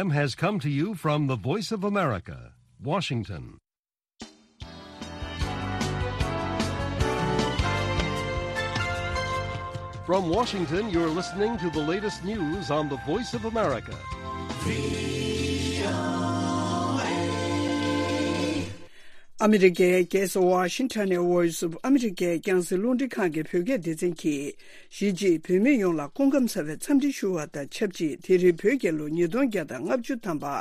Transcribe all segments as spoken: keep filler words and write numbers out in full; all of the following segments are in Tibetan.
Has come to you from the Voice of America, Washington. From Washington, you're listening to the latest news on the Voice of America. ཨ་མི་རི་ཀའི་རྒྱལ་ས་ཝ་ཤིང་ཊོན་ནས་Voice of America རྒྱང་སྲིང་རླུང་འཕྲིན་ཁང་གི་བོད་སྐད་སྡེ་ཚན་གྱིས། གཞིས་བྱེས་བོད་མི་ཡོངས་ལ་སྐུ་ཁམས་བཟང་བའི་འཚམས་འདྲི་ཞུ་བ་དང་ཆབས་ཅིག་དེ་རིང་བོད་རྒྱལ་ལོ་ཉིས་སྟོང་བརྒྱ་དང་ལྔ་བཅུ་ཐམ་པ།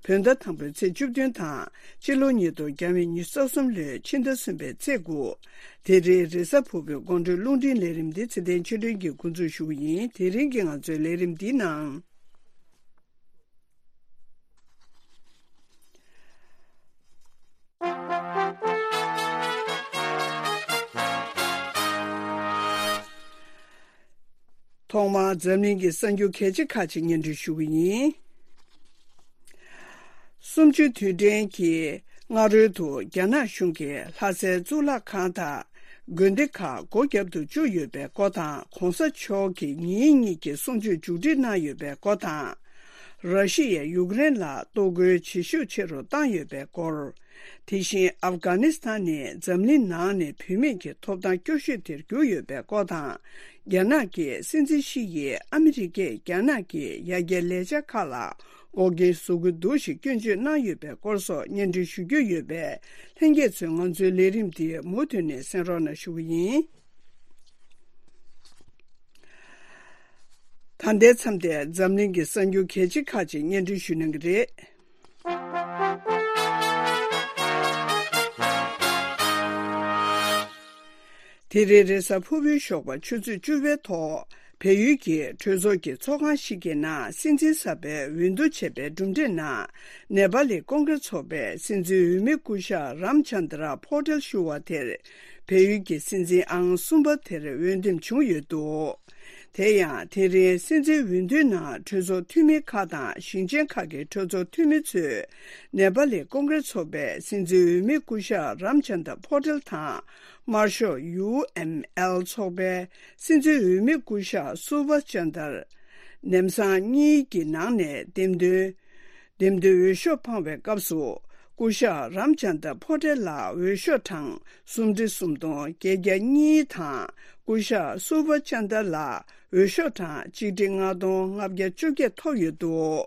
བོད་ཟླ་དང་པོའི་ཚེས་བཅུ་བདུན་དང་། སྤྱི་ལོ་ཉིས་སྟོང་ཉི་ཤུ་རྩ་གསུམ་ལོའི་ཕྱི་ཟླ་གསུམ་པའི་ཚེས་དགུ། དེ་རིང་རེས་གཟའ་ཕུར་བུའི་དགོང་དྲོའི་རླུང་འཕྲིན་ལས་རིམ་འདི་ཚེ་བརྟན་ཆོས་སྒྲོན་གྱིས་འགོ་འཛུགས་ཞུ་གི་ཡིན། དེ་རིང་གི་ང་ཚོའི་ལས་རིམ་འདིའི་ནང་། ཐོག་མར་འཛམ་གླིང་གི་གསར་འགྱུར་གལ་ཆེ་ཁག་ཅིག་སྙན་སྒྲོན་ཞུ་གི་ཡིན། གསུམ་བཅུའི་དུས་དྲན་གྱི་སྔ་རོལ་དུ་རྒྱ་ནག་གཞུང་གིས་ལྷ་སའི་གཙུག་ལག་ཁང་དང་དགོན་སྡེ་ཁག་སྒོ་བརྒྱབ་ཏུ་བཅུག་ཡོད་པའི་སྐོར་དང་། གོང་ས་མཆོག་གིས་ཉིན་གཉིས་ཀྱི་གསུང་ཆོས་མཇུག་སྒྲིལ་གནང་ཡོད་པའི་སྐོར་དང་། ར་ཤི་ཡས་ཡུཀ་རེན་ལ་གཏོར་རྒོལ་བྱེད་ཤུགས་ཆེ་རུ་བཏང་ཡོད་པའི་སྐོར། དེ་བཞིན་ཨབ་གྷ་ནི་སི་ཐན་ནི་འཛམ་གླིང་ནང་ནས་བུད་མེད་ཀྱི་ཐོབ་ཐང་སྐྱོ་ཤོས་དེར་གྱུར་ཡོད་པའི་སྐོར་དང་། རྒྱ་ནག་གི་སྲིད་འཛིན་ཞི་ཡིས་ཨ་མི་རི་ཀས་རྒྱ་ནག་གི་ཡར་རྒྱས་ལས་འཆར་ཁག་ལ་འགོག་རྐྱེན་བཟོ་གི་འདུག་ཞེས་སྐྱོན་བརྗོད་གནང་ཡོད་པའི་སྐོར་སོགས་སྙན་སྒྲོན་ཞུ་རྒྱུ་ཡོད་པས། ལྷན་རྒྱས་ཚོས་ང་ཚོའི་ལས་རིམ་འདི་མུ་མཐུད་ནས་གསན་རོགས་གནང་ཞུ་གི་ཡིན། ད་ལྟའི་མཚམས་དེར་འཛམ་གླིང་གི་གསར་འགྱུར་གལ་ཆེ་ཁག་ཅིག་སྙན་སྒྲོན་ཞུ་གནང་གི་རེད། དེ་རིང་རེས་གཟའ་ཕུར་བུའི་ཞོགས་པ་ཆུ་ཚོད་བཅུ་པའི་ཐོག་བལ་ཡུལ་གྱི་གྲོས་ཚོགས་ཀྱི་ཚོགས་ཁང་ཞིག་གི་ནང་སྲིད་འཛིན་གསར་པའི་འོས་བསྡུ་བྱས་པའི་གྲུབ་འབྲས་ནང་། ནེ་པ་ལི་ཀོང་གེ་རེ་ཚོགས་པས་སྲིད་འཛིན་འོས་མི་སྐུ་ཞབས་རམ་ཆན་དྲ་པོ་ཏེལ་ཞུ་བ་དེར། བལ་ཡུལ་གྱི་སྲིད་འཛིན་ཨང་གསུམ་པ་དེར་འོས་འདེམས་བྱུང་ཡོད་འདུག་དེ་ཡང་དེ་རིང་སྲིད་འཛིན་འོས་བསྡུའི་ནང་གྲོས་ཚོགས་འཐུས་མི་ཁག་དང་ཞིང་ཆེན་ཁག་གི་གྲོས་ཚོགས་འཐུས་མི་ཚོས་ནེ་པ་ལི་ཀོང་གེ་རེ་ཚོགས་པས་སྲིད་འཛིན་འོས་མི་སྐུ་ཞབས་རམ་ཆན་དྲ་པོ་ཏེལ་དང་། དམར་ཤོག་ཡུ་ཨེམ་ཨེལ་ཚོགས་པས་སྲིད་འཛིན་འོས་མི་སྐུ་ཞབས་སུ་བྷ་ཅན་དར། ནེམ་སང་གཉིས་ཀྱི་ནང་ནས་འདེམས་ཐོན། འདེམས་ཐོན་འོས་ཤོག་འཕངས་པའི་སྐབས་སུ། སྐུ་ཞབས་རམ་ཅན་དྲ་པོ་ཏེལ་ལ་འོས་ཤོག་གྲངས་སུམ་ཁྲི་སུམ་སྟོང་བརྒྱད་བརྒྱ་གཉིས་དང་། སྐུ་ཞབས་སུ་བྷ་ཅན་དྲ་ལ་འོས་ཤོག་གྲངས་གཅིག་ཁྲི་ལྔ་སྟོང་ལྔ་བརྒྱ་བཅོ་བརྒྱད་ཐོབ་ཡོད་འདུག་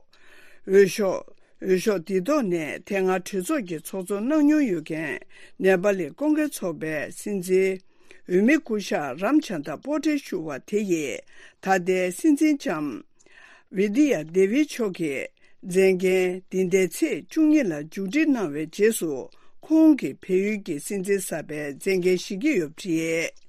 འོས་ཤོག་འོས་ཤོག་འདི་ཐོག་ནས་དེ་སྔ་གྲོས་ཚོགས་ཀྱི་ཚོགས་གཙོ་གནང་མྱོང་ཡོད་མཁན་ནེ་པ་ལི་ཀོང་གེ་རེ་ཚོགས་པའི་སྲིད་འཛིན། འོས་མི་སྐུ་ཞབས་རམ་ཆན་དྲ་པོ་ཏེ་ཞུ་བ་དེ་ཡིས་ད་ལྟའི་སྲིད་འཛིན་ལྕམ་བི་དི་ཡ་དེ་བི་མཆོག་གི་མཛད་འགན་འདི་ཟླའི་ཚེས་བཅུ་གཉིས་ལ་མཇུག་སྒྲིལ་གནང་བའི་རྗེས་སུ་ཁོང་གིས་བལ་ཡུལ་གྱི་སྲིད་འཛིན་གསར་པའི་མཛད་འགན་བཞེས་ཀྱི་ཡོད་པ་རེད།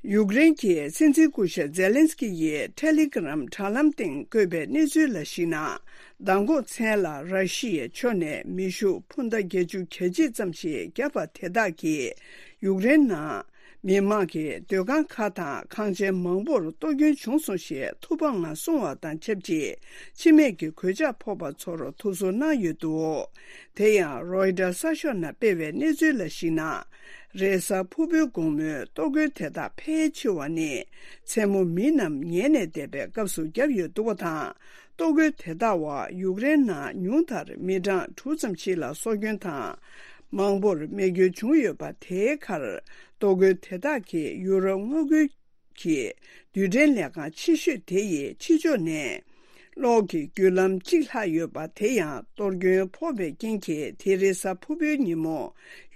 ཡུཀ་རེན་གྱི་སྲིད་འཛིན་སྐུ་ཞབས་ཛེ་ལན་སི་ཀི་ཡིས་ཐེ་ལེ་གྷི་རམ་དྲ་ལམ་སྟེང་བཀོད་པའི་གནས་ཚུལ་ལ་གཞིགས་ན། མདང་དགོང་མཚན་ལ་ར་ཤི་ཡའི་ཕྱོགས་ནས་མེ་ཤུགས་འཕུར་མདའ་བརྒྱད་ཅུ་གྱ་གཅིག་ཙམ་ཞིག་བརྒྱབ་པ་དེ་དག་གིས་ཡུཀ་རེན་ནང་མི་མང་གི་སྡོད་ཁང་ཁག་དང་ཁང་ཆེན་མང་པོར་གཏོར་སྐྱོན་བྱུང་སོང་ཞེས་ཐུགས་ཕམ་ངང་གསུངས་བ་དང་ཆབས་ཅིག་འཆི་རྨས་ཀྱི་གོད་ཆག་ཕོག་པ་ཚོར་ཐུགས་གསོ་གནང་ཡོད་འདུག་དེ་ཡང་རོའི་ཊར་གསར་ཤོག་ནང་སྤེལ་བའི་གནས་ཚུལ་ལ་གཞིགས་ན། རེས་གཟའ་ཕུར་བུའི་དགོང་མོའི་གཏོར་རྒོལ་དེ་དག་ཕལ་ཆེ་བ་ནི་མཚན་མོ་མི་རྣམས་ཉལ་ནས་བསྡད་པའི་སྐབས་སུ་བརྒྱབ་ཡོད་འདུག་པ་དང་། གཏོར་རྒོལ་དེ་དག་བར་ཡུཀ་རེན་ནང་ཉུང་མཐར་མི་གྲངས་དྲུག་ཙམ་ཞིག་ལ་སྲོག་སྐྱོན་དང་། མང་པོར་རྨས་སྐྱོན་བྱུང་ཡོད་པ། དེའི་ཁར་གཏོར་རྒོལ་དེ་དག་གིས་ཡུ་རོབ་མངའ་ཁུལ་གྱི་རྡུལ་ཕྲན་ལས་ཁང་ཆེ་ཤོས་དེ་ཡི་ཕྱི་ཕྱོགས་ནས་གློག་གི་བརྒྱུད་ལམ་གཅིག་ལྷག་ཡོད་པ། དེ་ཡང་གཏོར་སྐྱོན་ཕོག་པའི་རྐྱེན་གྱིས་དེ་རིང་གཟའ་ཕུར་བུའི་ཉིན་མོ་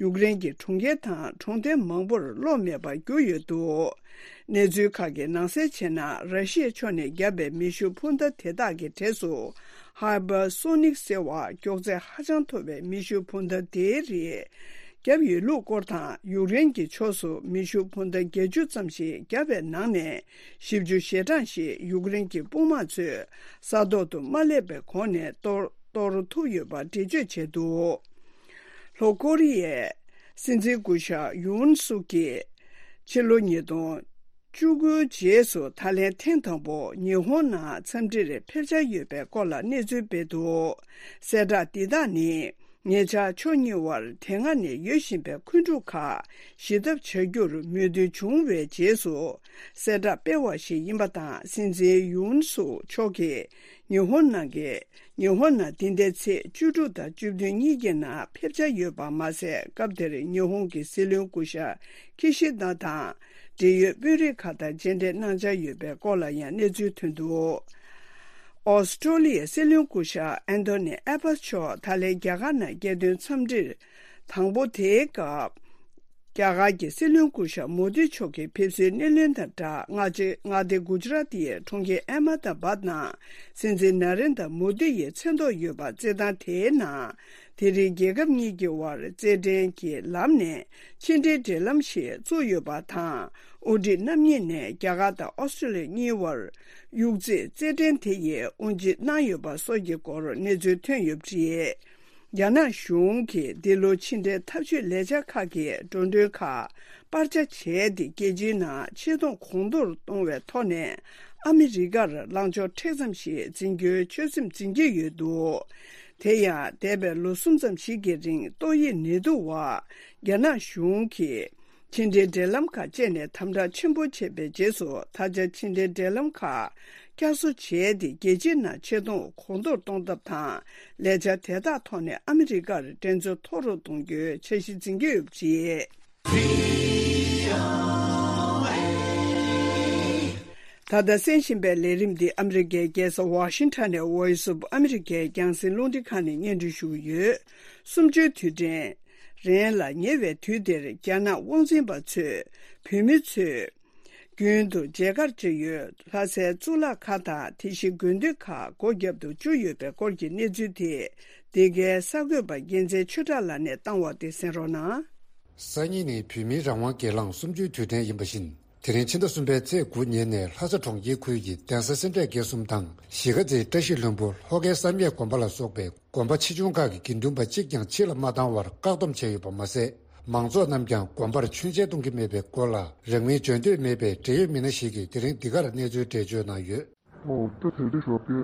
ཡུཀ་རེན་གྱི་གྲོང་ཁྱེར་དང་གྲོང་རྡལ་མང་པོར་གློག་མེད་པར་གྱུར་ཡོད་འདུག་གནས་ཚུལ་ཁག་གིས་ནང་གསལ་བྱས་ན། ར་ཤི་ཡའི་ཕྱོགས་ནས་བརྒྱབ་པའི་མེ་ཤུགས་འཕུར་མདའ་དེ་དག་གི་གྲས་སུ་ཧའི་པར་སོ་ནིག་ཟེར་བ་མགྱོགས་ཚད་ཧ་ཅང་མཐོ་བའི་མེ་ཤུགས་འཕུར་མདའ་དེའི་རིགས་བརྒྱབ་ཡོད་ལུགས་སྐོར་དང་། ཡུཀ་རེན་གྱི་ཕྱོགས་སུ་མེ་ཤུགས་འཕུར་མདའ་བརྒྱད་ཅུ་ཙམ་ཞིག་བརྒྱབ་པའི་ནང་ནས་བཞི་བཅུ་ཞེ་གྲངས་ཤིག་ཡུཀ་རེན་གྱི་དཔུང་དམག་ཚོས་ས་ཐོག་ཏུ་མ་སླེབས་པའི་གོང་ནས་གཏོར་གཏོར་ཐུབ་ཡོད་པ་འགྲེལ་བརྗོད་བྱས་འདུག་ལྷོ་ཀོ་རི་ཡའི་སྲིད་འཛིན་སྐུ་ཞབས་ཡུན་སུག་གིས་ཕྱི་ལོ་ཉིས་སྟོང་བཅུ་དགུའི་རྗེས་སུ་ད་ལན་ཐེངས་དང་པོ་ཉི་ཧོང་ནང་འཚམས་འདྲིར་ཕེབས་འཆར་ཡོད་པའི་སྐོར་ལ་གནས་ཚུལ་སྤེལ་འདུག་གསལ་བསྒྲགས་འདི་དག་ནི། ཉེ་ཆར་ཕྱོགས་གཉིས་དབར་དེ་སྔ་ནས་ཡོད་བཞིན་པའི་འཁོན་འཁྲུག་ཁག་ཞི་ཐབས་བྱ་རྒྱུར་མོས་མཐུན་བྱུང་བའི་རྗེས་སུ་གསལ་བསྒྲགས་སྤེལ་བ་ཞིག་ཡིན་པ་དང་། སྲིད་འཛིན་ཡུན་སུག་མཆོག་གིས་ ཉི་ཧོང་ནང་གི། ཉི་ཧོང་ནང་འདི་ཟླའི་ཚེས་བཅུ་དྲུག་དང་བཅུ་བདུན་གཉིས་ཀྱི་ནང་ཕེབས་འཆར་ཡོད་པ་མ་ཟད། སྐབས་དེར་ཉི་ཧོང་གི་སྲིད་བློན་སྐུ་ཞབས་ཁི་ཤི་དཱ་དང་འབྲེལ་ཡོད་དཔོན་རིགས་ཁག་དང་མཇལ་འཕྲད་གནང་འཆར་ཡོད་པའི་སྐོར་ལ་ཡང་གནས་ཚུལ་ཐོན་འདུག་ཨོ་སི་ཀྲོ་ལི་ཡའི་སྲིད་བློན་སྐུ་ཞབས་ཨན་ཐོ་ནི་ཨེ་བྷ་སི་མཆོག་ད་ལན་རྒྱ་གར་ནང་རྒྱལ་དོན་འཚམས་འདྲིར་དང་པོ་དེའི་སྐབས། རྒྱ་གར་གྱི་སྲིད་བློན་སྐུ་ཞབས་མོ་དི་མཆོག་གི་ཕེབས་བསུའི་སྣེ་ལེན་དང་སྦྲགས། མངའ་སྡེ་མངའ་སྡེ་གུ་ཇི་རཱ་ཏི་ཡའི་གྲོང་ཁྱེར་ཨེ་མ་ད་བཱད་ནང་སྲིད་འཛིན་ན་རེན་དྲ་མོ་དི་ཡི་མཚན་ཐོག་ཡོད་པ་རྩེད་ཐང་དེའི་ནང་། དེ་རིང་རྒྱལ་ཁབ་གཉིས་ཀྱི་དབར་རྩེད་འགྲན་གྱི་ལམ་ནས་ཕྱི་འབྲེལ་འབྲེལ་ལམ་ཞིག་བཙུགས་ཡོད་པ་དང་། དབུ་ཁྲིད་རྣམ་གཉིས་ནས་རྒྱ་གར་དང་ཨོ་སི་ཀྲོ་ལི་ཡ་གཉིས་དབར་དབྱུག་རྩེད་རྩེད་འགྲན་དེ་ཡི་དབུ་འབྱེད་གནང་ཡོད་པ་སོགས་ཀྱི་སྐོར་གནས་ཚུལ་ཐོན་ཡོད་པ་རེད། རྒྱ་ནག་གཞུང་གིས་འདི་ལོ་ཕྱི་འབྲེལ་འཐབ་ཇུས་ལས་འཆར་ཁག་གི་འགྲོ་གྲོན་ཁག་སྤར་ཆ་བྱས་ཏེ། རྒྱལ་སྤྱིའི་ནང་ཆེ་མཐོང་གོང་མཐོར་གཏོང་བའི་ཐོག་ནས་ཨ་མི་རི་ཀར་ལངས་ཕྱོགས་མཁྲེགས་ཙམ་ཞིག་འཛིན་རྒྱུའི་ཆོད་སེམས་འཛིན་གྱི་ཡོད་འདུག་དེ་ཡང་འདས་པའི་ལོ་གསུམ་ཙམ་ཞིག་གི་རིང་ཏོག་དབྱིབས་ནད་དུག་འོག་རྒྱ་ནག་གཞུང་གིས་ཕྱི་འབྲེལ་འབྲེལ་ལམ་ཁག་བཅད་ནས་དམ་དྲག་ཆེན་པོ་བྱས་པའི་རྗེས་སུ། ད་ཆ་ཕྱི་འབྲེལ་འབྲེལ་ལམ་ཁག་བསྐྱར་གསོ་བྱས་ཏེ། རྒྱལ་སྤྱིའི་ནང་ཆེ་མཐོང་གོང་མཐོར་གཏོང་ཐབས་དང་། ལས་འཆར་དེ་དག་ཐོག་ནས་ཨ་མི་རི་ཀར་འགྲན་རྩོད་མཐོ་རུ་གཏོང་རྒྱུའི་འཆར་གཞི་འཛིན་གྱི་ཡོད་པ་རེད། ད་ལྟ་གསན་བཞིན་པའི་ལས་རིམ་འདི་ཨ་མི་རི་ཀའི་རྒྱལ་ས་ཝ་ཤིང་ཊོན་ནས་Voice of America རྒྱང་སྲིང་རླུང་འཕྲིན་ཁང་ནས་སྙན་སྒྲོན་ཞུ་གི་ཡོད། གསུམ་བཅུའི་དུས་དྲན་རན་ལ་ཉེ་བའི་དུས་འདིར། རྒྱ་ནག་དབང་འཛིན་པ་ཚོས་བོད་མི་ཚོས་རྒྱུན་དུ་མཇལ་ཁར་བཅར་ཡོད་ལྷ་སའི་གཙུག་ལག་ཁང་དང་། དེ་བཞིན་དགོན་སྡེ་ཁག་སྒོ་བརྒྱབ་ཏུ་བཅུག་ཡོད་པའི་སྐོར་གྱི་གནས་ཚུལ་དེ། འདི་གའི་གསར་འགོད་པ་རྒྱལ་མཚན་ཆོས་གྲགས་ལགས་ནས་བཏང་བ་དེ་གསན་རོགས་གནང་། སང་ཉིན་ནི་བོད་མིའི་རང་དབང་སྒེར་ལངས་གསུམ་བཅུའི་དུས་དྲན་ཡིན་པ་བཞིན། དེ་རིང་ཕྱི་ཟླ་གསུམ་པའི་ཚེས་དགུ་ཉིན་ནས་ལྷ་ས་གྲོང་ཁྱེར་ཁུལ་གྱི་གདན་ས་སེ་འབྲས་དགེ་གསུམ་དང་གཞིས་ཀ་རྩེའི་བཀྲ་ཤིས་ལྷུན་པོ་ལྷོ་ཁའི་བསམ་ཡས་དགོན་པ་ལ་སོགས་པའི་དགོན་པ་ཆེ་ཆུང་ཁག་གི་དགེ་འདུན་པ་གཅིག་ཀྱང་ཕྱི་ལ་མ་བཏང་བར་བཀག་སྡོམ་བྱས་ཡོད་པ་མ་ཟད། མང་ཚོགས་རྣམས་ཀྱང་དགོན་པར་མཆོད་མཇལ་གཏོང་གི་མེད་པའི་སྐོར་ལ། རང་མོས་འཇོན་འདོད་མེད་པའི་འབྲེལ་ཡོད་མི་སྣ་ཞིག་གིས་དེ་རིང་འདི་གར་གནས་ཚུལ་འགྲེལ་བརྗོད་གནང་ཡོད། ཨོ་ད་དེ་འདྲ་ཞོགས་པའི་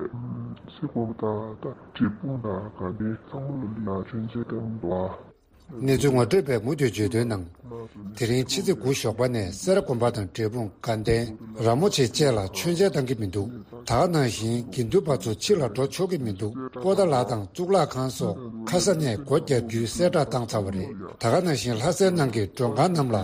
སི་དགོན་པ་དང་ད་འབྲས་སྤུངས་དང་དགའ་ལྡན་ཚང་མ་ལ་ཡ་མཆོད་མཇལ་གཏོང་འདུག་ཨ། གནས་ཚུལ་ངོ་སྤྲོད་པས་མུ་མཐུད་བརྗོད་དོན་ནང་། དེ་རིང་ཕྱི་ཚེས་དགུ་ཞོགས་པ་ནས་སེ་ར་དགོན་པ་དང་འབྲས་སྤུངས། དགའ་ལྡན། ར་མོ་ཆེ་བཅས་ལ་མཆོད་མཇལ་གཏང་གི་མི་འདུག་ད་ག་ནང་བཞིན་དགེ་འདུན་པ་ཚོ་ཕྱི་ལ་འགྲོ་ཆོག་གི་མི་འདུག་པོ་ཏཱ་ལ་དང་གཙུག་ལག་ཁང་སོགས་ཁ་ས་ནས་སྒོ་བརྒྱབ་རྒྱུའི་གསལ་བསྒྲགས་བཏང་ཚར་བ་རེད། ད་ག་ནང་བཞིན་ལྷ་སའི་ནང་གི་མགྲོན་ཁང་རྣམས་ལ་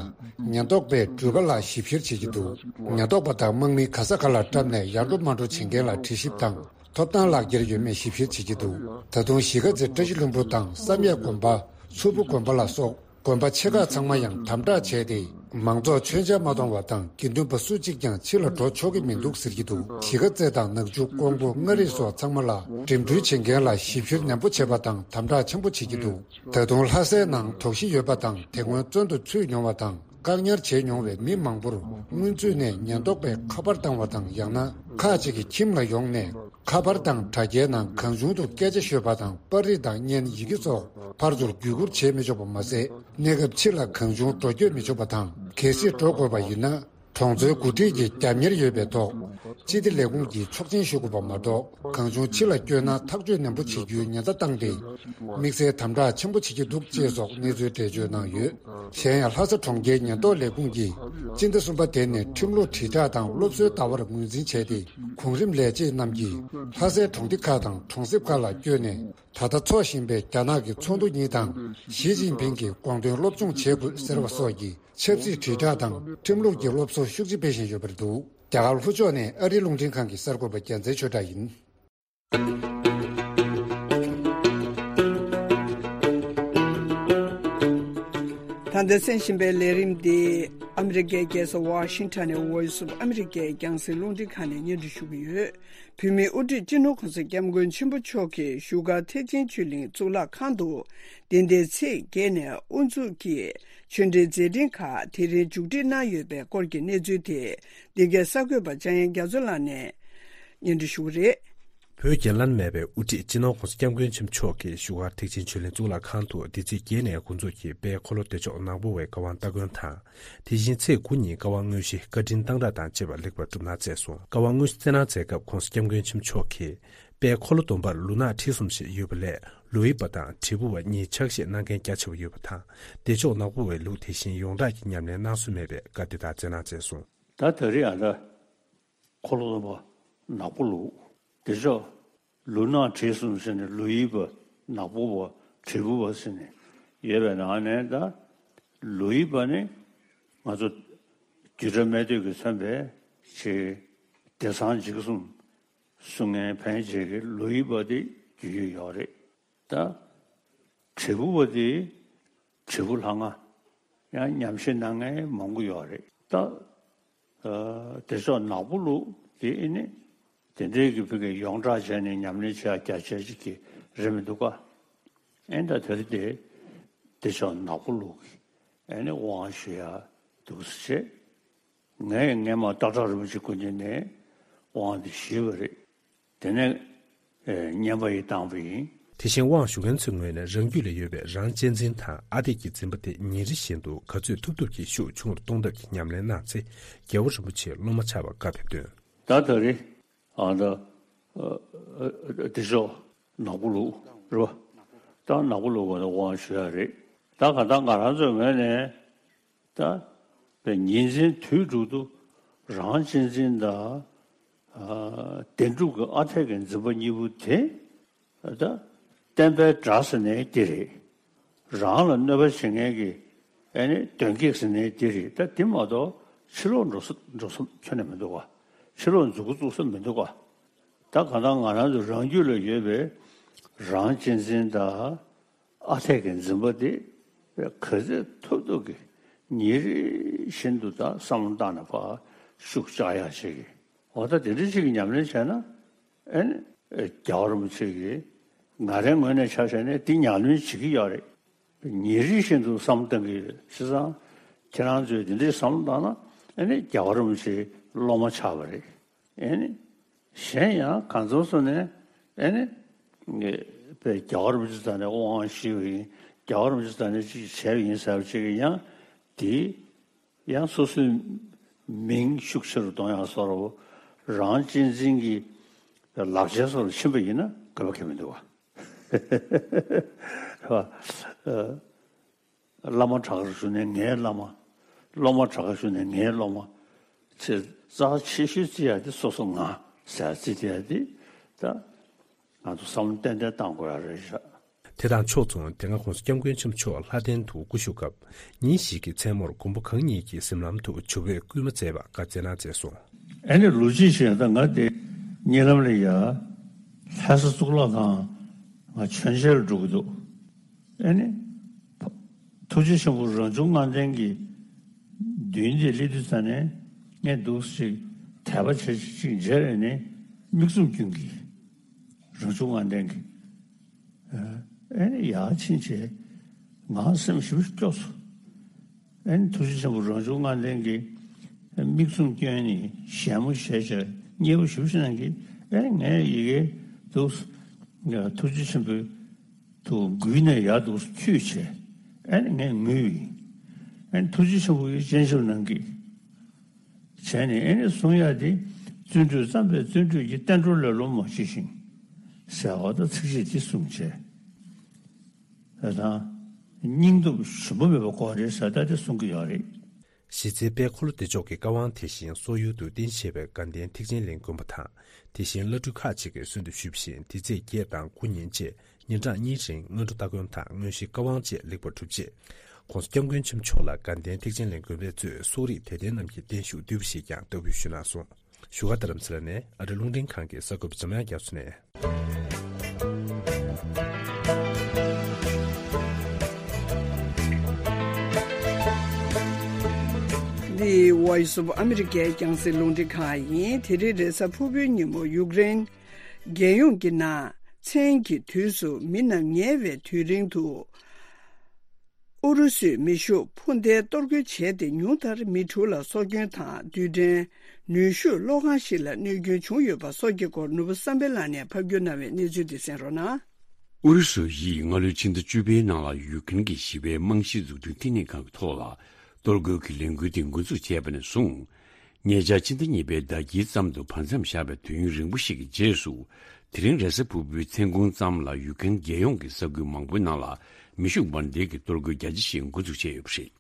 ཉེན་རྟོག་པས་འགྲུལ་པ་ལ་ཞིབ་བཤེར་བྱེད་ཀྱི་འདུག་ཉེན་རྟོག་པ་དང་དམག་མི་ག་ས་ག་ལ་བཀྲམ་ནས་ཡར་འགྲོ་མར་འགྲོ་བྱེད་མཁན་ལ་དྲི་ཞིབ་དང་། ཐོབ་ཐང་ལག་འཁྱེར་ཡོད་མེད་ཞིབ་བཤེར་བྱེད་ཀྱི་འདུག་ད་དུང་གཞིས་ཀ་རྩེ་བཀྲ་ཤིས་ལྷུན་པོ་དང་བསམ་ཡས་དགོན་པ། མཚུར་ཕུ་དགོན་པ་ལ་སོགས་དགོན་པ་ཆེ་ཁག་ཚང་མ་ཡང་དམ་དྲག་བྱས་ཏེ། མང་ཚོགས་མཆོད་མཇལ་མ་གཏོང་བ་དང་། དགེ་འདུན་པ་སུ་གཅིག་ཀྱང་ཕྱི་ལ་འགྲོ་ཆོག་གི་མི་འདུག་ཟེར་གྱི་འདུག་གཞིས་ཀ་རྩེ་དང་ནག་ཆུ། ཀོང་པོ། མངའ་རིས་སོགས་ཚང་མ་ལ་འགྲིམ་འགྲུལ་བྱེད་མཁན་ལ་ཞིབ་བཤེར་ནན་པོ་བྱེད་པ་དང་དམ་དྲག་ཆེན་པོ་བྱེད་ཀྱི་འདུག་ད་དུང་ལྷ་སའི་ནང་དོགས་གཞི་ཡོད་པ་དང་། དེ་སྔོན་བཙོན་དུ་ཚུད་མྱོང་བ་དང་། བཀག་ཉར་བྱས་མྱོང་བའི་མི་མང་པོར་སྔོན་ཚུད་ནས་ཉེན་རྟོག་པས་ཁ་པར་བཏང་བ་དང་། ཡང་ན་ཁག་ཅིག་གི་ཁྱིམ་ལ་ཡོང་ནས་ཁ་པར་དང་དྲ་རྒྱའི་ནང་གང་བྱུང་དུ་སྐད་ཆ་ཤོད་པ་དང་། པར་རིས་དང་བརྙན་ཡི་གེ་སོགས་ཕར་ཚུར་བརྒྱུད་སྐུར་བྱེད་མི་ཆོག་པ་མ་ཟད། གནས་སྐབས་ཕྱི་ལ་གང་བྱུང་འགྲོ་སྐྱོད་མི་ཆོག་པ་དང་། གལ་སྲིད་འགྲོ་དགོས་པ་ཡིན་ན། གྲོང་ཚོའི་འགོ་ཁྲིད་ཀྱི་རྒྱབ་གཉེར་ཡོད་པའི་ཐོག་སྤྱི་བདེ་ལས་ཁུངས་ཀྱིས་ཆོག་མཆན་ཞུ་དགོས་པ་མ་གཏོགས། གང་བྱུང་ཕྱི་ལ་བསྐྱོད་ན་ཐག་གཅོད་ནན་པོ་བྱེད་རྒྱུའི་ཉེན་བརྡ་བཏང་སྟེ། དམིགས་བསལ་དམ་དྲག་ཆེན་པོ་བྱེད་ཀྱི་འདུག་ཅེས་སོགས་གནས་ཚུལ་འགྲེལ་བརྗོད་གནང་ཡོད། གཞན་ཡང་ལྷ་ས་གྲོང་ཁྱེར་ཉེན་རྟོག་ལས་ཁུངས་ཀྱིས་སྤྱི་ཟླ་གསུམ་པ་དེ་ནས་ཁྲིམས་ལུགས་དྲིལ་བསྒྲགས་དང་སློབ་གསོའི་ཟླ་བར་ངོས་འཛིན་བྱས་ཏེ། གོང་རིམ་ལས་བྱེད་རྣམས་ཀྱིས་ལྷ་སའི་གྲོང་སྡེ་ཁག་དང་གྲོང་གསེབ་ཁག་ལ་བསྐྱོད་ནས། ད་ལྟ་འཚོགས་བཞིན་པའི་རྒྱ་ནག་གི་ཚོགས་འདུ་གཉིས་དང་། ཞི་ཅིན་ཕིང་གི་དགོངས་དོན་སློབ་སྦྱོང་བྱེད་དགོས་ཟེར་བ་སོགས་ཀྱི་ཆབ་སྲིད་དྲིལ་བསྒྲགས་དང་ཁྲིམས་ལུགས་ཀྱི་སློབ་གསོ་ཤུགས་ཆེ་སྤེལ་བཞིན་ཡོད་པ་རེད་འདུག་རྒྱ་གར་ལྷོ་ཕྱོགས་ནས་ཨ་རིའི་རླུང་འཕྲིན་ཁང་གི་གསར་འགོད་པ་རྒྱལ་མཚན་ཆོས་གྲགས་ཡིན། ད་ལྟ་གསན་བཞིན་པའི་ལས་རིམ་འདི་ཨ་མི་རི་ཀའི་རྒྱལ་ས་ཝ་ཤིང་ཊོན་ནས་Voice of America རྒྱང་སྲིང་རླུང་འཕྲིན་ཁང་ནས་སྙན་སྒྲོན་ཞུ་གི་ཡོད། བོད་མིའི་དབུ་ཁྲིད་སྤྱི་ནོར་༸གོང་ས་༸སྐྱབས་མགོན་ཆེན་པོ་མཆོག་གིས་བཞུགས་སྒར་ཐེག་ཆེན་ཆོས་གླིང་གཙུག་ལག་ཁང་དུ་འདི་ཟླའི་ཚེས་བརྒྱད་ནས་དབུ་འཛུགས་ཀྱིས་ཆོས་འབྲེལ་མཛད་འཕྲིན་ཁག་དེ་རིང་མཇུག་སྒྲིལ་གནང་ཡོད་པའི་སྐོར་གྱི་གནས་ཚུལ་དེ། འདི་གའི་གསར་འགོད་པ་འཇམ་དབྱངས་རྒྱ་མཚོ་ལགས་ནས་སྙན་སྒྲོན་ཞུ་གི་རེད། བོད་རྒྱལ་ལ་མེད་པའི་དབུ་ཁྲིད་སྤྱི་ནོར་༸གོང་ས་༸སྐྱབས་མགོན་ཆེན་པོ་མཆོག་གིས་བཞུགས་སྒར་ཐེག་ཆེན་ཆོས་གླིང་གཙུག་ལག་ཁང་དུ་འདི་ཚེས་བརྒྱད་ནས་འགོ་འཛུགས་ཀྱིས་དཔལ་འཁོར་ལོ་བདེ་མཆོག་ནག་པོ་བའི་བཀའ་དབང་སྟ་གོན་དང་། དེ་བཞིན་ཚེས་དགུ་ཉིན་བཀའ་དབང་དངོས་གཞི་བཀའ་དྲིན་གཏང་རག་དང་བཅས་པ་ལེགས་པར་གྲུབ་གནང་མཛད་སོང་། བཀའ་དབང་དངོས་གཞི་སྩལ་གནང་མཛད་སྐབས་༸གོང་ས་༸སྐྱབས་མགོན་ཆེན་པོ་མཆོག་གིས། དཔལ་འཁོར་ལོ་སྡོམ་པར་ལུས་ངག་ཁྲིད་གསུམ་ཞིག་ཡོད་པ་ལས། ལོ་ཡི་པ་དང་དྲིལ་བུ་བ་གཉིས་ཕྱག་བཞེས་གནང་མཁན་རྒྱ་ཆེ་བ་ཡོད་པ་དང་། བདེ་མཆོག་ནག་པོ་བའི་ལུགས་དེ་བཞིན་ཡོངས་གྲགས་ཀྱི་ཉམས་ལེན་གནང་སྲོལ་མེད་པས་བཀའ་དེ་དག་སྩལ་གནང་མཛད་སོང་། ད་ད་རེས་ཨ་ད། འཁོར་ལོ་སྡོམ་པ་ནག་པོ་ལུགས། བདེ་མཆོག་ ལུག་ནག་དྲེད་གསུམ་ཟེར་ནས་ལུག་ཡིབ་པ་ནག་པོ་བ་དྲེད་ཕུག་པ་ཟེར་ནས་ཡོད་པའི་ནང་ནས། ད་ལུག་ཡིབ་པ་ནི་ང་ཚོ་རྒྱུད་གྲྭ་སྨད་སྟོད་ཀྱིས་མཚོན་པའི་ཆེས་བདེ་གསང་འཇིགས་གསུམ་སྲུང་མཁན་ཕན་བྱེད་ཀྱི་ལུག་ཡིབ་པ་དེ་རྒྱུས་ཡོད་ཡོད་རེད། ད་དྲེད་ཕུག་པ་དེ་དྲེད་ཕུག་ལྷ་ང་ཡང་ཉམས་བཞེས་གནང་མཁན་མང་པོ་ཡོད་རེད། ད་ཨ་བདེ་མཆོག་ནག་པོ་ལུག་དེ་ཨེ་ནི་དེ་འདྲའི་གི་ཕ་གིའི་ཡོངས་གྲགས་བྱས་ནས་ཉམས་ལེན་བྱེད་ཡ་རྒྱ་ཆེ་ཅིག་གི་རེད་མི་འདུག་ག། ཨེ་ད་དེ་རེད་དེ། བདེ་མཆོག་ནག་པོ་ལུག་གི་ཨེ་ནི་དབང་ཞུ་ཡ་འདུག་སེ་བྱས། ངས་སྔས་མ་སྟག་བྲག་རིན་པོ་ཆེ་སྐུ་མདུན་ནས་དབང་དེ་ཞུས་པ་རེད། དེ་ནས་ཨེ་བསྙེན་པ་ཡི་བཏང་བ་ཡིན། དེ་བཞིན་དབང་ཞུ་མཁན་ཚོའི་ངོས་ནས་རང་རྒྱུད་ལ་ཡོད་པའི་རང་གཅེས་འཛིན་དང་ཨ་འཐས་ཀྱི་འཛིན་པ་དེ་ཉིན་རེ་བཞིན་དུ་ག་ཚོད་ཐུབ་ཐུབ་ཀྱིས་ཤུགས་ཆུང་རུ་གཏོང་ཐབས་ཀྱི་ཉམས་ལེན་གནང་ཚེ། རྒྱལ་བ་རིན་པོ་ཆེའི་སློབ་མ་ཆགས་པར་བཀའ་ཕེབས་དོན། ད་ད་རེས་ཨ་ད་ཨ་ཨ་བདེ་མཆོག་ནག་པོ་ལུག་རེད་པ། ད་ནག་པོ་ལུག་པ་ནས་དབང་ཞུ་ཡ་རེད། ད་ག་ད་ང་རང་ཚོའི་ངོས་ནས་ད་པའི་ཉིན་མཚན་དུས་དྲུག་ཏུ་རང་གཅེས་འཛིན་དང་ཨ་བདེན་གྲུབ་ཀྱི་ཨ་འཐས་ཀྱི་འཛིན་པ་གཉིས་པོ་དེ་ད་བསྟན་པའི་དགྲ་ཟེར་ནའི་དེ་རེད། རང་ལ་གནོད་པ་བྱེད་མཁན་གྱི་ཨེ་ནི་གདོན་བགེགས་ཟེར་ནའི་དེ་རེད། ད་དེ་མ་གཏོགས་ཕྱི་ལོགས་འགྲོ་ས་འགྲོ་ས་ཁྱོན་ནས་མི་འདུག་ག། ཕྱི་ལོགས་འཛུལ་འགོ་བཙུགས་ས་མི་འདུག་ག། ད་གང་ལྟར་ང་རང་ཚོ་རང་རྒྱུད་ལ་ཡོད་པའི་རང་གཅེས་འཛིན་དང་ཨ་འཐས་ཀྱི་འཛིན་པ་དེ་ག་ཚོད་ཐུབ་ཐུབ་ཀྱིས་ཉིན་རེ་བཞིན་དུ་ད་བསམ་བློ་བཏང་ནས་ཕར་ཤུགས་བཅག་ཡག་ཅིག་གི། འོ་ད་དེ་འདྲ་ཅིག་གི་ཉམས་ལེན་བྱས་ན་ཨེ་ནི་རྒྱལ་བ་རིན་པོ་ཆེ་གིས་ང་རའི་ངོས་ནས་ཆ་བཞག་ནས་འདི་ཉམས་ལེན་བྱེད་ཀྱི་ཡོད་རེད། ཉིན་རེ་བཞིན་དུ་བསམ་བློ་གཏོང་གི་ཡོད། བྱས་ཙང་ཁྱེད་རང་ཚོས་དེ་འདྲའི་བསམ་བློ་བཏང་ན་ཨེ་ནི་རྒྱལ་བ་རིན་པོ་ཆེའི་སློབ་མ་ཆགས་པ་རེད། ཨེ་ནི་གཞན་ཡང་གང་འཚམ་སོ་ནས་ཨེ་ནི་ངས་པའི་རྒྱལ་བ་རིན་པོ་ཆེ་རྩ་ནས་དབང་ཞུས་པ་ཡིན། རྒྱལ་བ་རིན་པོ་ཆེ་རྩ་ནས་ཅིག་བྱས་པ་ཡིན་ཟེར་བ་ཅིག་གི་ཡང་དེ་ཡང་སོ་སོའི་མིང་ཤུགས་ཆེ་རུ་གཏོང་ཡག་བཟོ་འདྲ་བོ། རང་གཅེས་འཛིན་གྱི་ལག་ཆའི་བཟོ་འདྲ་ཕྱིན་པ་ཡིན་ན་དགོས་པ་གང་ཡང་མི་འདུག་བ། བླ་མ་དྲག་པོ་ཞུ་ནས་ངའི་བླ་མ། སློབ་མ་དྲག་པོ་ཞུ་ནས་ངའི་སློབ་མ། ཆེས་རྩ་ཆེ་ཤོས་བརྩི་ཡག་དེ་སོ་སོ་ང་ཟེར་བརྩི་བསྡད་ཡག་དེ། ད་ང་ཚོ་བསམ་བློ་ཏན་ཏན་བཏང་དགོས་ཡག་རེད་ཤག། དེ་དང་ཕྱོགས་མཚུངས། དེ་སྔ་༸གོང་ས་༸སྐྱབས་མགོན་ཆེན་པོ་མཆོག་ལྷ་ལྡན་དུ་སྐུ་བཞུགས་སྐབས། ཉིན་ཞིག་གི་མཚན་མོར་མགོན་པོ་གང་ཉིད་ཀྱི་གཟིམ་ལམ་དུ་ཇོ་བོས་སྐུལ་མ་མཛད་པར་བཀའ་སྩལ་གནང་མཛད་སོང་། ཨེ་ནི་ལོ་གཅིག་ཞིག་ད་ང་དེ་གཉིད་ལམ་ལ་ཡ། ལྷ་ས་གཙུག་ལག་ཁང་ང་མཆོད་མཇལ་ལ་འགྲོ་གི་འདུག། ཨེ་ནི། ཐུགས་རྗེ་ཆེན་པོ་རང་བྱུང་ལྔ་ལྡན་གྱི་མདུན་དེ་སླེབས་དུས་ཙ་ནས་ངས་འདུག་ཅིག་དད་པ་བྱེད་ཅིག་མཇལ་ཨེ་ནི་མིག་བཙུམ་སྐྱོན་གྱི། རང་བྱུང་ལྔ་ལྡན་གྱི། ཨེ་ནི་ཡར་ཕྱིན་བྱས་ང་སེམས་ཞེ་པོ་སྐྱོ་སོང་། ཨེ་ནི་ཐུགས་རྗེ་ཆེན་པོ་རང་བྱུང་ལྔ་ལྡན་གྱི་མིག་བཙུམ་སྐྱོན་ནས་ཞལ་མོ་བཞད་བྱས་མཉེས་པོ་ཞེ་པོ་ཞིག་གནང་གི། ཨེ་ནི་ངས་ཡི་གེ་འདུག་ཐུགས་རྗེ་ཆེན་པོའི་དུ་འགུལ་ནས་ཡར་འདུག་འཁྱུད་བྱས། ཨེ་ནི་ངས་ངུས། ཨེ་ནི་ཐུགས་རྗེ་ཆེན་པོ་ཡིས་སྤྱན་ཆབ་གནང་གི། བྱས་ནས་ཨེ་ནི་གསུང་ཡག་དེ། བརྩོན་འགྲུས་བརྩམས་པས་བརྩོན་འགྲུས་ཀྱི། བསྟན་འགྲོ་ལེ་ལོ་མ་མཆིས་ཤིང་། ཟེར་བ་དང་ཚིགས་བཅད་དེ་གསུངས་བྱས། ད་དང་། སྙིང་སྟོབས་ཞུམ་པ་མེད་པ་དགོས་རེད་ཟེར་ད་དེ་གསུང་གི་ཡོད་རེད། གཞི་རྩའི་དཔལ་འཁོར་ལོ་བདེ་མཆོག་གི་བཀའ་དབང་དེ་བཞིན་སོག་ཡུལ་དུ་རྟེན་གཞི་བྱས་པའི་དགའ་ལྡན་ཐེག་ཆེན་གླིང་དགོན་པ་དང་། དེ་བཞིན་བླ་སྤྲུལ་ཁག་ཅིག་གིས་གསོལ་འདེབས་ཞུས་པ་བཞིན། འདི་ཚེས་བརྒྱད་དང་དགུ་ཉིན་བཅས་ཉིན་གྲངས་གཉིས་རིང་སྔ་དྲོ་སྟ་གོན་དང་དངོས་གཞིའི་བཀའ་དབང་བཅས་ལེགས་པར་གྲུབ་རྗེས། ༸གོང་ས་༸སྐྱབས་མགོན་ཆེན་པོ་མཆོག་ལ་དགའ་ལྡན་ཐེག་ཆེན་གླིང་དགོན་པའི་གཙོས་སོག་རིགས་དད་ལྡན་རྣམས་ཀྱིས་བརྟན་བཞུགས་བསྡུས་པ་ཞིག་ཀྱང་བསྟར་འབུལ་ཞུས་གནང་སོང་། བཞུགས་སྒར་རྡ་རམ་ས་ལ་ནས་ཨ་རི་རླུང་འཕྲིན་ཁང་གི་གསར་འགོད་པ་འཇམ་དབྱངས་རྒྱ་མཚོ་ནས། འདི་Voice of America རྒྱང་སྲིང་རླུང་འཕྲིན་ཁང་ཡིན། དེ་རིང་རེས་གཟའ་ཕུར་བུའི་ཉིན་མོ་ཡུཀ་རེན་རྒྱལ་ཡོངས་ཀྱི་ནང་མཚན་གྱི་དུས་སུ་མི་རྣམས་ཉལ་བའི་དུས་རིང་དུ། ཨུ་རུ་སུས་མེ་ཤུགས་འཕུར་མདེལ་གཏོར་རྒོལ་བྱས་ཏེ། ཉུང་མཐར་མི་དྲུག་ལ་སྲོག་སྐྱོན་དང་། རྡུལ་ཕྲན་ནུས་ཤུགས་གློག་ཁང་ཞིག་ལ་གནོད་སྐྱོན་བྱུང་ཡོད་པ་སོགས་ཀྱི་སྐོར་ནོར་བུ་བསམ་འཕེལ་ལགས་ནས་ཕབ་སྒྱུར་གནང་བའི་གནས་ཚུལ་འདི་གསན་རོགས་གནང་། ཨུ་རུ་སུ་ཡིས་སྔ་ལོའི་ཕྱི་ཟླ་བཅུ་པའི་ནང་ལ་ཡུཀ་རེན་གྱི་ཞི་བའི་རྨང་གཞིའི་འཛུགས་སྐྲུན་བསྟི་གནས་ཁང་གི་ཐོག་ལ་གཏོར་རྒོལ་གྱི་ལས་འགུལ་དེ་འགོ་འཛུགས་བྱས་པ་ནས་བཟུང་། ཉེ་ཆར་ཕྱི་ཟླ་གཉིས་པའི་ཟླ་དཀྱིལ་ཙམ་དུ་བར་མཚམས་བཞག་པའི་དུས་ཡུན་རིང་པོ་ཞིག་གི་རྗེས་སུ། དེ་རིང་རེས་གཟའ་ཕུར་བུའི་མཚན་གུང་ཙམ་ལ་ཡུཀ་རེན་རྒྱལ་ཡོངས་ཀྱི་ས་ཁུལ་མང་པོའི་ནང་ལ་མེ་ཤུགས་འཕུར་མདེལ་གྱི་གཏོར་རྒོལ་རྒྱ་ཆེ་ཞིག་འགོ་འཛུགས་བྱས་ཡོད་པ་རེད།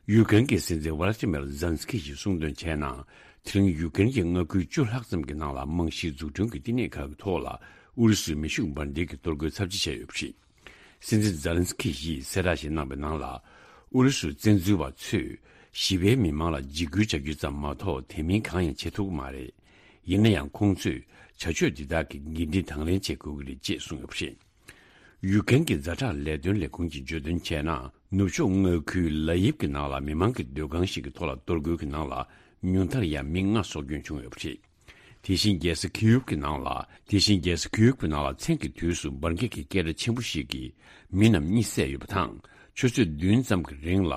ཡུཀ་རེན་གྱི་སྲིད་འཛིན་ཝ་ལ་ཏི་མེར་ཛེ་ལན་སི་ཀི་ཡིས་གསུངས་དོན་བྱས་ན། དེ་རིང་ཡུཀ་རེན་གྱི་མངའ་ཁུལ་བཅུ་ལྷག་ཙམ་གྱི་ནང་ལ་རྨང་གཞིའི་འཛུགས་སྐྲུན་གྱི་བསྟི་གནས་ཁག་གི་ཐོག་ལ་ ཨུ་རུ་སུའི་མེ་ཤུགས་འབར་མདེལ་གྱིས་གཏོར་རྒོལ་ཚབས་ཆེ་བྱས་ཡོད་པ་རེད། སྲིད་འཛིན་ཛེ་ལན་སི་ཁི་ཡིས་གསལ་བསྒྲགས་ཤིག་གནང་པའི་ནང་ལ། ཨུ་རུ་སུའི་བཙན་འཛུལ་བ་ཚོས་ཞི་བའི་མི་མང་ལ་འཇིགས་སྐུལ་བྱ་རྒྱུ་ཙམ་མ་གཏོགས་དེ་མིན་གང་ཡང་བྱེད་ཐུབ་ཀྱི་མ་རེད། ཡིན་ན་ཡང་ཁོང་ཚོས་བྱ་སྤྱོད་འདི་དག་གི་འགན་འཁྲི་དང་ལེན་བྱེད་དགོས་ཀྱི་རེད་ཅེས་གསུངས་ཡོད་པ་རེད། ཡུཀ་རེན་གྱི་ཛ་དྲག་ལས་དོན་ལས་ཁུངས་ཀྱིས་བརྗོད་དོན་བྱས་ན། ནུབ་ཕྱོགས་མངའ་ཁུལ་ལ་ཡིབ་ཀྱི་ནང་ལ་མི་མང་གི་སྡོད་ཁང་ཞིག་གི་ཐོག་ལ་གཏོར་རྒོལ་གྱི་ནང་ལ་ཉུང་མཐར་ཡང་མི་ལྔ་སྲོག་སྐྱོན་བྱུང་ཡོད་པ་རེད། དེ་བཞིན་རྒྱལ་ས་ཁི་ཡུབ་ཀྱི་ནང་ལ། དེ་བཞིན་རྒྱལ་ས་ཁི་ཡུབ་ཀྱི་ནང་ལ་མཚན་གྱི་དུས་སུ་འབར་འགྱེད་ཀྱི་སྐད་སྒྲ་ཆེན་པོ་ཞིག་གིས་མི་རྣམས་གཉིད་སད་ཡོད་པ་དང་། ཆུ་ཚོད་བདུན་ཙམ་གྱི་རིང་ལ་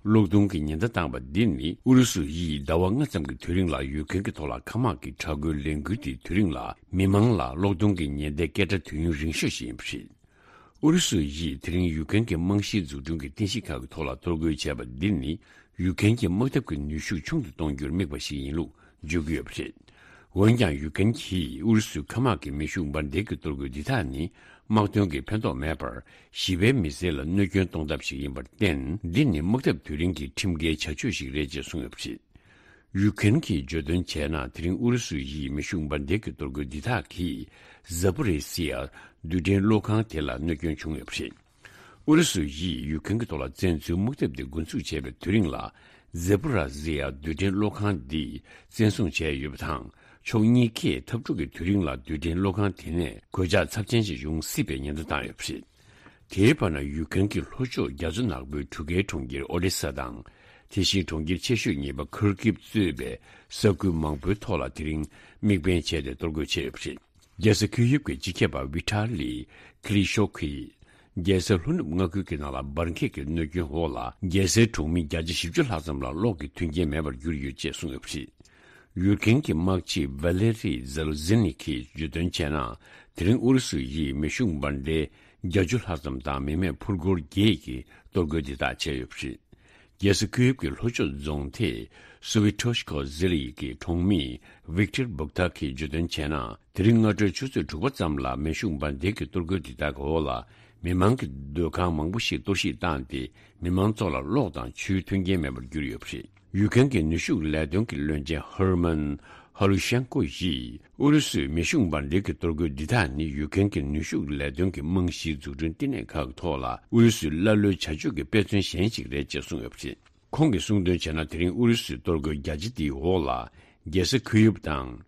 གློག་སྡུད་ཀྱི་ཉེན་བརྡ་བཏང་བ་འདི་ནི་ཨུ་རུ་སུ་ཡིས་ཟླ་བ་ལྔ་ཙམ་གྱི་དུས་རིང་ལ་ཡུཀ་རེན་གྱི་ཐོག་ལ་མཁའ་དམག་གི་དྲག་རྒོལ་ལས་འགུལ་དེའི་དུས་རིང་ལ་མི་མང་ལ་གློག་སྡུད་ཀྱི་ཉེན་བརྡའི་སྐད་སྒྲ་ཐོས་ཡུན་རིང་ཤོས་ཤིག་ཡིན་པ་རེད། ཨུ་རུ་སུ་ཡིས་དེ་རིང་ཡུཀ་རེན་གྱི་རྨང་གཞིའི་འཛུགས་སྐྲུན་གྱི་རྟེན་གཞི་ཁག་གི་ཐོག་ལ་གཏོར་རྒོལ་བྱས་པ་འདི་ནི་ཡུཀ་རེན་གྱི་དམག་འཐབ་ཀྱི་ནུས་ཤུགས་ཆུང་དུ་གཏོང་རྒྱུར་དམིགས་པ་ཞིག་ཡིན་ལུགས་བརྗོད་ཀྱི་ཡོད་པ་རེད། འོན་ཀྱང་ཡུཀ་རེན་གྱིས་ཨུ་རུ་སུའི་མཁའ་དམག་གི་མེ་ཤུགས་འབར་མདེལ་གྱི་གཏོར་རྒོལ་འདི་དག་ནི་དམག་དོན་གྱི་ཕན་ཐོགས་མེད་པར་ཞི་བའི་མི་སེར་ལ་གནོད་སྐྱོན་གཏོང་ཐབས་ཤིག་ཡིན་པར་བརྟེན། འདི་ནི་དམག་འཐབ་དུས་རིང་གི་ཁྲིམས་འགལ་བྱ་སྤྱོད་ཞིག་རེད་ཅེས་གསུངས་ཡོད་པ་རེད། ཡུཀ་རེན་གྱིས་བརྗོད་དོན་བྱས་ན། དེ་རིང་ཨུ་རུ་སུ་ཡིས་མེ་ཤུགས་འབར་མདེལ་གྱི་གཏོར་རྒོལ་འདི་དག་གིས་ཛ་པོ་རི་སི་ཡ་རྡུལ་ཕྲན་གློག་ཁང་དེ་ལ་གནོད་སྐྱོན་བྱུང་ཡོད་པ་རེད། ཨུ་རུ་སུ་ཡིས་ཡུཀ་རེན་གྱི་ཐོག་ལ་བཙན་འཛུལ་དམག་འཐབ་དེ་འགོ་འཛུགས་བྱས་པའི་དུས་རིང་ལ། ཛེ་པོ་ར་ཟི་ཡ་རྡུལ་ཕྲན་གློག་ཁང་འདི་བཙན་བཟུང་བྱས་ཡོད་པ་དང་། ཕྱོགས་གཉིས་ཀས་འཐབ་འཁྲུག་གི་དུས་རིང་ལ་རྡུལ་ཕྲན་གློག་ཁང་དེ་ནས་གོད་ཆག་ཚབས་ཆེན་ཞིག་ཡོང་སྲིད་པའི་ཉེན་བརྡ་བཏང་ཡོད་པ་རེད། དེའི་བར་ན། ཡུཀ་རེན་གྱི་ལྷོ་ཕྱོགས་རྒྱ་མཚོ་ནག་པོའི་གྲུ་ཁའི་གྲོང་ཁྱེར་ཨོ་ཌེ་ས་དང་། དེ་བཞིན་གྲོང་ཁྱེར་ཆེ་ཤོས་གཉིས་པ་ཁུར་ཀིབ་གཙོས་པའི་ས་ཁུལ་མང་པོའི་ཐོག་ལ་དེ་རིང་དམིགས་འབེན་བྱས་ཏེ་གཏོར་རྒོལ་བྱས་ཡོད་པ་རེད། རྒྱལ་ས་ཁི་ཡིབ་ཀྱི་སྤྱི་ཁྱབ་པ་ཝི་ཐ་ལི་ཀི་ལི་ཤོ་གིས། རྒྱལ་ས་ལྷོ་ནུབ་མངའ་ཁུལ་གྱི་ནང་ལ་འབར་འགྱེད་ཀྱི་གནོད་སྐྱོན་འོག་ལ། རྒྱལ་སའི་གྲོང་མི་བརྒྱ་ཆ་བཞི་བཅུ་ལྷག་ཙམ་ལ་གློག་གི་མཐུན་རྐྱེན་མེད་པར་གྱུར་ཡོད་ཅེས་གསུངས་ཡོད་པ་རེད། ཡུཀ་རེན་གྱི་དམག་སྤྱི་ཝེ་ལེ་རི་ཛེ་ལོ་ཛེ་ནི་གིས་བརྗོད་དོན་བྱས་ན། དེ་རིང་ཨུ་རུ་སུ་ཡིས་མེ་ཤུགས་འབར་མདེལ་བརྒྱད་ཅུ་ལྷག་ཙམ་དང་མི་མེད་འཕུར་འཁོར་བརྒྱད་ཀྱིས་གཏོར་རྒོལ་འདི་དག་བྱས་ཡོད་པ་རེད། རྒྱལ་ས་ཁི་ཡིབ་ཀྱི་ལྷོ་ཕྱོགས་རྫོང་སྡེ་སུ་ཝི་ཐོ་ཤ་ཁོ་ཟི་ལི་ཡི་གི་གྲོང་མི་ཝིག་ཏེར་བུག་ཐ་གིས་བརྗོད་དོན་བྱས་ན། དེ་རིང་སྔ་དྲོའི་ཆུ་ཚོད་དྲུག་པ་ཙམ་ལ་མེ་ཤུགས་འབར་མདེལ་གྱི་གཏོར་རྒོལ་འདི་དག་གི་འོག་ལ་མི་མང་གི་སྡོད་ཁང་མང་པོ་ཞིག་གཏོར་བཤིག་བཏང་སྟེ། མི་མང་ཚོ་ལ་གློག་དང་ཆུའི་མཐུན་རྐྱེན་མེད་པར་གྱུར་ཡོད་པ་རེད། ཡུཀ་རེན་གྱི་ནུས་ཤུགས་ལས་དོན་གྱི་བློན་ཆེན་ཧར་མན་ཧ་ལུ་ཤན་ཀོ་ཡིས། ཨུ་རུ་སུའི་མེ་ཤུགས་འབར་མདེལ་གྱི་གཏོར་རྒོལ་འདི་དག་ནི་ཡུཀ་རེན་གྱི་ནུས་ཤུགས་ལས་དོན་གྱི་རྨང་གཞིའི་འཛུགས་སྐྲུན་བསྟི་གནས་ཁག་གི་ཐོག་ལ་ཨུ་རུ་སུའི་ཀླ་ཀློའི་བྱ་སྤྱོད་ཀྱི་དཔེ་མཚོན་གཞན་ཞིག་རེད་ཅེས་གསུངས་ཡོད་པ་རེད། ཁོང་གིས་གསུངས་དོན་བྱས་ན། དེ་རིང་ཨུ་རུ་སུའི་གཏོར་རྒོལ་རྒྱ་ཆེ་འདིའི་འོག་ལ་རྒྱལ་ས་ཁི་ཡིབ་དང་།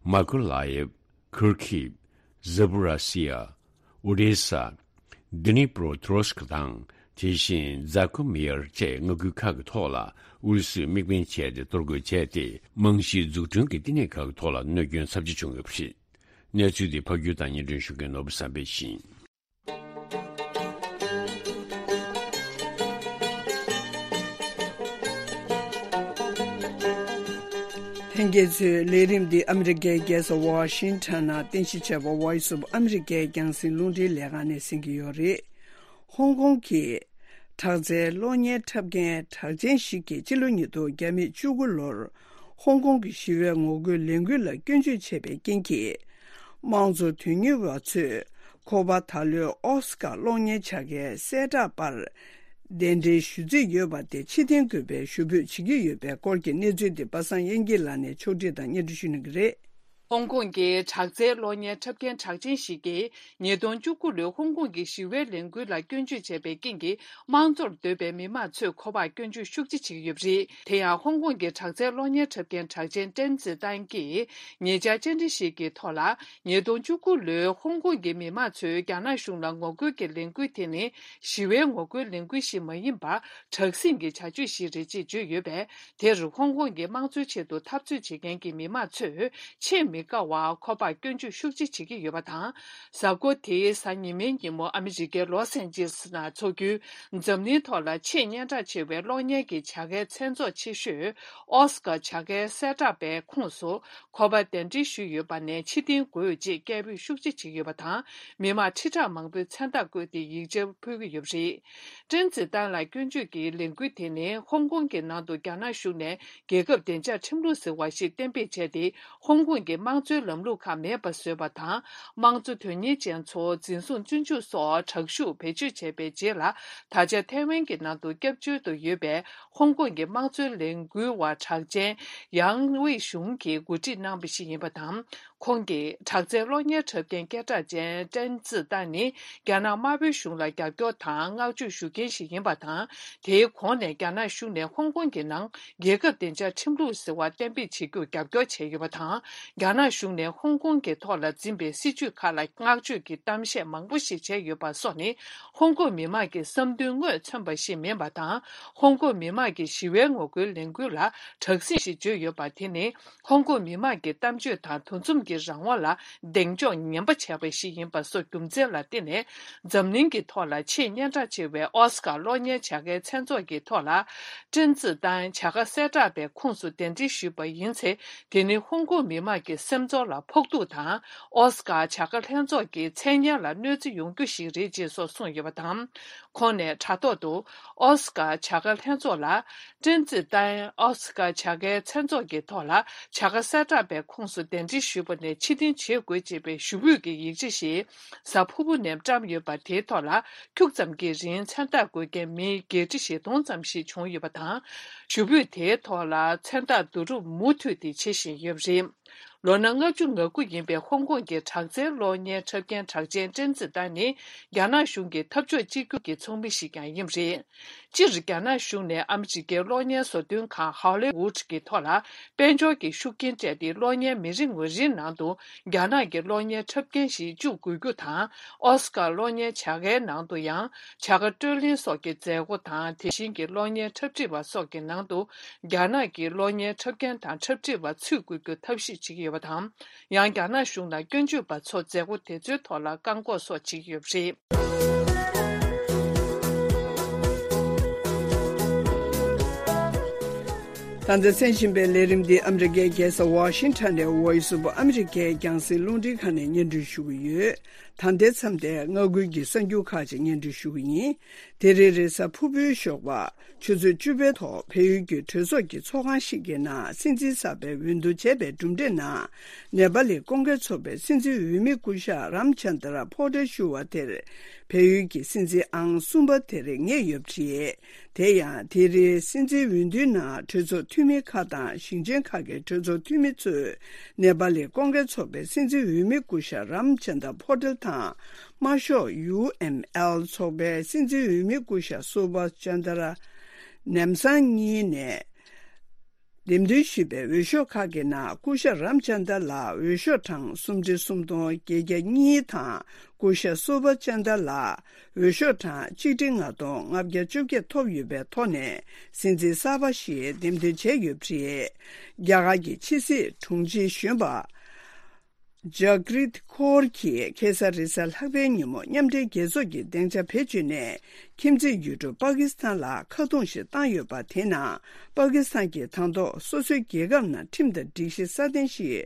མ་ཀུ་ལ་ཡེབ། ཁུར་ཁིབ། ཛ་པོ་ར་སི་ཡ། ཨོ་ཌེ་ས། དི་ནི་པྲོ་ཏྲོ་སྐ་དང་། དེ་བཞིན་ཛ་ཀུ་མི་ཡར་བཅས་མངའ་ཁུལ་ཁག་གི་ཐོག་ལ་ཨུ་རུ་སུས་དམིགས་འབེན་བྱས་ཏེ་གཏོར་རྒོལ་བྱས་ཏེ། རྨང་གཞིའི་འཛུགས་སྐྲུན་གྱི་བསྟི་གནས་ཁག་གི་ཐོག་ལ་གནོད་སྐྱོན་ཚབས་ཆེ་བྱུང་ཡོད་པ་རེད། གནས་ཚུལ་འདི་ཕབ་སྒྱུར་དང་སྙན་སྒྲོན་ཞུ་མཁན་ནོར་བུ་བསམ་འཕེལ་ཡིན། ལྷན་རྒྱས་ཚོས་ལས་རིམ་འདི་ཨ་མི་རི་ཀའི་རྒྱལ་ས་ཝ་ཤིང་ཊོན་ནང་རྟེན་གཞི་བྱས་པ་Voice of America་རྒྱང་སྲིང་རླུང་འཕྲིན་ལས་ཁང་ནས་གསན་གྱི་ཡོད་རེད། ཧོང་ཀོང་གི་དྲག་རྩལ་གློག་བརྙན་འཁྲབ་མཁན་གྲགས་ཅན་ཞིག་གིས་ཕྱི་ལོ་ཉིས་སྟོང་བརྒྱ་མེད་བཅུ་དགུ་ལོར་ཧོང་ཀོང་གི་ཞི་བའི་ངོ་རྒོལ་ལས་འགུལ་ལ་སྐྱོན་བརྗོད་བྱས་པའི་རྐྱེན་གྱིས། དམངས་གཙོ་དོན་གཉེར་བ་ཚོས་ཁོ་པ་ད་ལོའི་ཨོ་སི་ཀར་གློག་བརྙན་བྱ་དགའི་གསལ་བསྒྲགས་པར་གདན་འདྲེན་ཞུ་རྩིས་ཡོད་པ་དེ་ཕྱིར་འཐེན་དགོས་པའི་ཞུ་འབོད་བྱེད་ཀྱི་ཡོད་པའི་སྐོར་གྱི་གནས་ཚུལ་འདི་པ་སངས་དབྱངས་སྐྱིད་ལགས་ནས་ཕྱོགས་སྒྲིག་དང་སྙན་སྒྲོན་ཞུ་གནང་གི་རེད། ཧོང་ཀོང་གི་དྲག་རྩལ་གློག་བརྙན་འཁྲབ་མཁན་གྲགས་ཅན་ཞིག་གིས། ཉིས་སྟོང་བཅུ་དགུ་ལོའི་ཧོང་ཀོང་གི་ཞི་བའི་ལས་འགུལ་ལ་སྐྱོན་བརྗོད་བྱས་པའི་རྐྱེན་གྱིས། དམངས་གཙོར་འདོད་པའི་མི་མང་ཚོས་ཁོ་པར་སྐྱོན་བརྗོད་ཤུགས་ཆེ་བྱེད་ཀྱི་ཡོད་པ་རེད། དེ་ཡང་། ཧོང་ཀོང་གི་དྲག་རྩལ་གློག་བརྙན་འཁྲབ་མཁན་གྲགས་ཅན་ཀྲེན་ཙི་ཏན་གྱིས། ཉེ་ཆར་བཅར་འདྲི་ཞིག་གི་ཐོག་ལ། ཉིས་སྟོང་བཅུ་དགུ་ལོའི་ཧོང་ཀོང་གི་མི་མང་ཚོས་རྒྱ་ནག་གཞུང་ལ་ངོ་རྒོལ་གྱི་ལས་འགུལ་དེ་ནི། ཞི་བའི་ངོ་རྒོལ་ལས་འགུལ་ཞིག་མ་ཡིན་པར། དྲག་ཟིང་གི་བྱ་སྤྱོད་ཞིག་རེད་ཅེས་བརྗོད་ཡོད་པས། དེར་ཧོང་ཀོང་གི་དམངས་གཙོའི་ཆེད་དུ་འཐབ་རྩོད་བྱེད་མཁན་གྱི་མི་མང་ཚོས་ཆེས་མི་དགའ་བར་ཁོ་པར་སྐྱོན་བརྗོད་ཤུགས་ཆེ་བྱེད་ཀྱི་ཡོད་པ་དང་། གཟའ་འཁོར་དེའི་གཟའ་ཉི་མའི་ཉིན་མོ་ཨ་མི་རི་ཀའི་ལོ་སན་ཇི་ལིས་ནང་འཚོགས་རྒྱུའི་འཛམ་གླིང་ཐོག་ལ་ཆེས་སྙན་གྲགས་ཆེ་བའི་གློག་བརྙན་གྱི་བྱ་དགའི་མཚན་ཚོགས་ཆེ་ཤོས་ཨོ་སི་ཀར་བྱ་དགའི་གསལ་བསྒྲགས་པའི་ཁོངས་སུ་ཁོ་པ་གདན་འདྲེན་ཞུས་ཡོད་པ་ནས་ཕྱིར་འཐེན་དགོས་ཅེས་སྐད་འབོད་ཤུགས་ཆེ་བྱེད་ཀྱི་ཡོད་པ་དང་། མི་མང་ཁྲི་ཕྲག་མང་པོས་མཚན་རྟགས་བཀོད་དེ་ཡིག་ཆ་ཕུལ་གྱི་ཡོད་པ་རེད། ཀྲེན་ཙི་ཏན་ལ་སྐྱོན་བརྗོད་ཀྱི་ལས་འགུལ་དེ་ནི་ཧོང་ཀོང་གི་ནང་དུ་རྒྱ་ནག་གཞུང་ནས་རྒྱལ་ཁབ་བདེ་འཇགས་ཁྲིམས་ལུགས་ཟེར་བ་ཞིག་གཏན་འབེབས་བྱས་ཏེ། ཧོང་ཀོང་གི་དམངས་གཙོའི་ལམ་ལུགས་ཁག་མེད་པ་བཟོས་པ་དང་། དམངས་གཙོ་དོན་གཉེར་ཅན་ཚོ་འཛིན་བཟུང་བཙོན་འཇུག་སོགས་དྲག་ཤུགས་བེད་སྤྱོད་བྱས་པའི་རྗེས་ལ། ད་ཆ་ཐའེ་ཝན་གྱི་ནང་དུ་སྐྱབས་བཅོལ་དུ་ཡོད་པའི་ཧོང་ཀོང་གི་དམངས་གཙོའི་ལས་འགུལ་བ་གྲགས་ཅན་ཡང་ཝེ་ཞུང་གིས་གོ་སྒྲིག་གནང་བ་ཞིག་ཡིན་པ་དང་། ཁོང་གིས་དྲག་རྩལ་གློག་བརྙན་འཁྲབ་མཁན་སྐད་གྲགས་ཅན་ཀྲན་ཙི་ཏན་ནི་རྒྱ་ནག་དམར་པོའི་གཞུང་ལ་རྒྱབ་སྐྱོར་དང་བསྔགས་བརྗོད་ཞུ་མཁན་ཞིག་ཡིན་པ་དང་། དེའི་གོང་ནས་རྒྱ་ནག་གཞུང་ནས་ཧོང་ཀོང་གི་ནང་རྒྱལ་ཁབ་བདེ་འཇགས་ཁྲིམས་ལུགས་ཟེར་བ་གཏན་འབེབས་བྱེད་རྒྱུར་རྒྱབ་སྐྱོར་བྱས་ཡོད་པ་དང་། རྒྱ་ནག་གཞུང་ནས་ཧོང་ཀོང་གི་ཐོག་ལ་འཛིན་པའི་སྲིད་བྱུས་ཁག་ལ་བསྔགས་བརྗོད་ཀྱི་གཏམ་བཤད་མང་པོ་ཞིག་བྱས་ཡོད་པ་སོགས་ནི། ཧོང་ཀོང་མི་མང་གི་བསམ་འདུན་དངོས་མཚོན་པ་ཞིག་མིན་པ་དང་། ཧོང་ཀོང་མི་མང་གིས་ཞི་བའི་ངོ་རྒོལ་ལས་འགུལ་ལ་དྲག་ཟིང་ཞིག་བརྗོད་ཡོད་པ་དེ་ནི། ཧོང་ཀོང་མི་མང་གི་གཏམ་བརྗོད་དང་འདུ་འཛོམས་ཀྱི་རང་དབང་ལ་གདེང་འཇོག་ངན་པ་བྱས་པ་ཞིག་ཡིན་པ་སོགས་རྒྱུ་མཚན་ལ་བརྟེན་ནས། འཛམ་གླིང་གི་ཐོག་ལ་ཆེས་སྙན་གྲགས་ཆེ་བའི་ཨོ་སི་ཀར་གློག་བརྙན་བྱ་དགའི་མཚན་ཚོགས་ཀྱི་ཐོག་ལ། ཀྲན་ཙི་ཏན་བྱ་དགའ་གསལ་བསྒྲགས་པའི་ཁོངས་སུ་གདན་འདྲེན་ཞུས་པ་ཡིན་ཚེ། དེ་ནི་ཧོང་ཀོང་མི་མང་གི་སེམས་ཚོར་ལ་ཕོག་ཐུག་དང་། ཨོ་སི་ཀར་བྱ་དགའ་ལྷན་ཚོགས་ཀྱི་མཚན་སྙན་ལ་གནོད་འཚེ་ཡོང་རྒྱུ་ཞིག་རེད་ཅེས་སོགས་གསུངས་ཡོད་པ་དང་། ཁོང་ནས་དྲ་ཐོག་ཏུ། ཨོ་སི་ཀར་བྱ་དགའ་ལྷན་ཚོགས་ལ། ཀྲན་ཙི་ཏན་ཨོ་སི་ཀར་བྱ་དགའི་མཚན་ཚོགས་ཀྱི་ཐོག་ལ་བྱ་དགའ་གསལ་བསྒྲགས་པའི་ཁོངས་སུ་གདན་འདྲེན་ཞུས་པ་ནས་ཕྱིར་འཐེན་བྱེད་དགོས་ཅེས་པའི་ཞུ་འབོད་ཀྱི་ཡིག་ཆ་ཞིག་གཟའ་ཕུར་བུ་ནས་བཀྲམ་ཡོད་པ་དེའི་ཐོག་ལ། ཁྱུག་ཙམ་གྱི་རིང་མཚན་རྟགས་འགོད་མཁན་མི་བརྒྱད་ཁྲི་བཞི་སྟོང་ཙམ་ཞིག་བྱུང་ཡོད་པ་དང་། ཞུ་འབོད་དེའི་ཐོག་ལ་མཚན་རྟགས་བསྡུ་རུབ་མུ་མཐུད་དེ་བྱེད་བཞིན་ཡོད་པ་རེད། ལོ་ན་ལྔ་བཅུ་ང་དགུ་ཡིན་པའི་ཧོང་ཀོང་གི་དྲག་རྩལ་གློག་བརྙན་འཁྲབ་མཁན་གྲགས་ཅན་ཀྲན་ཙི་ཏན་ནི། རྒྱ་ནག་གཞུང་གི་འཐབ་ཕྱོགས་གཅིག་གྱུར་གྱི་ཚོགས་མི་ཞིག་ཀྱང་ཡིན་པ་རེད། སྤྱིར་རྒྱ་ནག་གཞུང་ནས་ཨ་མི་རི་ཀའི་གློག་བརྙན་བཟོ་སྐྲུན་ཁང་ཧོ་ལི་ཝུད་ཀྱི་ཐོག་ལ་དཔལ་འབྱོར་གྱི་ཤུགས་རྐྱེན་སྤྲད་དེ། གློག་བརྙན་མི་རེ་ངོ་རེའི་ནང་དུ་རྒྱ་ནག་གི་གློག་བརྙན་འཁྲབ་མཁན་ཞིག་བཅུག་དགོས་རྒྱུ་དང་། ཨོ་སི་ཀར་གློག་བརྙན་བྱ་དགའི་ནང་དུ་ཡང་བྱ་དགའ་སྤྲོད་ལེན་སོགས་ཀྱི་མཛད་སྒོ་དང་། དེ་བཞིན་གྱི་གློག་བརྙན་འཁྲབ་ཁྲིད་པ་སོགས་ཀྱི་ནང་དུ་རྒྱ་ནག་གི་གློག་བརྙན་འཁྲབ་མཁན་དང་འཁྲབ་ཁྲིད་པ་ཚུད་དགོས་རྒྱུ་ཐབས་ཤེས་བྱེད་ཀྱི་ཡོད་པ་དང་། ཡང་རྒྱ་ནག་གཞུང་ལ་སྐྱོན་བརྗོད་པ་ཚོ་མཛད་སྒོ་དེ་ཚོའི་ཐོག་ལ་བཀག་འགོག་སོགས་བྱེད་ཀྱི་ཡོད་པ་རེད། ད་ལྟ་གསན་བཞིན་པའི་ལས་རིམ་འདི་ཨ་མི་རི་ཀའི་རྒྱལ་ས་ཝ་ཤིང་ཊོན་ནས་Voice of America རྒྱང་སྲིང་རླུང་འཕྲིན་ཁང་ནས་སྙན་སྒྲོན་ཞུ་གི་ཡོད། ད་ལྟའི་མཚམས་དེར་མངའ་ཁུལ་གྱི་གསར་འགྱུར་ཁག་ཅིག་སྙན་སྒྲོན་ཞུ་གི་ཡིན། དེ་རིང་རེས་གཟའ་ཕུར་བུའི་ཞོགས་པ། ཆུ་ཚོད་བཅུ་པའི་ཐོག་བལ་ཡུལ་གྱི་གྲོས་ཚོགས་ཀྱི་ཚོགས་ཁང་ཞིག་གི་ནང་སྲིད་འཛིན་གསར་པའི་འོས་བསྡུ་བྱས་པའི་གྲུབ་འབྲས་ནང་། ནེ་པ་ལི་ཀོང་ཀེ་ཚོགས་པའི་སྲིད་འཛིན་འོས་མི་སྐུ་ཞབས་རམ་ཆན་དྲ་ཕོ་ཏེལ་ཞུ་བ་དེར་བལ་ཡུལ་གྱི་སྲིད་འཛིན་ཨང་གསུམ་པ་དེར་ངེས་ཡོད་པ་རེད། དེ་ཡང་དེ་རིང་སྲིད་འཛིན་འོས་བསྡུའི་ནང་གྲོས་ཚོགས་འཐུས་མི་ཁག་དང་ཞིང་ཆེན་ཁག་གི་གྲོས་ཚོགས་འཐུས་མི་ཚོས་ནེ་པ་ལི་ཀོང་ཀེ་ཚོགས་པའི་སྲིད་འཛིན་འོས་མི་སྐུ་ཞབས་རམ་ཆན་དྲ་ཕོ་ཏེལ་དང་། དམར་ཤོག་ཡུ་ཨེམ་ཨེལ་ཚོགས་པའི་སྲིད་འཛིན་འོས་མི་སྐུ་ཞབས་སུ་བྷ་ཅན་དྲ་ནེམ་སང་གཉིས་ནས་འདེམས་ཐོན་ཞུས་པའི་འོས་ཤོག་ཁག་གི་ནང་སྐུ་ཞབས་རམ་ཅན་དྲ་ལ་འོས་ཤོག་གྲངས་སུམ་ཁྲི་སུམ་སྟོང་བརྒྱད་བརྒྱ་གཉིས་དང་། སྐུ་ཞབས་སུ་བྷ་ཅན་དྲ་ལ་འོས་ཤོག་གྲངས་གཅིག་ཁྲི་ལྔ་སྟོང་ལྔ་བརྒྱ་བཅོ་བརྒྱད་ཐོབ་ཡོད་པའི་ཐོག་ནས་སྲིད་འཛིན་གསར་པ་ཞིག་འདེམས་ཐོན་བྱས་ཡོད་པ་རེད། རྒྱ་གར་གྱི་ཕྱི་སྲིད་དྲུང་ཆེ་གཞོན་པ། ཇག་རིད་ཁོར་གྱིས་ཁེ་ས་རེས་གཟའ་ལྷག་པའི་ཉིན་མོ་མཉམ་འབྲེལ་རྒྱལ་ཚོགས་ཀྱི་སྡིངས་ཆ་བེད་སྤྱོད་ནས་ཁྱིམ་མཚེས་ཡུལ་གྲུ་པ་ཀི་སི་ཐན་ལ་ཁ་རྡུང་ཞིག་བཏང་ཡོད་པ། དེ་ནང་པ་ཀི་སི་ཐན་གྱིས་དང་ཐོག་སོ་སོའི་རྒྱལ་ཁབ་ནང་ཁྲིམས་དང་སྒྲིག་གཞི་སྲ་བརྟན་ཞིག་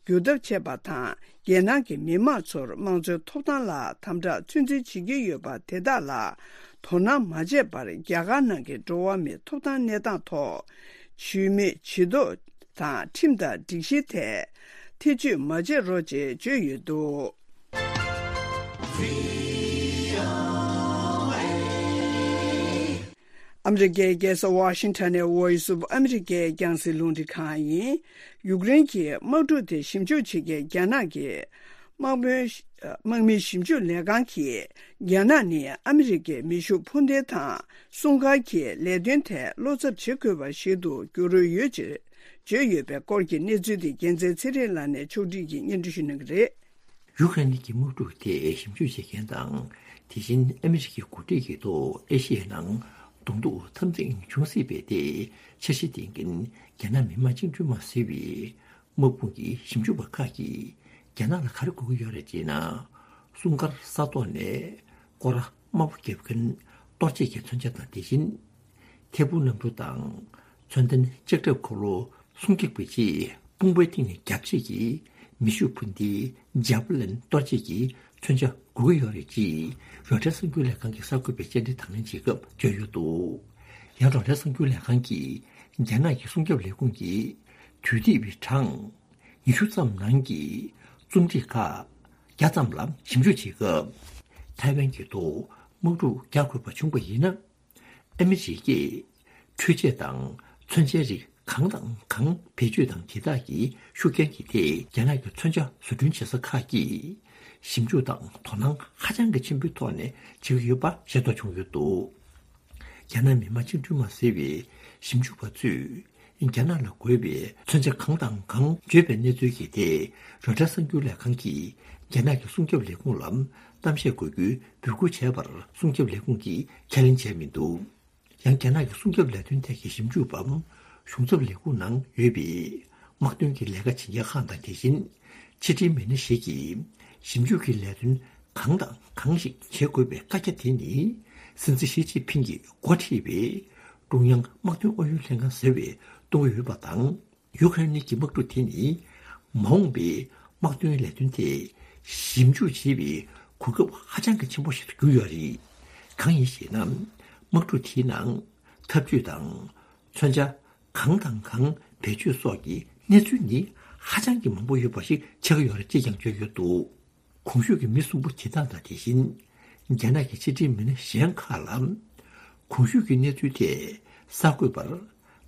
འགྱུར་ཐབས་བྱས་པ་དང་། རྒྱལ་ནང་གི་མི་མང་ཚོར་དམངས་གཙོའི་ཐོབ་ཐང་ལ་དམ་དྲག་ཚོད་འཛིན་བྱེད་ཀྱི་ཡོད་པ་དེ་དག་ལ་དོ་སྣང་མ་བྱས་པར། རྒྱ་གར་ནང་གི་འགྲོ་བ་མིའི་ཐོབ་ཐང་གནས་སྟངས་ཐོག་ཇུས་མེད་ཇུས་གཏོགས་དང་ཁྲིམས་དང་སྒྲིག་གཞི་ཐད་ཐེ་བྱུས་མ་བྱེད་རོགས་ཅེས་བརྗོད་ཡོད་འདུག་ཨ་མི་རི་ཀའི་རྒྱལ་ས་ཝ་ཤིང་ཊོན་ནས་Voice of America རྒྱང་སྲིང་རླུང་འཕྲིན་ཁང་ཡིན། ཡུཀ་རེན་གྱི་དམག་འཁྲུག་དེ་ཞིབ་འཇུག་བྱེད་མཁན་རྒྱ་ནག་གི་དམག་དཔོན། དམག་མི་ཞིབ་འཇུག་ལས་ཁང་གིས་རྒྱ་ནག་ནི་ཨ་མི་རི་ཀའི་མེ་ཤུགས་འཕུར་མདེལ་དང་སྲུང་སྐར་གྱི་ལས་དོན་ཐད་བློ་འཚབ་བྱེད་དགོས་པ་ཞིག་ཏུ་འགྱུར་འོས་ཡོད་ཅེས་བརྗོད་ཡོད་པའི་སྐོར་གྱི་གནས་ཚུལ་དེ་རྒྱལ་མཚན་ཚེ་རིང་ལགས་ནས་ཕྱོགས་སྒྲིག་གིས་སྙན་སྒྲོན་ཞུ་གནང་གི་རེད། ཡུཀ་རེན་གྱི་དམག་འཁྲུག་དེ་ཞིབ་འཇུག་བྱེད་མཁན་དང་། དེ་བཞིན་ཨ་མི་རི་ཀའི་འགོ་ཁྲིད་ཀྱི་ཐོག་ཨེ་ཤི་ཡའི་ནང་གདོང་ཐུག་འཐབ་འཛིང་འབྱུང་སྲིད་པའི་ཐད་འཆར་གཞི་འདིང་མཁན་རྒྱ་ནག་མི་དམངས་བཅིངས་འགྲོལ་དམག་ཟེར་བའི་དམག་དཔུང་གི་ཞིབ་འཇུག་པ་ཁག་གིས་རྒྱ་ནག་ལ་ག་རེ་དགོས་ཀྱི་ཡོད་རེད་ཅེ་ན། སྲུང་སྐར་ས་ཐོག་ནས་སྐོར་ར་དམར་པོ་བརྒྱབ་མཁན་གཏོར་བྱེད་ཀྱི་མཚོན་ཆ་དང་། དེ་བཞིན་ཐད་འཕུར་གནམ་གྲུ་དང་མཚོན་ལྡན་ལྕགས་ཁྲབ་འཁོར་ལོ་སྲུང་སྐྱོབ་ཀྱི་ཆེད་དཔུང་པའི་སྟེང་ནས་བརྒྱབ་བྱེད་ཀྱི་མེ་ཤུགས་འཕུར་མདེལ་ཇཱ་བ་ལིན་གཏོར་བྱེད་ཀྱི་མཚོན་ཆ་དགོས་ཀྱི་ཡོད་རེད་ཅེས་རོའི་ཊར་གསར་འགྱུར་ལས་ཁང་གི་གསར་འགོད་པས་བཅར་འདྲི་དང་ལེན་བྱེད་སྐབས་བརྗོད་ཡོད་འདུག་ཡང་རོའི་ཊར་གསར་འགྱུར་ལས་ཁང་གིས་རྒྱ་ནག་གི་སྲུང་སྐྱོབ་ལས་ཁུངས་ཀྱི་དུས་དེབ་པའི་གྲངས་ཉི་ཤུ་ཙམ་ནང་གི་རྩོམ་སྒྲིག་ཁག་བརྒྱ་ཙམ་ལ་ཞིབ་འཇུག་བྱེད་སྐབས། ཐའེ་ཝན་གྱི་ཐོག་དམག་འཁྲུག་རྒྱག་དགོས་པ་བྱུང་བ་ཡིན་ན། ཨ་མི་རི་ཀས་འཕྲུལ་ཆས་དང་མཚོན་ཆའི་རིགས་ གང་དང་གང་བེད་སྤྱོད་དང་དེ་དག་གི་ཤུགས་རྐྱེན་གྱི་ཐད་རྒྱ་ནག་གི་མཚོན་ཆ་བཟོ་སྐྲུན་བྱེད་ས་ཁག་གིས་ཞིབ་འཇུག་དང་དོ་སྣང་ཧ་ཅང་གི་ཆེན་པོའི་ཐོག་ནས་བྱེད་ཀྱི་ཡོད་པ་ཤེས་རྟོགས་བྱུང་ཡོད་འདུག་རྒྱ་ནག་མི་དམངས་བཅིངས་འགྲོལ་དམག་ཟེར་བའི་ཞིབ་འཇུག་པ་ཚོས་རྒྱ་ནག་ལ་དགོས་པའི་མཚོན་ཆ་གང་དང་གང་བརྗོད་པའི་གནས་ཚུལ་གྱི་ཐད་རོའི་ཊར་གསར་འགྱུར་ལས་ཁང་གིས་རྒྱ་ནག་གི་སྲུང་སྐྱོབ་ལས་ཁུངས་ལ་གཏམ་བཤད་དགོས་རྒྱུའི་འབོད་སྐུལ་བྱས་པར་སྲུང་སྐྱོབ་ལས་ཁུངས་ཀྱིས་ཁས་ལེན་བྱས་མི་འདུག་ཡང་རྒྱ་ནག་གི་སྲུང་སྐྱོབ་ལས་དོན་ཐད་ཀྱི་ཞིབ་འཇུག་པ་གཞུང་ཚབ་ལས་ཁུངས་ནང་ཡོད་པའི་དམག་དོན་གྱི་ལས་ཀ་བྱེད་མཁན་ཁག་དང་དེ་བཞིན་ཕྱི་དྲིལ་མི་སྣ་ཞིག་གིས་ཞིབ་འཇུག་གི་ལས་དོན་གང་དང་གང་ཞིག་བྱེད་དགོས་པའི་བཀའ་རྒྱ་དེ་ནི་སྲིད་འཛིན་ཞི་ཅིན་ཕིང་གིས་འགོ་ཁྲིད་པའི་ཀྲུང་དབྱང་དམག་དོན་ཨུ་ཡོན་ལྷན་ཁང་ཟེར་བས་གཏོང་གི་ཡོད་པ་དང་། ཡུ་ཁ་རེན་གྱི་དམག་འཁྲུག་དེ་ནི་མ་འོངས་པའི་དམག་དོན་ལས་དོན་ཐད་ཞིབ་འཇུག་བྱེད་པའི་གོ་སྐབས་ཧ་ཅང་གི་ཆེན་པོ་ཞིག་ཏུ་གྱུར་ཡོད་རེད། གང་ཡིན་ཞེ་ན། དམག་འཁྲུག་དེའི་ནང་ཐབས་ཇུས་དང་མཚོན་ཆ་གང་དང་གང་བེད་སྤྱོད་སོགས་ཀྱི་གནས་ཚུལ་ནི་ཧ་ཅང་གི་མང་པོ་ཡོད་པ་ཞིག་ཆགས་ཀྱི་ཡོད་རེད་ཅེས་ཀྱང་བརྗོད་ཡོད་འདུག་གོང་ཞུས་ཀྱི་མི་གསུམ་པོ་དེ་དག་དང་དེ་བཞིན་རྒྱ་ནག་གི་ཕྱི་དྲིལ་མི་སྣ་གཞན་ཁག་ལ་གོང་ཞུས་ཀྱི་གནས་ཚུལ་ཐད་གསར་འགོད་པར་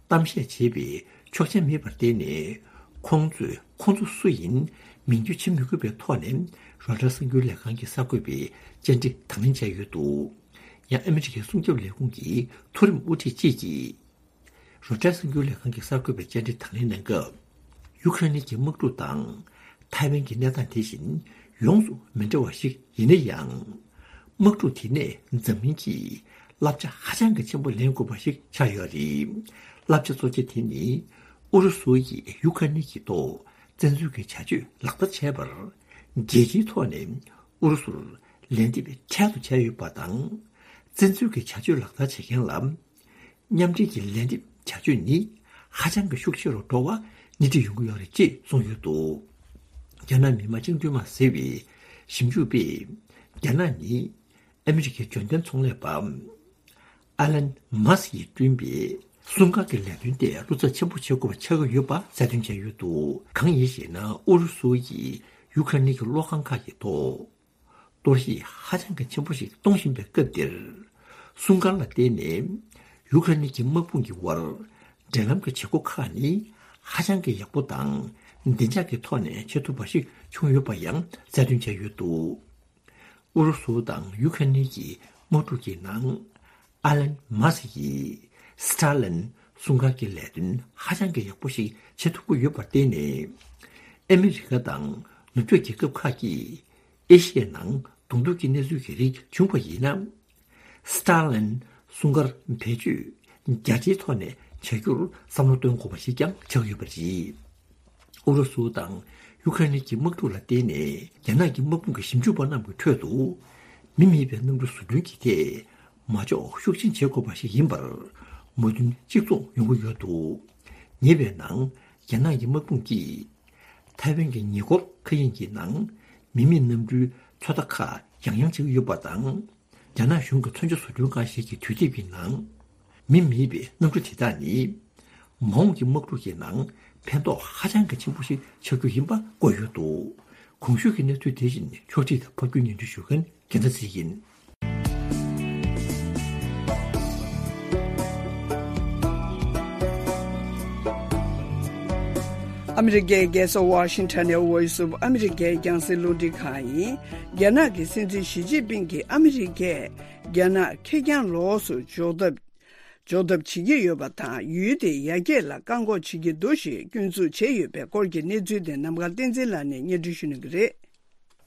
གཏམ་བཤད་བྱེད་པའི་ཆོག་མཆན་མེད་པར་བརྟེན་ནས། ཁོང་ཚོས་ཁོང་ཚོ་སུ་ཡིན་མིང་བརྗོད་བྱེད་མི་དགོས་པའི་ཐོག་ནས་རོའི་ཊར་གསར་འགྱུར་ལས་ཁང་གི་གསར་འགོད་པའི་བཅར་འདྲི་དང་ལེན་བྱས་ཡོད་འདུག་ཡང་ཨ་མི་རི་ཀའི་སྲུང་སྐྱོབ་ལས་ཁུངས་ཀྱི་མཐོ་རིམ་དབུ་ཁྲིད་ཅིག་གིས། རོའི་ཊར་གསར་འགྱུར་ལས་ཁང་གི་གསར་འགོད་པའི་བཅར་འདྲི་དང་ལེན་གནང་སྐབས། ཡུ་ཁ་རེན་གྱི་དམག་འཁྲུག་དང་ཐའེ་ཝན་གྱི་གནས་སྟངས་དེ་བཞིན་ཡོངས་སུ་མི་འདྲ་བ་ཞིག་ཡིན་ན་ཡང་། དམག་འཁྲུག་དེ་ནས་འཛམ་གླིང་གིས་བསླབ་བྱ་ཧ་ཅང་གི་ཆེན་པོ་ལེན་དགོས་པ་ཞིག་ཆགས་ཡོད་རེད། བསླབ་བྱ་གཙོ་ཆེ་དེ་ནི་ཨུ་རུ་སུ་ཡིས་ཡུ་ཁ་རེན་གྱི་ཐོག་བཙན་འཛུལ་གྱི་བྱ་སྤྱོད་ལག་བསྟར་བྱས་པར། རྒྱལ་སྤྱིའི་ཐོག་ནས་ཨུ་རུ་སུར་ལན་འདེབས་འཕྲལ་དུ་བྱས་ཡོད་པ་དང་། བཙན་འཛུལ་གྱི་བྱ་སྤྱོད་ལག་བསྟར་བྱེད་མཁན་ལ། མཉམ་འབྲེལ་གྱི་ལན་འདེབས་བྱ་སྤྱོད་ནི་ཧ་ཅང་གི་ཤུགས་ཆེ་རུ་འགྲོ་བ་སྣེ་ཁྲིད་ཡོང་གི་ཡོད་རེད་ཅེས་གསུངས་ཡོད་འདུག་རྒྱ་ནག་མི་དམངས་བཅིངས་འགྲོལ་དམག་ཟེར་བའི་ཞིབ་འཇུག་པས། རྒྱ་ནག་ནི་ཨ་མི་རི་ཀའི་འབྱོར་ལྡན་ཚོང་ལས་པ་ཨ་ལན་མཱ་སི་ཡིས་བསྐྲུན་པའི་སྲུང་སྐར་གྱི་ལས་དོན་དེ་བློ་འཚབ་ཆེན་པོ་བྱེད་དགོས་པ་ཆགས་ཀྱི་ཡོད་པ་གསལ་སྟོན་བྱས་ཡོད་འདུག་གང་ཡིན་ཞེ་ན། ཨུ་རུ་སུ་ཡིས་ཡུ་ཁ་རེན་གྱི་གློག་ཁང་ཁག་གི་ཐོག་གཏོར་བཤིག་ཧ་ཅང་གི་ཆེན་པོ་ཞིག་གཏོང་བཞིན་པའི་སྐབས་འདིར། སྲུང་སྐར་ལ་བརྟེན་ནས་ཡུ་ཁ་རེན་གྱི་དམག་དཔུང་གི་དབར་འབྲེལ་ལམ་གྱི་བྱེད་སྒོ་ཁག་ནི་ཧ་ཅང་གི་ཡག་པོ་དང་བདེ་འཇགས་ཀྱི་ཐོག་ནས་བྱེད་ཐུབ་པ་ཞིག་བྱུང་ཡོད་པ་ཡང་གསལ་སྟོན་བྱས་ཡོད་འདུག་ཨུ་རུ་སུ་དང་ཡུ་ཁ་རེན་གྱི་དམག་འཁྲུག་གི་ནང་། ཨ་ལན་མཱ་སི་ཡིས་སི་ཏཱ་ལིན་སྲུང་སྐར་གྱི་ལས་དོན་ཧ་ཅང་གི་ཡག་པོ་ཞིག་བྱེད་ཐུབ་ཀྱི་ཡོད་པར་བརྟེན་ནས། ཨ་མི་རི་ཀ་དང་ནུབ་ཕྱོགས་རྒྱལ་ཁབ་ཁག་གིས་ཨེ་ཤི་ཡའི་ནང་གདོང་ཐུག་གི་གནས་ཚུལ་གྱི་རིགས་བྱུང་བ་ཡིན་ན། སི་ཏཱ་ལིན་སྲུང་སྐར་བེད་སྤྱོད་རྒྱ་ཆེའི་ཐོག་ནས་བྱ་རྒྱུར་བསམ་བློ་གཏོང་དགོས་པ་ཞིག་ཀྱང་ཆགས་ཡོད་པ་རེད། ཨུ་རུ་སུ་དང་ཡུ་ཁ་རེན་གྱི་དམག་འཁྲུག་ལ་བརྟེན་ནས། རྒྱ་ནག་གི་དམག་དཔུང་གི་ཞིབ་འཇུག་པ་རྣམས་ཀྱི་ཁྲོད་དུ། མི་མེད་པའི་གནམ་གྲུ་བཟོ་སྐྲུན་གྱི་ཐད་མ་འཇོག་ཤུགས་ཆེན་བྱེད་དགོས་པ་ཞིག་ཡིན་པར་མོས་མཐུན་གཅིག་མཚུངས་ཡོང་གི་ཡོད་འདུག་ཉེ་བའི་ནང་རྒྱ་ནག་གི་དམག་དཔུང་གིས་ཐའེ་ཝན་གྱི་ཉེ་འཁོར་མཁའ་དབྱིངས་ཀྱི་ནང་མི་མེད་གནམ་གྲུའི་ཚོད་ལྟ་ཁག་ཡང་ཡང་བྱེད་ཀྱི་ཡོད་པ་དང་། རྒྱ་ནག་གཞུང་གི་མཚོན་ཆ་བཟོ་སྐྲུན་ཁང་ཞིག་གི་དུས་དེབ་ཀྱི་ནང་། མི་མེད་པའི་གནམ་གྲུ་དེ་དག་ནི། མ་འོངས་ཀྱི་དམག་འཁྲུག་གི་ནང་ཕན་ཐོགས་ཧ་ཅང་གི་ཆེན་པོ་ཞིག་ཆགས་རྒྱུ་ཡིན་པ་བཀོད་ཡོད་འདུག་གོང་ཞུས་ཀྱི་གནས་ཚུལ་དེ་བཞིན་ཕྱོགས་སྒྲིག་དང་ཕབ་སྒྱུར་སྙན་སྒྲོན་ཞུ་མཁན་རྒྱལ་མཚན་ཚེ་རིང་ཡིན། ཨ་མི་རི་ཀའི་རྒྱལ་ས་ཝ་ཤིང་ཊོན་ནས་Voice of America རྒྱང་སྲིང་རླུང་འཕྲིན་ཁང་ཡིན། རྒྱ་ནག་གི་སྲིད་འཛིན་ཞི་ཅིན་ཕིང་གིས་ཨ་མི་རི་ཀས་རྒྱ་ནག་ཁེར་རྐྱང་ལོགས་སུ་འཇོག་ཐབས། འཇོག་ཐབས་བྱེད་ཀྱི་ཡོད་པ་དང་། ཡུལ་དེའི་ཡར་རྒྱས་ལ་བཀག་འགོག་བྱེད་ཀྱི་འདུག་ཞེས་སྐྱོན་འཛུགས་བྱས་ཡོད་པའི་སྐོར་གྱི་གནས་ཚུལ་དེ་ནམ་མཁའ་བསྟན་འཛིན་ལགས་ནས་སྙན་སྒྲོན་ཞུ་གནང་གི་རེད།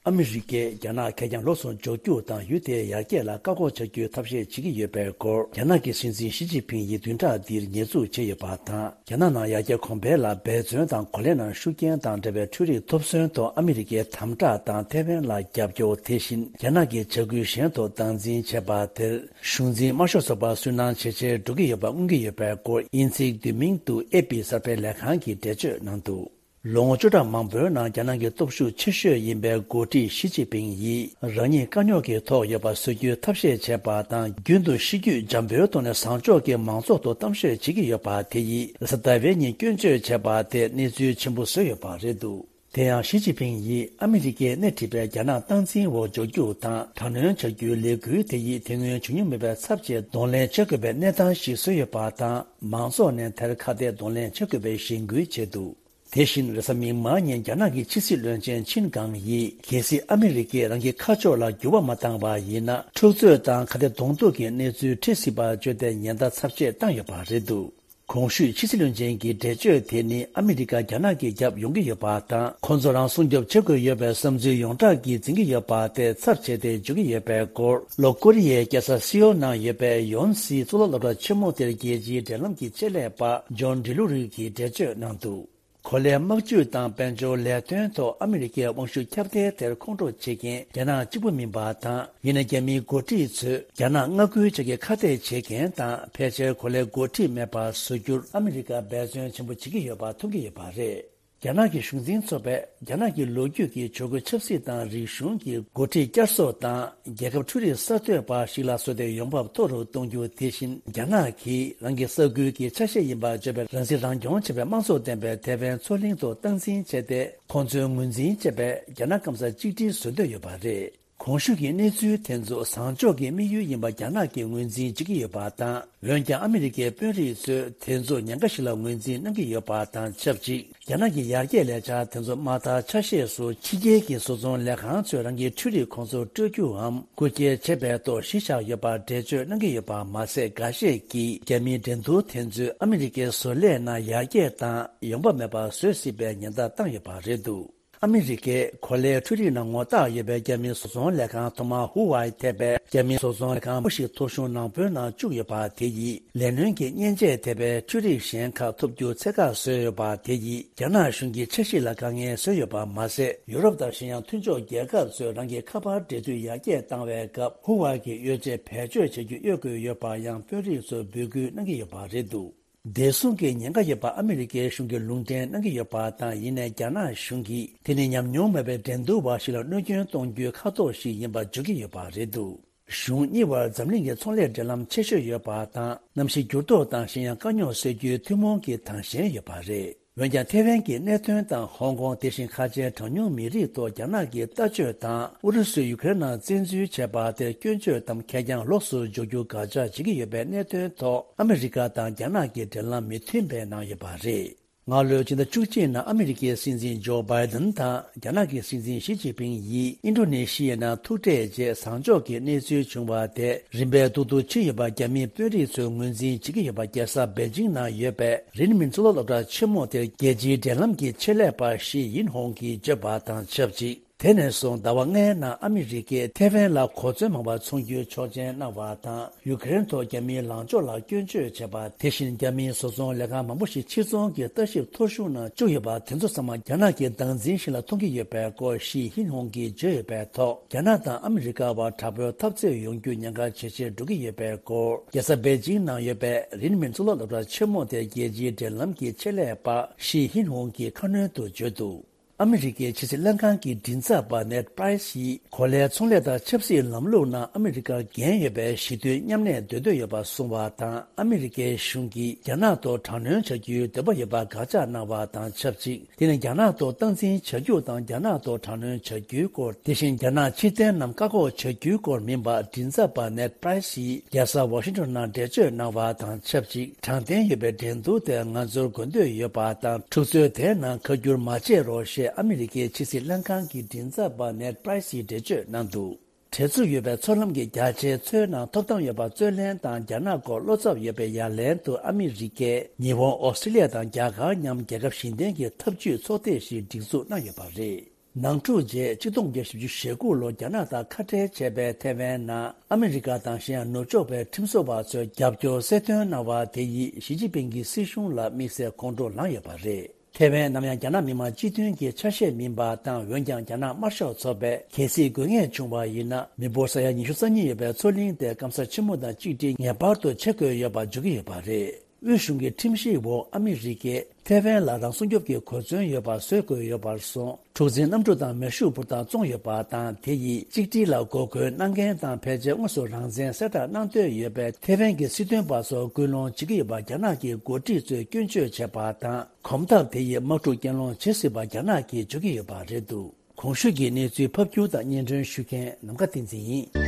ཨ་མི་རི་ཀས་རྒྱ་ནག་ཁེར་རྐྱང་ལོགས་སུ་འཇོག་རྒྱུ་དང་། ཡུལ་དེའི་ཡར་རྒྱས་ལ་བཀག་འགོག་བྱ་རྒྱུའི་ཐབས་ཤེས་བྱེད་ཀྱི་ཡོད་པའི་སྐོར། རྒྱ་ནག་གི་སྲིད་འཛིན་ཞི་ཅིན་ཕིང་ཡིས་བདུན་ཕྲག་འདིར་ཉེས་འཛུགས་བྱས་ཡོད་པ་དང་། རྒྱ་ནག་ནང་ཡར་རྒྱས་གོང་འཕེལ་ལ་འབད་བརྩོན་དང་། གོ་ལའི་ནང་ཤུགས་རྐྱེན་དང་འབྲེལ་བའི་འཕྲུལ་རིག་ཐོབ་ཚོད་ཐོག་ཨ་མི་རི་ཀའི་དམ་དྲག་དང་ཐའེ་ཝན་ལ་རྒྱབ་སྐྱོར། དེ་བཞིན་རྒྱ་ནག་གི་བྱ་འགུལ་གཞན་ཐོག་སྟངས་འཛིན་བྱས་པ་དེར། གཞུང་འཛིན་དམར་ཤོག་ཚོགས་པ་སུན་སྣང་ཇེ་ཆེར་འགྲོ་གི་ཡོད་པ་མངོན་གྱི་ཡོད་པའི་སྐོར། དབྱིན་ཚིག་བསྡུས་མིང་དུ་ཨེ་པི་གསར་སྤེལ་ལས་ཁང་གིས་འགྲེལ་བརྗོད་གནང་འདུག་ལོ་ངོ་བཅུ་ཕྲག་མང་པོའི་ནང་རྒྱ་ནག་གི་སྟོབས་ཤུགས་ཆེ་ཤོས་ཡིན་པའི་འགོ་ཁྲིད་ཞི་ཅིན་ཕིང་ཡིས་རང་ཉིད་དཀའ་རྙོག་གི་ཐོག་ཡོད་པ་བཟོ་རྒྱུའི་ཐབས་ཤེས་བྱས་པ་དང་། རྒྱུན་དུ་གཤིས་རྒྱུད་འཇམ་པོའི་ཐོག་ནས་བཟང་ཕྱོགས་ཀྱི་མང་ཚོགས་ཐོག་གཏམ་བཤད་བྱེད་ཀྱི་ཡོད་པ་དེ་ཡིས་ལ་ས་ཏཱ་ཝེ་ཉིད་སྐྱོན་བརྗོད་བྱས་པ་དེ་གནས་ཚུལ་ཆེན་པོ་བཟོས་ཡོད་པ་རེད་འདུག་དེ་ཡང་ཞི་ཅིན་ཕིང་ཡིས་ཨ་མི་རི་ཀས་སྣེ་ཁྲིད་པའི་རྒྱ་ནག་སྟངས་འཛིན་འོག་འཇོག་རྒྱུ་དང་དྲག་གནོན་བྱ་རྒྱུའི་ལས་འགུལ་དེ་ཡིས་དེ་སྔོན་བྱུང་མྱོང་མེད་པའི་ཚབས་ཆེའི་གདོང་ལེན་བྱེད་དགོས་པའི་གནས་སྟངས་ཤིག་བཟོས་ཡོད་པ་དང་། མང་ཚོགས་ནས་དེར་ཁ་གཏད་གདོང་ལེན་བྱེད་དགོས་པའི་གཞེན་སྐུལ་བྱས་འདུག་དེ་བཞིན་རེས་གཟའ་མིག་དམར་ཉིན་རྒྱ་ནག་གི་ཕྱི་སྲིད་བློན་ཆེན་ཆིན་ཀང་ཡིས། གལ་སྲིད་ཨ་མི་རི་ཀས་རང་གི་ཁ་ཕྱོགས་ལ་འགྱུར་བ་མ་བཏང་བ་ཡིན་ན། འཁྲུག་རྩོད་དང་ཁ་གཏད་གདོང་ཐུག་གི་གནས་ཚུལ་འཕྲད་སྲིད་པ་བརྗོད་དེ་ཉེན་བརྡ་ཚབས་ཆེ་བཏང་ཡོད་པ་རེད་འདུག་གོང་ཞུས་ཕྱི་སྲིད་བློན་ཆེན་གྱི་འགྲེལ་བརྗོད་དེ་ནི་ཨ་མི་རི་ཀ་རྒྱ་ནག་གི་རྒྱབ་ཡོང་གི་ཡོད་པ་དང་། ཁོང་ཚོ་རང་སྲུང་སྐྱོབ་བྱེད་དགོས་ཡོད་པའི་བསམ་ཚུལ་ཡོངས་གྲགས་ཀྱིས་འཛིན་གྱི་ཡོད་པ་དེ་ཚབས་ཆེ་སྟེ་འཇོག་གི་ཡོད་པའི་སྐོར། ལྷོ་ཀོ་རི་ཡའི་རྒྱལ་ས་སེའོལ་ནང་ཡོད་པའི་ཡོན་སི་གཙུག་ལག་སློབ་གྲྭ་ཆེན་མོ་དེར་རྒྱལ་སྤྱིའི་འབྲེལ་ལམ་གྱི་ཆེད་ལས་པ་ཇོན་ཌི་ལུ་རུ་གིས་འགྲེལ་བརྗོད་གནང་འདུག་གོ་ལའི་དམག་ཇུས་དང་དཔལ་འབྱོར་ལས་དོན་ཐོག་ཨ་མི་རི་ཀའི་དབང་ཤུགས་ཁྱབ་གདལ་དེར་ཁོང་ཁྲོ་བྱེད་མཁན་རྒྱ་ནག་གཅིག་པུ་མིན་པ་དང་། ཡིན་ན་རྒྱ་མིའི་འགོ་ཁྲིད་ཚོས་རྒྱ་ནག་མངའ་ཁུལ་ཆགས་ཀྱི་ཁ་གཏད་བྱེད་མཁན་དང་། ཕལ་ཆེར་གོ་ལའི་འགོ་ཁྲིད་མེད་པར་བཟོ་རྒྱུར་ཨ་མི་རི་ཀ་འབད་བརྩོན་ཆེན་པོ་བྱེད་ཀྱི་ཡོད་པ་མཐོང་གི་ཡོད་པ་རེད། རྒྱ་ནག་གི་གཞུང་འཛིན་ཚོགས་པས་རྒྱ་ནག་གི་ལོ་རྒྱུས་ཀྱི་ཆོས་འཁོར་ཆབ་སྲིད་དང་རིག་གཞུང་གི་འགོ་ཁྲིད་བསྐྱར་གསོ་དང་། རྒྱལ་ཁབ་འཕྲུལ་རིག་གསར་གཏོད་པ་ཞིག་ལ་བཟོ་སྟེ་ཡོང་འབབ་མཐོ་རུ་གཏོང་རྒྱུ། དེ་བཞིན་རྒྱ་ནག་གིས་རང་གི་ས་ཁུལ་གྱི་ཆ་ཤས་ཡིན་པར་བརྗོད་པའི་རང་སྲིད་རང་སྐྱོང་བྱེད་པའི་དམངས་གཙོ་ལྡན་པའི་ཐེ་ཝན་མཚོ་གླིང་དུ་སྟངས་འཛིན་བྱས་ཏེ། ཁོང་ཚོའི་ངོས་འཛིན་བྱས་པའི་རྒྱ་ནག་སྐམ་ས་གཅིག་སྒྲིལ་བཟོ་འདོད་ཡོད་པ་རེད། གོང་ཞུས་ཀྱི་གནས་ཚུལ་དེ་ཚོ་བཟང་ཕྱོགས་ཀྱི་དམིགས་ཡུལ་ཡིན་པ་རྒྱ་ནག་གིས་ངོས་འཛིན་བྱེད་ཀྱི་ཡོད་པ་དང་། འོན་ཀྱང་ཨ་མི་རི་ཀའི་དཔོན་རིགས་ཚོས་དེ་ཚོ་ཉེན་ཁ་ཞིག་ལ་ངོས་འཛིན་གནང་གི་ཡོད་པ་དང་ཆབས་ཅིག་རྒྱ་ནག་གི་ཡར་རྒྱས་ལས་འཆར་དེ་ཚོ་མ་མཐའ་ཆ་ཤས་སུ་ཕྱི་རྒྱལ་གྱི་བཟོ་ཚོང་ལས་ཁང་ཚོས་རང་གི་འཕྲུལ་རིག་ཁོང་ཚོར་སྤྲོད་རྒྱུའམ་རྐུ་འཁྱེར་བྱེད་པའི་ཐོག་གཞི་བཞག་ཡོད་པར་འགྲེལ་བརྗོད་གནང་གི་ཡོད་པ་མ་ཟད། འགའ་ཤས་ཀྱིས་རྒྱ་མིའི་འགྲན་བསྡུར་དེ་ཚོས་ཨ་མི་རི་ཀའི་བཟོ་ལས་ནང་ཡར་རྒྱས་དང་ཡོང་འབབ་མེད་པ་བཟོ་སྲིད་པའི་ཉེན་བརྡ་བཏང་ཡོད་པ་རེད་འདུག་ཨ་མི་རི་ཀས་གོ་ལའི་འཕྲུལ་རིག་ནང་ངོ་རྟགས་ཡོད་པའི་རྒྱ་མིའི་བཟོ་ཚོང་ལས་ཁང་ཐོག་མར་ཧུ་ཝའེ་ཐེ་པའི་རྒྱ་མིའི་བཟོ་ཚོང་ལས་ཁང་པོ་ཞིག་ཐོ་གཞུང་ནང་དཔོན་ནང་བཅུག་ཡོད་པ་དེ་ཡིས། ལས་སྣོན་གྱི་མཉེན་ཆས་ཐེ་པའི་འཕྲུལ་རིག་གཞན་ཁག་ཐོབ་རྒྱུ་ཚད་བཀག་བཟོས་ཡོད་པ་དེ་ཡིས། རྒྱ་ནག་གཞུང་གི་འཆར་གཞི་ལ་དཀའ་ངལ་བཟོས་ཡོད་པ་མ་ཟད། ཡུ་རོབ་དང་གཞན་ཡང་མཐུན་ཕྱོགས་རྒྱལ་ཁབ་ཚོས་རང་གི་ཁ་པར་འབྲེལ་མཐུད་ཡར་རྒྱས་བཏང་བའི་སྐབས། ཧུ་ཝའེ་གི་ཡོ་བྱད་བེད་སྤྱོད་བྱེད་རྒྱུ་གཡོལ་དགོས་ཡོད་པ་ཡང་དཔོན་རིགས་ཚོར་འབོད་སྐུལ་གནང་གི་ཡོད་པ་རེད་འདུག་བདེ་སྲུང་གི་ཉེན་ཁ་ཡོད་པ་ཨ་མི་རི་ཀའི་གཞུང་གིས་ལུང་འདྲེན་གནང་གི་ཡོད་པ་དང་། ཡིན་ནའི་རྒྱ་ནག་གཞུང་གིས་དེ་ནི་ཉམས་མྱོང་མེད་པའི་འགྲན་བསྡུར་བ་ཞིག་ལ་གནོད་སྐྱོན་གཏོང་རྒྱུའི་ཁ་དོག་ཞིག་ཡིན་པ་བརྗོད་ཀྱི་ཡོད་པ་རེད་འདུག་གཞུང་གཉིས་བར་འཛམ་གླིང་གི་ཚོང་ལས་འབྲེལ་ལམ་ཆེ་ཤོས་ཡོད་པ་དང་། གནམ་གཤིས་འགྱུར་ལྡོག་དང་གཞན་ཡང་དཀའ་རྙོག་སེལ་རྒྱུའི་ཐུན་མོང་གི་དྭངས་ཤེལ་ཡོད་པ་རེད། འོན་ཀྱང་། ཐེ་ཝན་གྱི་གནད་དོན་དང་། ཧོང་ཀོང་། དེ་བཞིན་ཁ་ཆེའི་གྲངས་ཉུང་མི་རིགས་ཐོག་རྒྱ་ནག་གི་ལྟ་སྤྱོད་དང་། ཨུ་རུ་སུས་ཡུ་ཀེ་རེན་ནང་བཙན་འཛུལ་བྱས་པ་དེ་སྐྱོན་བརྗོད་དམ་ཁེར་རྐྱང་ལོགས་སུ་འཇོག་རྒྱུ་དགག་བྱ་བྱེད་ཀྱི་ཡོད་པའི་གནད་དོན་ཐོག་ཨ་མི་རི་ཀ་དང་རྒྱ་ནག་གི་འབྲེལ་ལམ་མི་མཐུན་པའི་ནང་ཡོད་པ་རེད། སྔ་ལོའི་ཕྱི་ཟླ་བཅུ་གཅིག་ནང་ཨ་མི་རི་ཀའི་སྲིད་འཛིན་ཇོ་བྷའི་ཌེན་དང་རྒྱ་ནག་གི་སྲིད་འཛིན་ཞི་ཅིན་ཕིང་ཡིས་ཨིན་ཌོ་ནེ་ཤི་ཡའི་ནང་ཐུག་འཕྲད་རྗེས། བཟང་ཕྱོགས་ཀྱི་གནས་ཚུལ་བྱུང་བ་དེ་རིམ་པས་སྡུག་ཏུ་ཕྱིན་ཡོད་པ་རྒྱ་མིའི་དཔོན་རིགས་ཚོས་ངོས་འཛིན་བྱེད་ཀྱི་ཡོད་པ། རྒྱལ་ས་པེ་ཅིང་ནང་ཡོད་པའི་རིན་མིན་གཙུག་ལག་སློབ་གྲྭ་ཆེན་མོ་དེར་རྒྱལ་སྤྱིའི་འབྲེལ་ལམ་གྱི་ཆེད་ལས་པ་ཞི་ཡིན་ཧོང་གིས་བརྗོད་པ་དང་ཆབས་ཅིག་དེ་ནས་བཟུང་ཟླ་བ་ལྔའི་ནང་ཨ་མི་རི་ཀས་ཐེ་ཝན་ལ་གོ་མཚོན་མང་བ་འཚོང་རྒྱུའི་ཆོག་མཆན་གནང་བ་དང་། ཡུ་ཀེ་རེན་ཐོག་རྒྱ་མིའི་ལངས་ཕྱོགས་ལ་སྐྱོན་བརྗོད་བྱས་པ། དེ་བཞིན་རྒྱ་མིའི་བཟོ་ཚོང་ལས་ཁང་མང་པོ་ཞིག་ཕྱིར་ཚོང་གི་ལྟ་ཞིབ་ཐོ་གཞུང་ནང་བཅུག་ཡོད་པ། དེ་ཚོ་ཚང་མ་རྒྱ་ནག་གི་སྟངས་འཛིན་ཞིག་ལ་མཐོང་གི་ཡོད་པའི་སྐོར་ཞི་ཧིན་ཧོང་གིས་བརྗོད་ཡོད་པའི་ཐོག་རྒྱ་ནག་དང་ཨ་མི་རི་ཀ་བར་དྲག་པོའི་འཐབ་རྩོད་ཡོང་རྒྱུ་ཉེན་ཁ་ཇེ་ཆེར་འགྲོ་གི་ཡོད་པའི་སྐོར། རྒྱལ་ས་པེ་ཅིང་ནང་ཡོད་པའི་རིན་མིན་གཙུག་ལག་སློབ་གྲྭ་ཆེན་མོ་དེའི་རྒྱལ་སྤྱིའི་འབྲེལ་ལམ་གྱི་ཆེད་ལས་པ་ཞི་ཧིན་ཧོང་གིས་ཁ་སྣོན་དུ་བརྗོད་འདུག་ཨ་མི་རི་ཀའི་ཕྱི་སྲིད་ལྷན་ཁང་གི་མགྲིན་ཚབ་པ་ནེད་པྲའི་སི་ཡིས། གོ་ལའི་ཚོང་ལས་དང་ཆབ་སྲིད་ལམ་ལུགས་ནང་ཨ་མི་རི་ཀར་འགན་ཡོད་པའི་ཞི་མཐུན་མཉམ་གནས་འདོད་འདོད་ཡོད་པ་གསུངས་པ་དང་། ཨ་མི་རི་ཀའི་གཞུང་གིས་རྒྱ་ནག་ཐོག་དྲག་གནོན་བྱ་རྒྱུའི་འདོད་པ་ཡོད་པ་དགག་བྱ་གནང་བ་དང་ཆབས་ཅིག་དེ་ནི་རྒྱ་ནག་ཐོག་སྟངས་འཛིན་བྱ་རྒྱུ་དང་། རྒྱ་ནག་ཐོག་དྲག་གནོན་བྱ་རྒྱུའི་སྐོར། དེ་བཞིན་རྒྱ་ནག་ཕྱིར་འཐེན་རྣམས་བཀག་འགོག་བྱ་རྒྱུའི་སྐོར་མིན་པ། མགྲིན་ཚབ་པ་ནེད་པྲའི་སི་ཡིས་རྒྱལ་ས་ཝ་ཤིང་ཊོན་ནང་འགྲེལ་བརྗོད་གནང་བ་དང་ཆབས་ཅིག་དྲང་བདེན་ཡོད་པའི་འགྲན་བསྡུར་དེར་ང་ཚོར་དགོས་འདོད་ཡོད་པ་དང་། འཁྲུག་རྩོད་དེའི་ནང་ཁ་བསྒྱུར་མ་བྱེད་རོགས་ཞེས་ཨ་མི་རི་ཀའི་ཕྱི་སྲིད་ལྷན་ཁང་གི་མགྲིན་ཚབ་པ་ནེད་པྲའི་སིས་འགྲེལ་བརྗོད་གནང་འདུག་བྲེལ་འཚུབ་ཡོད་པའི་མཚོ་ལམ་གྱི་རྒྱ་ཆེའི་མཚོའི་ནང་ཐོབ་ཐང་ཡོད་པར་རྩོད་ལེན་དང་། རྒྱ་ནག་སྐོར་བློ་འཚབ་ཡོད་པའི་ཡ་ལན་དུ་ཨ་མི་རི་ཀས་ཉི་ཧོང་། ཨོ་སི་ཀྲི་ལི་ཡ་དང་རྒྱ་གར་མཉམ་རྒྱལ་ཁབ་བཞི་ལྡན་གྱི་འཐབ་ཇུས་ཚོགས་སྡེ་ཞིག་སྒྲིག་འཛུགས་གནང་ཡོད་པ་རེད། ནང་འཁྲུག་རྗེས་ཆིག་སྟོང་དགུ་བརྒྱ་བཞི་བཅུ་ཞེ་དགུ་ལོར་རྒྱ་ནག་དང་ཁ་བྲལ་བྱས་པའི་ཐེ་ཝན་ནང་ཨ་མི་རི་ཀ་དང་གཞན་ཡང་ནུབ་ཕྱོགས་པའི་ཁྲིམས་བཟོ་བ་ཚོས་རྒྱབ་སྐྱོར་གསལ་སྟོན་གནང་བ་དེ་ཡིས་ཞི་ཅིན་ཕིང་གི་སྲིད་གཞུང་ལ་དམིགས་བསལ་ཁོང་ཁྲོ་ལངས་ཡོད་པ་རེད། ཐེ་ཝན་ནམ་ཡང་རྒྱ་ནག་མི་དམངས་སྤྱི་མཐུན་གྱི་ཆ་ཤས་མིན་པ་དང་། འོན་ཀྱང་རྒྱ་ནག་དམར་ཤོག་ཚོགས་པས་གལ་སྲིད་དགོས་ངེས་བྱུང་བ་ཡིན་ན། མི་འབོར་ས་ཡ་ཉི་ཤུ་རྩ་གཉིས་ཡོད་པའི་མཚོ་གླིང་དེ་སྐམ་ས་ཆེན་མོ་དང་གཅིག་སྒྲིལ་ངེས་པར་དུ་བྱེད་དགོས་ཡོད་པ་བརྗོད་ཀྱི་ཡོད་པ་རེད། དབུས་གཞུང་གི་ཁྲིམས་གཞིའི་འོག་ཨ་མི་རི་ཀས་ཐེ་ཝན་ལ་རང་སྲུང་སྐྱོབ་ཀྱི་གོ་མཚོན་ཡོད་པ་བཟོ་དགོས་ཡོད་པར་སོང་། འཁྲུག་འཛིང་གནམ་གྲུ་དང་མེ་ཤུགས་འབུར་ཐང་བཙོངས་ཡོད་པ་དང་། དེ་ཡིས་གཅིག་སྒྲིལ་ལ་འགོག་རྒོལ་གནང་མཁན་དང་ཕལ་ཆེར་དངོས་སུ་རང་བཙན་གསལ་བསྒྲགས་གནང་འདོད་ཡོད་པའི་ཐེ་ཝན་གྱི་སྲིད་དོན་པ་ཚོར་སྐུལ་སློང་བྱེད་ཀྱི་ཡོད་པ་རྒྱ་ནག་གི་འགོ་ཁྲིད་ཚོས་སྐྱོན་བརྗོད་བྱས་པ་དང་། གོམ་སྟབས་དེ་ཡིས་དམག་འཁྲུག་གྱེན་ལོག་བྱེད་སྲིད་པ་རྒྱ་ནག་གིས་བརྗོད་ཀྱི་ཡོད་པ་རེད་འདུག་གོང་ཞུས་ཀྱི་གནས་ཚུལ་ཕབ་སྒྱུར་དང་སྙན་སྒྲོན་ཞུ་མཁན་ནམ་མཁའ་བསྟན་འཛིན་ཡིན།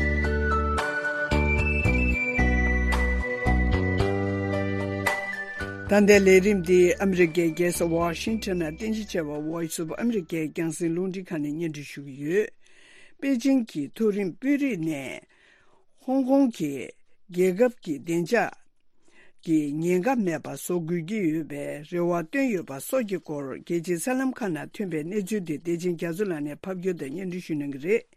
ད་ལྟའི་ལས་རིམ་འདི་ཨ་མི་རི་ཀའི་རྒྱལ་ས་ཝ་ཤིང་ཊོན་ནང་རྟེན་གཞི་བྱས་པ་Voice of America་རྒྱང་སྲིང་རླུང་འཕྲིན་ཁང་ནས་སྙན་སྒྲོན་ཞུ་གི་ཡོད། པེ་ཅིང་གི་མཐོ་རིམ་དཔོན་རིགས་ནས་ཧོང་ཀོང་གི་རྒྱལ་ཁབ་ཀྱི་བདེ་འཇགས་ཀྱི་ཉེན་ཁ་མེད་པ་བཟོ་དགོས་ཀྱི་ཡོད་པའི་རེ་བ་བཏོན་ཡོད་པ་སོགས་ཀྱི་སྐོར་རྒྱལ་སྤྱིའི་གསར་ལམ་ཁག་ནང་ཐོན་པའི་གནས་ཚུལ་དེ་བདེ་ཆེན་རྒྱ་མཚོ་ལགས་ནས་ཕབ་སྒྱུར་དང་སྙན་སྒྲོན་ཞུ་གནང་གི་རེད།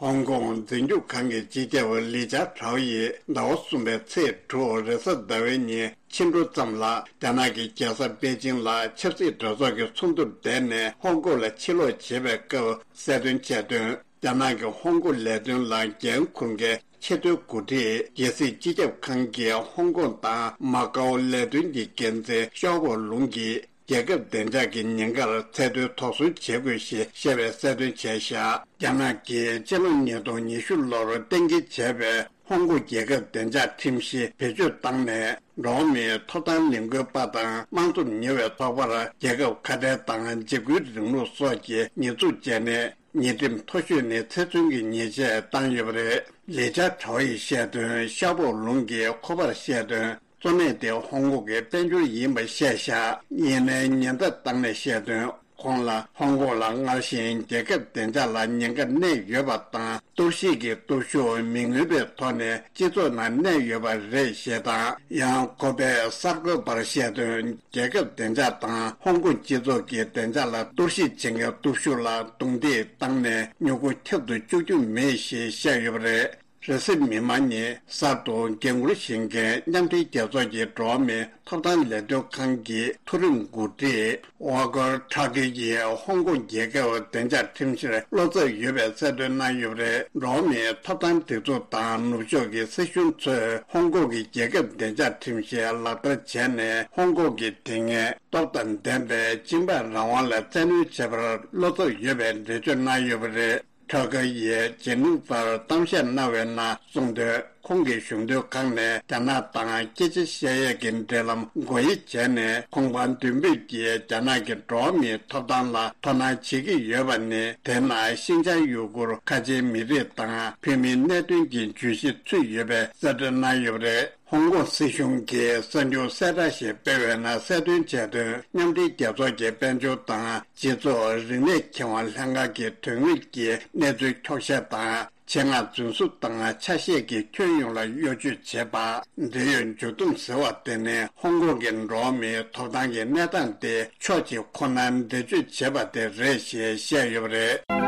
ཧོང་ཀོང་འཛིན་སྐྱོང་ཁང་གི་སྤྱི་ཁྱབ་ལི་ཅཱ་ཁྲའོ་ཡིས་ཟླ་བ་གསུམ་པའི་ཚེས་དྲུག་རེས་གཟའ་ཟླ་བའི་ཉིན་ཕྱི་དྲོ་ཙམ་ལ་རྒྱ་ནག་གི་རྒྱལ་ས་པེ་ཅིང་ལ་ཆབ་སྲིད་གྲོས་ཚོགས་ཀྱི་ཚོགས་འདུར་བསྡད་ནས་ཧོང་ཀོང་ལ་ཕྱིར་ལོག་བྱེད་པའི་སྐབས་གསལ་སྟོན་བྱས་དོན། རྒྱ་ནག་གི་ཧོང་ཀོང་ལས་དོན་ལ་འགན་འཁུར་མཁན་ཆེས་མཐོའི་འགོ་ཁྲིད་རྒྱལ་སྲིད་སྤྱི་ཁྱབ་ཁང་གི་ཧོང་ཀོང་དང་མ་ཀའོ་ལས་དོན་གྱི་འགན་འཛིན་ཤའོ་པོ་ལུང་གིས་རྒྱལ་ཁབ་བདེ་འཇགས་ཀྱི་ཉེན་ཁར་ཚད་མཐོའི་དོགས་ཟོན་བྱེད་དགོས་ཞེས་བཤད་པའི་གསལ་སྟོན་བྱས་བཞག་རྒྱ་ནག་གིས་སྤྱི་ལོ་ཉིས་སྟོང་ཉི་ཤུ་ལོར་གཏན་འཁེལ་བྱས་པའི་ཧོང་ཀོང་རྒྱལ་ཁབ་བདེ་འཇགས་ཁྲིམས་གཞི་བེད་སྤྱོད་བཏང་ནས། འགྲོ་བ་མིའི་ཐོབ་ཐང་ལས་འགུལ་པ་དང་དམངས་གཙོར་ཉེ་བའི་ཚོགས་པར་རྒྱལ་ཁབ་ཁ་བྲལ་དང་འཇིགས་སྐུལ་རིང་ལུགས་སོགས་ཀྱི་ཉེས་འཛུགས་བྱས་ནས། ཉེས་ཁྲིམས་མཐོ་ཤོས་ནས་ཚེ་བཙོན་གྱི་ཉེས་ཆད་བཏང་ཡོད་པ་རེད། ལི་ཅཱ་ཁྲའོ་ཡིས་བཤད་དོན། ཤའོ་པོ་ལུང་གིས་ཁོ་པར་བཤད་དོན། གཙོ་གནད་དེ་ཧོང་ཀོང་གི་དཔལ་འབྱོར་ཡིན་པ་བཤད་བཞག་ཡིན་ནའི་ཉེན་བརྡ་བཏང་ནས་བཤད་དོན། ཁོང་ལ་ཧོང་ཀོང་ལ་སྔར་བཞིན་རྒྱལ་ཁབ་བདེ་འཇགས་ལ་ཉེན་ཁ་གནས་ཡོད་པ་དང་། གཏོར་བཤིག་གི་སྟོབས་ཤུགས་མི་མངོན་པའི་ཐོག་ནས་སྤྱི་ཚོགས་ནང་གནས་ཡོད་པ་རེད་ཞེས་དང་། ཡང་ཁོ་པས་གསར་འགོད་པར་བཤད་དོན། རྒྱལ་ཁབ་བདེ་འཇགས་དང་ཧོང་ཀོང་སྤྱི་ཚོགས་ཀྱི་བདེ་འཇགས་ལ་གཏོར་བཤིག་བྱེད་མཁན་སྟོབས་ཤུགས་ལ་རྡུང་རྡེག་བཏང་ནས་མྱུ་གུ་ཁྱབ་ཏུ་བཅུག་རྒྱུ་མེད་ཞེས་བཤད་ཡོད་པ་རེད། རེས་གཟའ་མིག་དམར་ཉིན་གསར་དུ་འགན་འཁུར་བཞེས་མཁན་མཉམ་འབྲེལ་རྒྱལ་ཚོགས་ཀྱི་འགྲོ་བ་མིའི་ཐོབ་ཐང་ལས་དོན་ཁང་གི་མཐོ་རིམ་འགོ་ཁྲིད་ཝ་ཀར་ཁྲ་ཀི་ཡིས་ཧོང་ཀོང་རྒྱལ་ཁབ་བདེ་འཇགས་ཁྲིམས་གཞིར་བློ་འཚབ་ཡོད་པའི་གསལ་སྟོན་གནང་ཡོད་པ་རེད། འགྲོ་བ་མིའི་ཐོབ་ཐང་སྒྲིག་འཛུགས་དང་ནུབ་ཕྱོགས་ཀྱི་སྲིད་གཞུང་ཚོས་ཧོང་ཀོང་གི་རྒྱལ་ཁབ་བདེ་འཇགས་ཁྲིམས་གཞི་ལག་བསྟར་བྱས་ནས། ཧོང་ཀོང་གི་དེ་སྔའི་སྟོབས་དང་ལྡན་པའི་སྤྱི་འབངས་རང་དབང་ལ་བཙན་གནོན་བྱས་པར་བློ་འཚབ་ཡོད་པའི་འགྲེལ་བརྗོད་གནང་ཡོད་པ་རེད། ཁྲ་ཀ་ཡིས་ཇེ་ནིང་ཕར་གཏམ་བཤད་གནང་བའི་ནང་གསུངས་དོན། ཁོང་གིས་གཞུང་དོན་ཁང་ནས་རྒྱ་ནག་དང་སྐད་ཆ་བཤད་ཡས་ཀྱི་འབྲེལ་ལམ་སྒོ་དབྱེ་བྱས་ནས། ཁོང་པ་མདུན་སྤོས་ཀྱིས་རྒྱ་ནག་གི་འགྲོ་བ་མིའི་ཐོབ་ཐང་ལ་དོ་སྣང་བྱེད་ཀྱི་ཡོད་པ་ནི། དེ་ནང་ཤིན་ཅང་ཡུ་གུར་ཁ་ཆེའི་མི་རིགས་དང་བོད་མིའི་གནད་དོན་གྱི་བརྗོད་གཞི་ཚུད་ཡོད་པའི་གསལ་སྟོན་གནང་ཡོད་པ་རེད། ཧོང་ཀོང་སྲིད་གཞུང་གིས་གསར་འགྱུར་གསལ་བསྒྲགས་ཤིག་སྤེལ་བའི་ནང་གསལ་སྟོན་བྱས་དོན། མཉམ་འབྲེལ་རྒྱལ་ཚོགས་ཀྱི་དཔལ་འབྱོར་དང་སྤྱི་ཚོགས་རིག་གནས་ཁེ་དབང་ལྷན་ཁང་གི་དོན་དངོས་ཀྱི་གནས་ཚུལ་འཁྱོག་བཤད་དང་། ཆེད་མངགས་རྫུན་བཟོ་དང་ཆ་ཤས་ཀྱི་ཁྱོན་ཡོངས་ལ་གཡོ་ཇུས་བྱེད་པ། འབྲེལ་ཡོད་མཇུག་སྡོམ་ཟེར་བ་དེ་ནི་ཧོང་ཀོང་གི་འགྲོ་བ་མིའི་ཐོབ་ཐང་གི་གནས་སྟངས་དེ་ཕྱོགས་གཅིག་ཁོ་ནར་འགྲེལ་བརྗོད་བྱས་པ་དེ་རེད་ཞེས་བཤད་ཡོད་པ་རེད།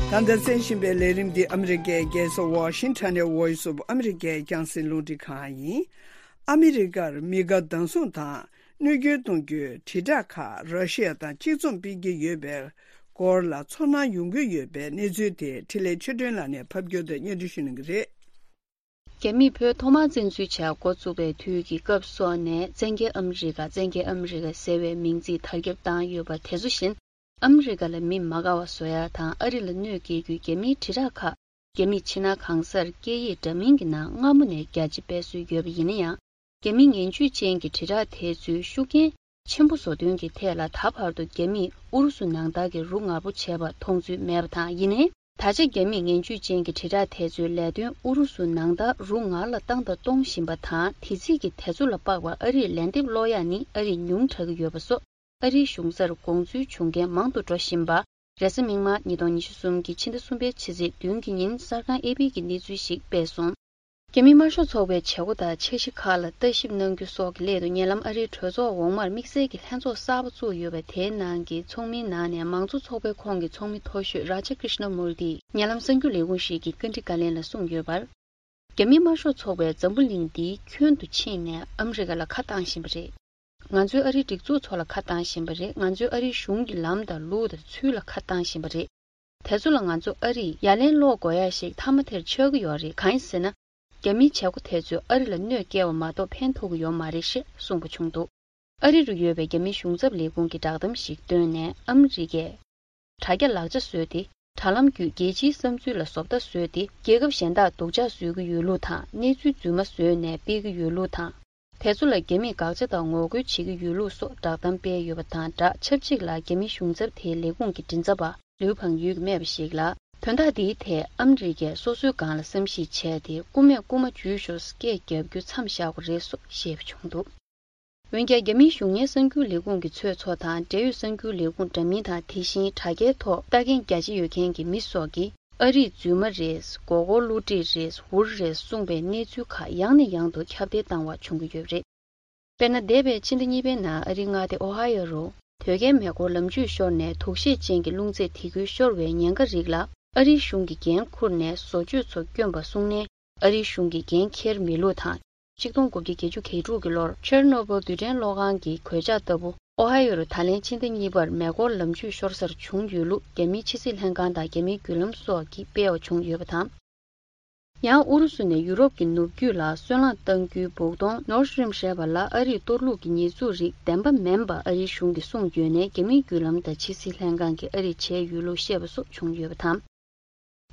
ད་ལྟ་གསན་བཞིན་པའི་ལས་རིམ་འདི་ཨ་མི་རི་ཀའི་རྒྱལ་ས་ཝ་ཤིང་ཊོན་ནས་Voice of America་རྒྱང་སྲིང་རླུང་འཕྲིན་ཁང་ཡིན། ཨ་མི་རི་ཀར་མི་དགའ་སྡང་ཟུང་དང་གནོད་སྐྱོན་གཏོང་རྒྱུའི་དྲིལ་བསྒྲགས་ཁག་ར་ཤི་ཡ་དང་གཅིག་མཚུངས་སྤེལ་གྱི་ཡོད་པའི་སྐོར་ལ་ཚོར་སྣང་ཡོང་གི་ཡོད་པའི་གནས་ཚུལ་དེ་འཕྲིན་ལས་ཆོས་སྒྲོན་ལགས་ནས་ཕབ་སྒྱུར་དང་སྙན་སྒྲོན་ཞུ་གནང་གི་རེད། རྒྱ་མིས་བོད་ཐོག་མར་བཙན་འཛུལ་བྱ་འགོ་བཙུགས་པའི་དུས་ཀྱི་སྐབས་སོགས་ནས་བཙན་རྒྱལ་ཨ་མི་རི་ཀ། བཙན་རྒྱལ་ཨ་མི་རི་ཀ་ཟེར་བའི་མིང་ཚིག་དར་ཁྱབ་བཏང་ཡོད་པ་དེ་ཚོ་བཞིན། ཨ་མི་རི་ཀ་ལ་མི་མ་དགའ་བ་བཟོ་ཡ་དང་ཨ་རི་ལ་གནོད་སྐྱེལ་རྒྱུའི་རྒྱ་མིའི་དྲིལ་བསྒྲགས་ཁག་རྒྱ་མིས་ཕྱི་ནང་གང་སར་སྐད་ཡིག་འདྲ་མིན་གྱི་ནང་སྔ་མོ་ནས་རྒྱ་ཆེ་སྤེལ་སྲོལ་ཡོད་པ་ཡིན་ན་ཡང་། རྒྱ་མིའི་ངན་ཇུས་ཅན་གྱི་དྲིལ་བསྒྲགས་དེ་ཚོའི་ཤུགས་རྐྱེན་ཆེན་པོ་བཟོ་དོན་གྱི་ཐད་ལ། ད་བར་དུ་རྒྱ་མིས་ཨུ་རུ་སུ་ནང་ལྟར་གྱི་རུ་ངར་པོ་བྱས་པ་མཐོང་ཚུལ་མེད་པ་དང་། ཡིན་ནའི། ད་ཆ་རྒྱ་མིས་ངན་ཇུས་ཅན་གྱི་དྲིལ་བསྒྲགས་དེ་ཚོའི་ལས་དོན་ཨུ་རུ་སུ་ནང་ལྟར་རུ་ངར་ལ་བཏང་དང་གཏོང་བཞིན་པ་དང་། དེ་རྩིས་ཀྱི་དེ་ཚོ་ལ་དཔག་པར་ཨ་རིར་ལན་འདེབས་སློག་ཡག་ནི་ཨ་རིས་ཉུང་དྲགས་ཀྱི་ཡོད་པ་སོགས། ཨ་རིའི་གཞུང་སར་དགོངས་ཚུལ་བྱུང་མཁན་མང་དུ་འགྲོ་བཞིན་པ། རེས་གཟའ་མིག་དམར་ཉིས་སྟོང་ཉི་ཤུ་གསུམ་གྱི་ཕྱི་ཟླ་གསུམ་པའི་ཕྱི་ཚེས་བདུན་གྱི་ཉིན་གསར་ཁང་ཨེ་པི་གིས་གནས་ཚུལ་ཞིག་སྤེལ་སོང་། རྒྱ་མི་དམར་ཤོག་ཚོགས་པའི་བྱེད་སྒོ་དང་འཆར་གཞི་ཁག་ལ་ལྟ་ཞིབ་གནང་རྒྱུ་སོགས་ཀྱི་སླད་དུ། ཉེ་ལམ་ཨ་རིའི་གྲོས་ཚོགས་འོག་མར་དམིགས་བསལ་གྱི་ལྷན་ཚོགས་གསར་པ་བཙུགས་ཡོད་པ་དེའི་ནང་གི་ཚོགས་མིའི་ནང་ནས་མང་གཙོ་ཚོགས་པའི་ཁོངས་ཀྱི་ཚོགས་མི་མཐོ་ཤོས་རཱ་ཇ་ཀྲི་ཤ་ན་མུར་ཏིས་ཉེ་ལམ་གསར་འགྱུར་ལས་ཁུངས་ཤིག་གི་བཀའ་འདྲི་བཀའ་ལན་ལ་གསུངས་ཡོད་པར། རྒྱ་མི་དམར་ཤོག་ཚོགས་པས་འཛམ་བུ་གླིང་འདིའི་ཁྱོན་དུ་ཕྱིན་ནས་ཨ་མི་རི་ཀ་ལ་ཁ་བཏང་བཞིན་པ་རེད། ང་ཚོས་ཨ་རིའི་སྒྲིག་འཛུགས་ཚོ་ལ་ཁ་བཏང་བཞིན་པ་རེད། ང་ཚོས་ཨ་རིའི་གཞུང་གི་ལམ་དང་ལུགས་དང་ཚུལ་ལ་ཁ་བཏང་བཞིན་པ་རེད། དེ་ཚོ་ལ་ང་ཚོ་ཨ་རིས་ཡ་ལན་སློག་དགོས་ཡ་ཞིག་མཐའ་མ་དེར་ཆགས་ཀྱི་ཡོད་རེད། གང་ཡིན་ཟེར་ན། རྒྱ་མིའི་བྱེད་སྒོ་དེ་ཚོས་ཨ་རི་ལ་གནོད་སྐྱེལ་བ་མ་གཏོགས་ཕན་ཐོགས་ཀྱི་ཡོད་མ་རེད་ཞེས་གསུངས་པ་བྱུང་འདུག་ཨ་རི་རུ་ཡོད་པའི་རྒྱ་མིའི་གཞུང་ཚབ་ལས་ཁུངས་ཀྱིས་བསྒྲགས་གཏམ་ཞིག་བཏོན་ནས། ཨ་མི་རི་ཀས་དྲ་རྒྱ་ལག་ཆ་བཟོས་ཏེ། དྲ་ལམ་བརྒྱུད་རྒྱལ་སྤྱིའི་བསམ་ཚུལ་ལ་བཟོ་ལྟ་བཟོས་ཏེ། རྒྱལ་ཁབ་གཞན་དག་སྡུག་ཅག་བཟོ་གི་ཡོད་ལུགས་དང་། གནས་ཚུལ་རྫུན་མ་བཟོས་ནས་སྤེལ་གྱི་ཡོད་ལུགས་དང་། དེ་ཚོ་ལ་རྒྱ་མིས་དགག་བྱ་དང་ངོ་རྒོལ་བྱེད་ཀྱི་ཡོད་ལུགས་སོགས་བསྒྲགས་གཏམ་སྤེལ་ཡོད་པ་དང་སྦྲགས། ཆབས་ཅིག་ལ་རྒྱ་མིའི་གཞུང་ཚབ་དེའི་ལས་ཁུངས་ཀྱི་མགྲིན་ཚབ་པ་ལིའུ་བང་ཡུས་ཀྱིས་སྨྲས་པ་ཞིག་ལ། དོན་དག་འདིའི་ཐད་ཨ་མི་རི་ཀས་སོ་སོའི་སྒང་ལ་བསམ་གཞིག་བྱས་ཏེ། རྐུ་མས་རྐུ་མ་འཇུས་ཤོག་སྐད་རྒྱབ་རྒྱུ་མཚམས་བཞག་དགོས་རེད་སོགས་བཤད་པ་བྱུང་འདུག་འོན་ཀྱང་། རྒྱ་མིའི་གཞུང་གཉེར་གསར་འགྱུར་ལས་ཁུངས་ཀྱི་ཚོད་ཚོགས་དང་། འབྲེལ་ཡོད་གསར་འགྱུར་ལས་ཁུངས་འདྲ་མིན་དང་། དེ་བཞིན་དྲ་རྒྱའི་ཐོག་ལྟ་མཁན་རྒྱ་ཆེ་ཡོད་མཁན་གྱི་མི་སོགས་ཀྱིས། ཨ་རིས་རྫུན་མ་རེད། མགོ་སྐོར་བསླུ་བྲིད་རེད། འུར་རེད་གསུངས་པའི་གནས་ཚུལ་ཁག་ཡང་ནས་ཡང་དུ་ཁྱབ་གདལ་བཏང་བ་བྱུང་གི་ཡོད་རེད། དཔེར་ན། འདས་པའི་ཕྱི་ཟླ་གཉིས་པའི་ནང་ཨ་རིའི་མངའ་སྡེ་ཨོ་ཧ་ཡོ་རུ་དོས་སྐྱེལ་མེ་འཁོར་ལམ་འཇུག་ཤོར་ནས། དུག་ཤེད་ཅན་གྱི་རླུང་རྫས་དེ་ཁུལ་ཤོར་བའི་ཉེན་ཁ་རིགས་ལ། ཨ་རིའི་གཞུང་གིས་འགན་འཁུར་ནས་བཟོ་བཅོས་ཚོ་བསྐྱོན་པ་སོང་ནས། ཨ་རིའི་གཞུང་གིས་འགན་འཁྱེར་མེད་ལུགས་དང་། ཆིག་སྟོང་དགུ་བརྒྱ་བརྒྱད་ཅུ་གྱ་དྲུག་གི་ལོར་ཆེར་ནོ་བོལ་རྡུལ་ཕྲན་གློག་ཁང་གི་གོད་ཆག་ལྟ་བུ། ཨོ་ཧ་ཡོ་རུ་ད་ལན་ཕྱི་ཟླ་གཉིས་པར་མེ་འཁོར་ལམ་འཇུག་ཤོར་སར་བྱུང་ཡོད་ལུགས། རྒྱ་མིའི་ཕྱི་སྲིད་ལྷན་ཁང་དང་། རྒྱ་མིའི་བརྒྱུད་ལམ་སོགས་ཀྱིས་སྤེལ་བ་བྱུང་ཡོད་པ་དང་། ཡང་ཨུ་རུ་སུ་ནས་ཡུ་རོབ་ཀྱི་ནུབ་རྒྱུད་ལ་སོལ་རླངས་གཏང་རྒྱུའི་སྦུག་དོང་ནོར་ཌི་སི་ཊིམ་ཞེས་པ་ལ། ཨ་རིས་གཏོར་བླུགས་ཀྱི་ཉེས་འཛུགས་རིགས་བདེན་པ་མིན་པ་ཨ་རིའི་གཞུང་གིས་གསུངས་ཡོད་ནས། རྒྱ་མིའི་བརྒྱུད་ལམ་དང་ཕྱི་སྲིད་ལྷན་ཁང་གིས་ཨ་རིས་བྱས་ཡོད་ལུགས་བཤད་པ་སོགས་བྱུང་ཡོད་པ་དང་།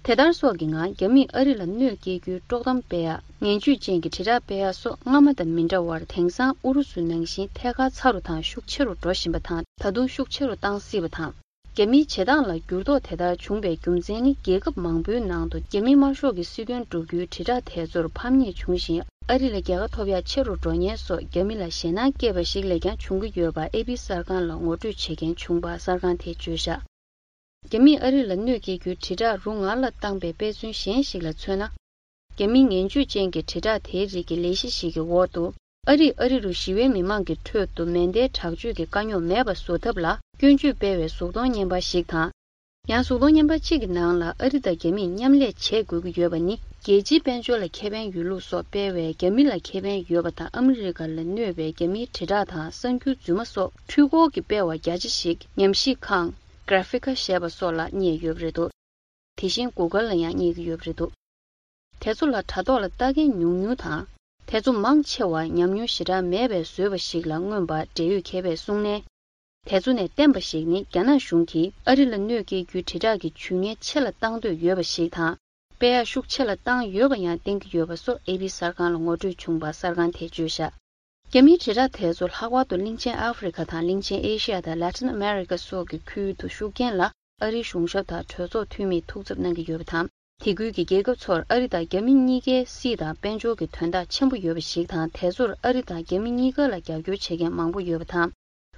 དེ་ལྟར་སོགས་ཀྱི་ངང་རྒྱ་མིས་ཨ་རི་ལ་གནོད་སྐྱེལ་རྒྱུའི་དཀྲོག་གཏམ་སྤེལ་ཡ། ངན་ཇུས་ཅན་གྱི་དྲིལ་བསྒྲགས་སྤེལ་ཡ་སོགས་སྔ་མ་དང་མི་འདྲ་བར། དེང་སང་ཨུ་རུ་སུ་ནང་བཞིན་ཐད་ཀར་ཚ་རུ་དང་ཤུགས་ཆེ་རུ་འགྲོ་བཞིན་པ་དང་། ད་དུང་ཤུགས་ཆེ་རུ་བཏང་སྲིད་པ་དང་། རྒྱ་མིའི་བྱེད་སྟངས་ལ་འགྱུར་ལྡོག་དེ་ལྟར་བྱུང་བའི་རྒྱུ་མཚན་ནི། རྒྱལ་ཁབ་མང་པོའི་ནང་དུ་རྒྱ་མིའི་དམར་ཤོག་གི་སྲིད་དོན་བསྒྲུབ་རྒྱུའི་དྲིལ་བསྒྲགས་དེ་ཚོར་ཕམ་ཉེས་བྱུང་ཞིང་། ཨ་རི་ལ་རྒྱལ་ཁ་ཐོབ་ཡ་ཆེ་རུ་འགྲོ་ཉེན་སོགས་རྒྱ་མི་ལ་ཞེད་སྣང་སྐྱེས་པ་ཞིག་ལས་ཀྱང་བྱུང་གི་ཡོད་པ་ཨེ་པི་གསར་ཁང་ལ་ངོ་སྤྲོད་བྱེད་མཁན་བྱུང་བ་གསར་ཁང་དེས་བརྗོད་བཞག་རྒྱ་མིས་ཨ་རི་ལ་གནོད་སྐྱེལ་རྒྱུའི་དྲིལ་བསྒྲགས་རུ་ངར་ལ་བཏང་པའི་དཔེ་མཚོན་གཞན་ཞིག་ལ་མཚོན་ན། རྒྱ་མིའི་ངན་ཇུས་ཅན་གྱི་དྲིལ་བསྒྲགས་དེའི་རིགས་ཀྱི་ལས་གཞི་ཞིག་གི་འོག་ཏུ། ཨ་རིས་ཨ་རི་རུ་ཞི་བའི་མི་མང་གི་ཁྲོད་དུ་མེ་མདའི་དྲག་སྤྱོད་ཀྱི་དཀའ་རྙོག་མེད་པ་བཟོ་ཐབས་ལ་སྐྱོན་བརྗོད་སྤེལ་བའི་གཟུགས་མཐོང་བརྙན་པར་ཞིག་དང་། ཡང་གཟུགས་མཐོང་བརྙན་པར་གཅིག་གི་ནང་ལ། ཨ་རི་དང་རྒྱ་མིས་མཉམ་ལས་བྱེད་དགོས་ཀྱི་ཡོད་པ་ནི་རྒྱལ་སྤྱིའི་དཔལ་འབྱོར་ལ་ཁེ་ཕན་ཡོད་ལུགས་སོགས་སྤེལ་བས། རྒྱ་མི་ལ་ཁེ་ཕན་ཡོད་པ་དང་། ཨ་མི་རི་ཀ་ལ་གནོད་པའི་རྒྱ་མིའི་དྲིལ་བསྒྲགས་དང་གསར་འགྱུར་རྫུན་མ་སོགས་འཕྲུལ་འཁོར་གྱི་སྤེལ་བ་རྒྱ་ཆེ་ཞིག་ཉམས་ཞིབ་ཁང་། གྷ་ར་ཕི་ཀ་ཞེས་པ་སོགས་ལ་བརྙེད་ཡོད་པ་རེད་འདུག་དེ་བཞིན་གུ་གལ་ལ་ཡང་བརྙེད་ཀྱི་ཡོད་པ་རེད་འདུག་དེ་ཚོ་ལ་དྲ་ཐོག་ལ་ལྟ་མཁན་ཉུང་ཉུང་དང་། དེ་ཚོ་མང་ཆེ་བ་ཉམས་མྱོང་ཞེ་དྲག་མེད་པའི་བཟོས་པ་ཞིག་ལ་མངོན་པ་འབྲེལ་ཡོད་མཁས་པས་གསུངས་ནས། དེ་ཚོ་ནས་བསྟན་པ་ཞིག་ནི། རྒྱ་ནག་གཞུང་གིས་ཨ་རི་ལ་གནོད་སྐྱེལ་རྒྱུའི་དྲིལ་བསྒྲགས་ཀྱི་ཇུས་ངན་ཆེ་ལ་བཏང་འདོད་ཡོད་པ་ཞིག་དང་། སྤེལ་ཡག་ཤུགས་ཆེ་ལ་བཏང་ཡོད་པ་ཡང་བསྟན་གྱི་ཡོད་པ་སོགས་ཨེ་པི་གསར་ཁང་ལ་ངོ་སྤྲོད་བྱུང་བ་གསར་ཁང་དེས་བརྗོད་བཞག་རྒྱ་མིའི་དྲིལ་བསྒྲགས་དེ་ཚོ་ལྷག་པར་དུ་གླིང་ཆེན་ཨ་ཧྥེ་རི་ཁ་དང་། གླིང་ཆེན་ཨེ་ཤི་ཡ་དང་། ལ་ཏིན་ཨ་མེ་རི་ཀ་སོགས་ཀྱི་ཁུལ་དུ་ཤུགས་རྐྱེན་ལ་ཨ་རིའི་གཞུང་ཞབས་དང་གྲོས་ཚོགས་འཐུས་མིས་ཐུགས་འཚབ་གནང་གི་ཡོད་པ་དང་། དེ་ཁུལ་གྱི་རྒྱལ་ཁབ་ཚོར་ཨ་རི་དང་རྒྱ་མི་གཉིས་ཀའི་སྲིད་དང་དཔལ་འབྱོར་གྱི་དོན་དག་ཆེན་པོ་ཡོད་པ་ཞིག་དང་། དེ་ཚོར་ཨ་རི་དང་རྒྱ་མི་གཉིས་ཀ་ལ་རྒྱབ་སྐྱོར་བྱེད་མཁན་མང་པོ་ཡོད་པ་དང་།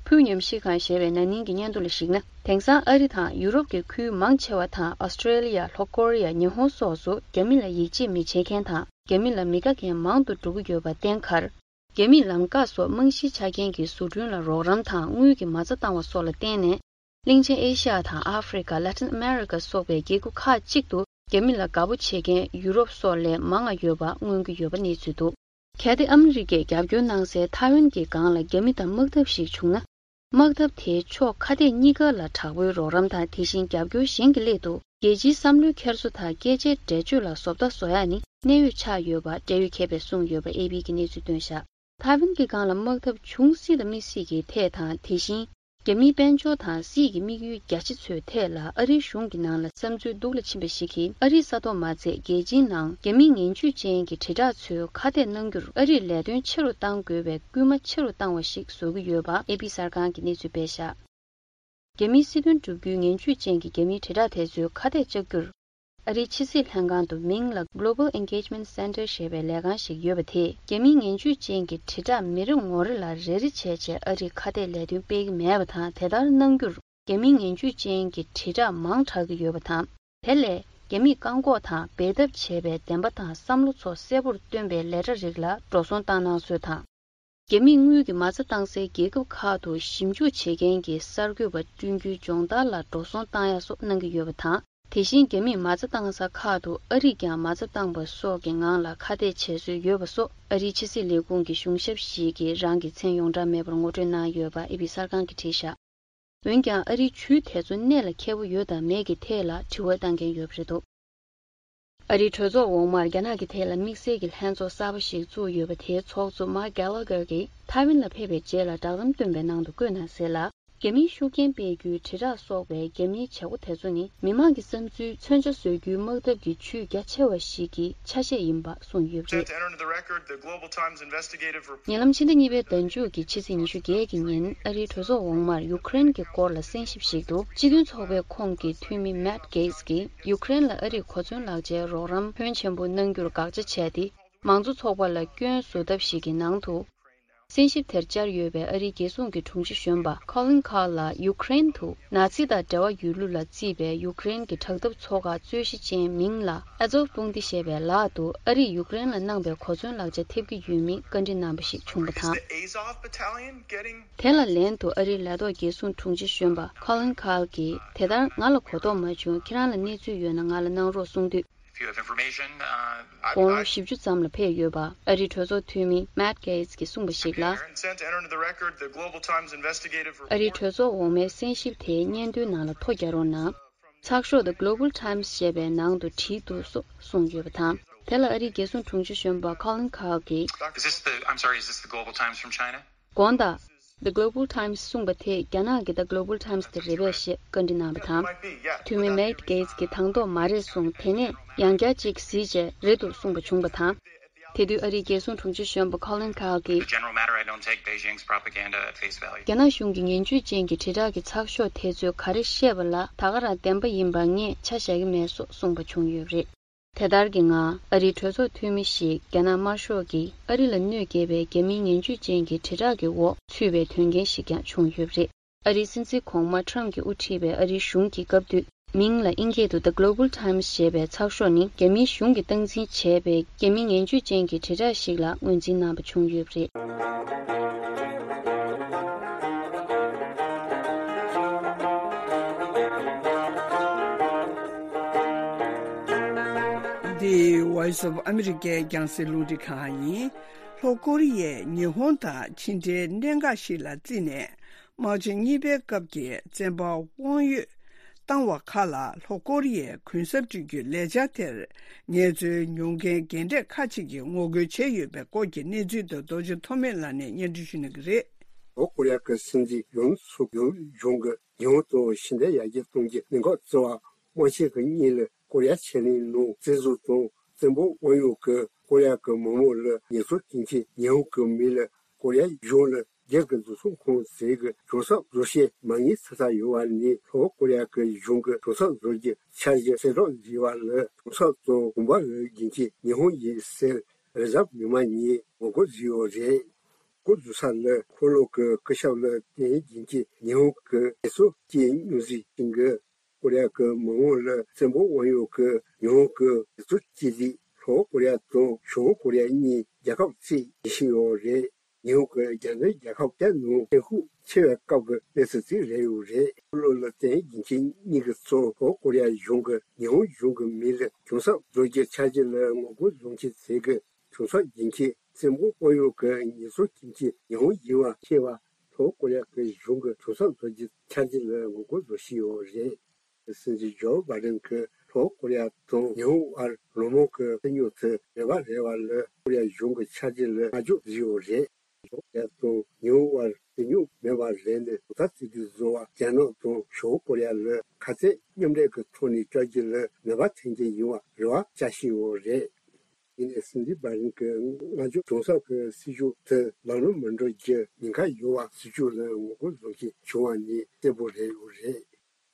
ཕུའུ་ཉམས་ཞིབ་ཁང་ཞེས་པའི་ན་ནིང་གི་སྙན་ཐོ་ལ་གཞིགས་ན། དེང་སང་ཨ་རི་དང་ཡུ་རོབ་ཀྱི་ཁུལ་མང་ཆེ་བ་དང་། ཨོ་སི་ཀྲེ་ལི་ཡ། ལྷོ་ཀོ་རི་ཡ། ཉི་ཧོང་སོགས་སུ་རྒྱ་མི་ལ་ཡིད་ཆེས་མི་བྱེད་མཁན་དང་། རྒྱ་མི་ལ་མི་དགའ་མཁན་མང་དུ་འགྲོ་གི་ཡོད་པར་བརྟེན། གར་རྒྱ་མིས་ལམ་འགག་སོགས་རྨང་གཞིའི་ཆ་རྐྱེན་གྱི་བཟོ་སྐྲུན་ལ་རོགས་རམ་དང་དངུལ་གྱི་མ་རྩ་བཏང་བ་སོགས་ལ་བརྟེན་ནས། གླིང་ཆེན་ཨེ་ཤ་ཡ་དང་ཨ་ཧྥེ་རི་ཀ། ལ་ཏིན་ཨ་མེ་རི་ཀ་སོགས་པའི་རྒྱལ་ཁབ་ཁག་ཅིག་ཏུ་རྒྱ་མི་ལ་དགའ་པོ་བྱེད་མཁན་ཡུ་རོབ་སོགས་ལས་མང་བ་ཡོད་པ་མངོན་གྱི་ཡོད་པ་གནས་ཚུལ་འདུག་གལ་ཏེ་ཨ་མི་རི་ཀས་རྒྱབ་སྐྱོར་གནང་སའི་ཐའེ་ཝན་གྱི་སྒང་ལ་རྒྱ་མི་དང་དམག་འཐབ་ཞིག་བྱུང་ན། དམག་འཐབ་དེའི་ཕྱོགས་ཁ་གཏད་གཉིས་ཀ་ལ་དྲག་པོའི་རོགས་རམ་དང་། དེ་བཞིན་རྒྱབ་སྐྱོར་གཞན་གྱི་སླད་དུ་རྒྱལ་སྤྱིའི་བསམ་བློའི་འཁྱེར་སོ་དང་། སྐད་ཆའི་འགྲེལ་བརྗོད་ལ་བཟོ་ལྟ་བཟོ་ཡག་ནི་གནད་ཡོད་ཆགས་ཡོད་པ་འབྲེལ་ཡོད་མཁས་པས་གསུངས་ཡོད་པ་ཨེ་པི་གིས་གནས་ཚུལ་བཏོན་བཞག་ཐའེ་ཝན་གྱི་སྒང་ལ་དམག་འཐབ་འབྱུང་སྲིད་དང་མི་སྲིད་ཀྱི་ཐད་དང་། དེ་བཞིན་རྒྱ་མིའི་དཔལ་འབྱོར་དང་སྲིད་ཀྱི་དམིགས་ཡུལ་རྒྱ་ཆེ་ཚོའི་ཐད་ལ་ཨ་རིའི་གཞུང་གི་ནང་ལ་བསམ་ཚུལ་སྡུག་ལ་ཕྱིན་པ་ཞིག་གིས། ཨ་རིའི་ས་ཐོག་མ་ཚད་རྒྱལ་སྤྱིའི་ནང་རྒྱ་མིའི་ངན་ཇུས་ཅན་གྱི་དྲིལ་བསྒྲགས་ཚོས་ཁ་གཏད་གནང་རྒྱུར་ཨ་རིས་ལས་དོན་ཆེ་རུ་གཏང་དགོས་པའི་སྐུལ་མ་ཆེ་རུ་བཏང་བ་ཞིག་བཟོ་གི་ཡོད་པ་ཨེ་པི་གསར་ཁང་གིས་གནས་ཚུལ་སྤེལ་བཞག་རྒྱ་མིའི་སྲིད་དོན་བསྒྲུབ་རྒྱུའི་ངན་ཇུས་ཅན་གྱི་རྒྱ་མིའི་དྲིལ་བསྒྲགས་དེ་ཚོའི་ཁ་གཏད་བཅག་རྒྱུར། ཨ་རིའི་ཕྱི་སྲིད་ལྷན་ཁང་དུ་མིང་ལ་Global Engagement Center ཞེས་པའི་ལས་ཁང་ཞིག་ཡོད་པ་དེས། རྒྱ་མིའི་ངན་ཇུས་ཅན་གྱི་དྲིལ་བསྒྲགས་མི་རེ་ངོ་རེ་ལ་རེ་རེ་བྱས་བྱས་ཨ་རིས་ཁ་གཏད་ལས་དོན་སྤེལ་གྱི་མེད་པ་དང་། དེ་ལྟར་གནང་རྒྱུར་རྒྱ་མིའི་ངན་ཇུས་ཅན་གྱི་དྲིལ་བསྒྲགས་མང་དྲགས་ཀྱི་ཡོད་པ་དང་། དེ་ལས་རྒྱ་མིས་བཀག་འགོག་དང་འབད་འཐབ་བྱས་པའི་བདེན་པ་དང་བསམ་བློ་ཚོ་གསལ་པོར་སྟོན་པའི་ལས་གྲྭ་རིགས་ལ་འགྲོ་སོང་བཏང་གནང་སྲོལ་དང་། རྒྱ་མིས་དངུལ་གྱི་མ་རྩ་བཏང་སའི་རྒྱལ་ཁབ་ཁག་ཏུ་ཞིབ་འཇུག་བྱེད་མཁན་གྱི་གསར་འགོད་པ་བསྐྲུན་རྒྱུའི་སྦྱོང་བརྡར་ལ་འགྲོ་སོང་བཏང་ཡ་སོགས་གནང་གི་ཡོད་པ་དང་། དེ་བཞིན་རྒྱ་མིས་མ་རྩ་བཏང་ས་ཁག་ཏུ་ཨ་རིས་ཀྱང་མ་རྩ་བཏང་པ་སོགས་ཀྱི་ངང་ལ་ཁ་གཏད་བྱེད་སྲོལ་ཡོད་པ་སོགས་ཨ་རིའི་ཕྱི་སྲིད་ལས་ཁུངས་ཀྱི་གཞུང་ཞབས་ཤིག་གིས་རང་གི་མཚན་ཡོངས་གྲགས་མེད་པར་ངོ་སྤྲོད་གནང་ཡོད་པ་ཨེ་པི་གསར་ཁང་གིས་བྲིས་བཞག་འོན་ཀྱང་ཨ་རིའི་ཇུས་དེ་ཚོ་གནད་ལ་འཁེལ་པོ་ཡོད་དམ་མེད་ཀྱི་ཐད་ལ་དྲི་བ་བཏང་མཁན་ཡོད་པ་རེད་འདུག་ཨ་རིའི་གྲོས་ཚོགས་འོག་མར་རྒྱ་ནག་གི་ཐད་ལ་དམིགས་བསལ་གྱི་ལྷན་ཚོགས་གསར་པ་ཞིག་བཙུགས་ཡོད་པ་དེའི་ཚོགས་གཙོ་མཱིག་གྷེ་ལོ་གྷེར་གྱིས་ཐའེ་ཝན་ལ་ཕེབས་པའི་རྗེས་ལ་བསྒྲགས་གཏམ་བཏོན་པའི་ནང་དུ་བཀོད་གནང་གསལ་ལ། རྒྱ་མིའི་ཤུགས་རྐྱེན་སྤེལ་རྒྱུའི་དྲིལ་བསྒྲགས་སོགས་པའི་རྒྱ་མིའི་བྱེད་སྒོ་དེ་ཚོ་ནི་མི་མང་གི་བསམ་ཚུལ་མཚོན་ཆ་བཟོ་རྒྱུའི་དམག་འཐབ་ཀྱི་ཇུས་རྒྱ་ཆེ་བ་ཞིག་གི་ཆ་ཤས་ཡིན་པ་གསུངས་ཡོད་པ་རེད། Set to enter into the record, the Global Times investigative report. ཉེ་ལམ་ཕྱི་ཟླ་གཉིས་པའི་ཟླ་མཇུག་གི་ཕྱི་ཚེས་ཉི་ཤུ་བརྒྱད་ཀྱི་ཉིན་ཨ་རིའི་གྲོས་ཚོགས་འོག་མར་ཡུ་ཀེ་རེན་གྱི་སྐོར་ལ་གསན་ཞིབ་ཞིག་ཏུ་སྤྱི་མཐུན་ཚོགས་པའི་ཁོངས་ཀྱི་འཐུས་མི་མེཊ་གྷེ་ཊི་གིས་ཡུ་ཀེ་རེན་ལ་ཨ་རིས་གོ་མཚོན་ལག་ཆའི་རོགས་རམ་ཕོན་ཆེན་པོ་གནང་རྒྱུར་དགག་བྱ་བྱས་ཏེ། མང་གཙོ་ཚོགས་པ་ལ་སྐྱོན་བཟོ་ཐབས་ཤིག་གི་ནང་དུ། གསན་ཞིབ་དེར་བཅར་ཡོད་པའི་ཨ་རིའི་རྒྱལ་སྲུང་གི་དྲུང་ཆེ་གཞོན་པ་ཁོ་ལིན་ཁཱརལ་ལ་ཡུ་ཀེ་རེན་དུ་ནཱ་ཚི་དང་འབྲེལ་བ་ཡོད་ལུགས་ལ་བརྩིས་པའི་ཡུ་ཀེ་རེན་གྱི་དྲག་འཐབ་ཚོགས་ཁག་རྩོད་གཞི་ཅན་མིང་ལ་ཨ་ཛོབ་དཔུང་སྡེ་ཞེས་པའི་ལག་ཏུ་ཨ་རིས་ཡུ་ཀེ་རེན་ལ་གནང་པའི་གོ་མཚོན་ལག་ཆ་ཐེབས་ཀྱི་ཡོད་མེད་བཀའ་འདྲི་གནང་པ་ཞིག་བྱུང་པ་དང་། Is the Azov battalion getting དེ་ལ་ལན་དུ་ཨ་རིའི་ལས་ཐོག་རྒྱལ་སྲུང་དྲུང་ཆེ་གཞོན་པ་ཁོ་ལིན་ཁཱརལ་གྱིས་དེ་ལྟར་ང་ལ་གོ་རྟོགས་མ་བྱུང་། ཁྱེད་རང་ལ་གནས་ཚུལ་ཡོད་ན་ང་ལ་གནང་རོགས་གསུངས་དུས། If you have information, uh, I, དགུང་ལོ་I བཞི་བཅུ་ཙམ་ལ་ཕེབས་ཡོད་པ་ཨ་རིའི་གྲོས་ཚོགས་འཐུས་མི་མེཊ་གྷེ་ཊི་གིས་གསུངས་པ་ཞིག་ལ། Sent to enter into the record the Global Times investigative report. ཨ་རིའི་གྲོས་ཚོགས་འོག་མའི་གསན་ཞིབ་དེའི་སྙན་ཐོའི་ནང་ལ་ཐོ་རྒྱག་རོགས་གནང་། ཚགས་ཤོག་The Global Times ཞེས་པའི་ནང་དུ་བྲིས་འདུག་སོགས་གསུངས་ཡོད་པ་དང་། དེ་ལ་ཨ་རིའི་རྒྱལ་སྲུང་དྲུང་ཆེ་གཞོན་པ་ཁོ་ལིན་ཁཱརལ་གྱིས། Is this the, I'm sorry, is this the Global Times from China? དགོངས་དག The Global Times གསུངས་པ་དེ་རྒྱ་ནག་གི་The Global Times དེ་རེད་པས་ཞེས་བཀའ་འདྲི་གནང་བ་དང་། འཐུས་མི་མེཊ་གྷེ་ཊི་གིས་དང་ཐོག་མ་རེད་གསུངས། དེ་ནས་ཡང་བསྐྱར་ཅིག་གཟིགས་རྗེས་རེད་འདུག་གསུངས་པ་བྱུང་བ་དང་། དེ་དུས་ཨ་རིའི་རྒྱལ་སྲུང་དྲུང་ཆེ་གཞོན་པ་ཁོ་ལིན་ཁཱརལ་གྱིས། The general matter, I don't take Beijing's propaganda at face value. རྒྱ་ནག་གཞུང་གི་ངན་ཇུས་ཅན་གྱི་དྲིལ་བསྒྲགས་ཀྱི་ཚགས་ཤོག་དེ་ཚོས་ག་རེ་བཤད་པ་ལ་ད་ག་རང་བདེན་པ་ཡིན་པ་ངས་ཆ་བཞག་གི་མེད་སོགས་གསུངས་པ་བྱུང་ཡོད་པ་རེད། དེ་ལྟར་གྱི་ངང་ཨ་རིའི་གྲོས་ཚོགས་འཐུས་མི་ཞིག་རྒྱ་ནག་དམར་ཤོག་གིས་ཨ་རི་ལ་གནོད་སྐྱེལ་བའི་རྒྱ་མིའི་ངན་ཇུས་ཅན་གྱི་དྲིལ་བསྒྲགས་ཀྱི་འོག་ཚུད་པའི་དོན་རྐྱེན་ཞིག་ཀྱང་བྱུང་ཡོད་པ་རེད། ཨ་རིའི་སྲིད་འཛིན་གོང་མ་ཁྲམ་གྱིས་དབུ་ཁྲིད་པའི་ཨ་རིའི་གཞུང་གི་སྐབས་དུས་མིང་ལ་དབྱིན་སྐད་དུ་The Global Times ཞེས་པའི་ཚགས་ཤོག་ནི་རྒྱ་མིའི་གཞུང་གིས་སྟངས་འཛིན་བྱས་པའི་རྒྱ་མིའི་ངན་ཇུས་ཅན་གྱི་དྲིལ་བསྒྲགས་ཤིག་ལ་ངོས་འཛིན་གནང་པ་བྱུང་ཡོད་པ་རེད། འདི་Voice of America རྒྱང་སྲིང་རླུང་འཕྲིན་ཁང་ཡིན། ལྷོ་ཀོ་རི་ཡས་ཉི་ཧོང་དང་ཕྱི་འབྲེལ་གནད་འགག་ཞིག་ལ་བརྩིས་ནས། དམག་ཆེན་གཉིས་པའི་སྐབས་ཀྱི་བཙན་པ་དབང་ཡོད་བཏང་བ་ཁག་ལ་ལྷོ་ཀོ་རི་ཡས་གུན་གསབ་སྤྲོད་རྒྱུའི་ལས་འཆར་དེར་ངལ་རྩོལ་མྱོང་མཁན་རྒན་གྲས་ཁག་ཅིག་གིས་ངོ་རྒོལ་བྱས་ཡོད་པའི་སྐོར་གྱི་གནས་ཚུལ་དུ་རྡོ་རྗེ་ཐོགས་མེད་ལགས་ནས་སྙན་སྒྲོན་ཞུ་གནང་གི་རེད། ལྷོ་ཀོ་རི་ཡ་གི་སྲིད་འཛིན་ཡུན་སུག་ཡོལ་གཞུང་གིས་ཉི་ཧོང་དང་ཕྱི་འབྲེལ་ཡར་རྒྱས་གཏོང་རྒྱུའི་གནད་འགག་གཙོ་བ་དམག་ཆེན་གྱི་གཉིས་ལ་ཀོ་རི་ཡ་ཕྱེད་གླིང་ནང་བཙན་བཟུང་དང་བཙན་པོ་དབང་ཡོད་ཀྱི་ཀོ་རི་ཡ་གི་མི་མང་ལ་ངལ་རྩོལ་བྱེད་མཁན་ཉི་ཧོང་གི་མི་ལ་ཀོ་རི་ཡ་གཞུང་ལ་རྒྱ་གི་འཛིན་སྐྱོང་ཁང་ཟེར་གི་གྱོང་གསབ་བཟོ་བྱེད་མ་དངུལ་ཚ་ཚ་ཡོད་པ་ནི་ལྷོ་ཀོ་རི་ཡ་གི་གཞུང་གི་གྱོང་གསབ་བཟོ་རྒྱུ་འཆར་གཞི་གསལ་བསྒྲགས་བཟོས་པ་ལ་གྱོང་གསབ་དང་གོང་འཕེལ་གྱི་རྒྱུན་ཆད་ཉི་ཧོང་ཡིན་ཟེར་རི་ཛབ་མི་མང་གཉིས་ངོ་རྒོལ་བཟོས་ཡོད་རེད། འགོ་འཛུགས་ས་ལ་འཁོར་ལོ་གི་སྐུ་ཞབས་ལ་བརྟེན་རྒྱུན་གྱི་ཉི་ཧོང་གི་ངལ་རྩོལ་སྐྱེད་སྙོམས་ཟིན་ཞིང་གི་ཀོ་རི་ཡ་གི་མི་དམངས་ལ་བཙན་པོ་དབང་ཡོད་ཀྱི་ཉི་ཧོང་གི་ངལ་རྩོལ་སྐྱེད་རིགས་ལྷོ་ཀོ་རི་ཡ་དང་བྱང་ཀོ་རི་ཡ་གཉིས་རྒྱལ་ཁབ་གཅིག་ཡིན་བཞིན་ཡོད་རེད། ཉི་ཧོང་གི་རྒྱ་མཚོའི་རྒྱལ་ཁབ་བརྒྱ་ནང་བཙན་ཤུགས་ཆེ་བའི་སྐབས་ཀྱི་གནས་ཚུལ་ཅིག་རེད་ཡོད་རེད། འཁོར་ལོ་ལ་བརྟེན་རྒྱུན་གྱི་གཉིས་ཀྱི་གཙོ་ལྷོ་ཀོ་རི་ཡ་གཞུང་གི་ཉི་ཧོང་གཞུང་གི་མི་ལ་གྱོང་གསབ་བཟོ་རྒྱུའི་འཆར་གཞི་ལ་ངོ་རྒོལ་བཟོ་མཁན་ཚོས་གི་གྱོང་གསབ་རྒྱུན་ཆད་བཙན་པོ་དབང་ཡོད་ཀྱི་ངལ་རྩོལ་སྐྱེད་མཁན་ཉི་ཧོང་ཡིན་པ་ཤེས་པ་ལྷོ་ཀོ་རི་ཡ་གི་གཞུང་གི་གྱོང་གསབ་བཟོ་རྒྱུའི་འཆར་གཞི་ལ་ངོ་རྒོལ་བཟོ་བཞིན་ཡོད་རེད། སྲིད་འཛིན་ཇོ་བྷའི་ཌེན་གྱིས་ལྷོ་ཀོ་རི་ཡ་དང་ཉི་ཧོང་བར་ལོ་མང་གི་རྩོད་རྙོག་དེ་མེད་པ་རེད་པ་ལ་ཀོ་རི་ཡ་གཞུང་གི་འཆར་གཞི་ལ་བསྔགས་བརྗོད་བཟོས་ཡོད་རེད། ལྷོ་ཀོ་རི་ཡ་དང་ཉི་ཧོང་བར་རྩོད་རྙོག་མེད་པ་རེད་ནས་གྲོས་ཐག་གཅིག་སྒྲིལ་བཟོ་བ་རྒྱ་ནག་དང་བྱང་ཀོ་རི་ཡ་ལ་ཁ་གཏད་མཉམ་འབྲེལ་གྱི་ཐོག་ནས་བཅར་རྒྱུ་ལ་ནུས་པ་ཐོན་རྒྱུ་ཡིན་པ་རེ་བ་བཅའ་བཞིན་ཡོད་རེད། ཡིན་ནའི་སྲིད་འཛིན་བྷའི་ཌེན་གྱི་བསྔགས་བརྗོད་གྱོང་གསབ་ཀྱི་སྲིད་ཇུས་དེ་ལམ་ལྷོང་མི་འགྲོ་རྒྱུ་ཉེན་ཁ་ཡོད་པ་སྲིད་ཇུས་ལ་ངོ་རྒོལ་བཟོ་མཁན་བྱུང་བ་ནི་གསལ་པོ་རེད་ཡོད་རེད།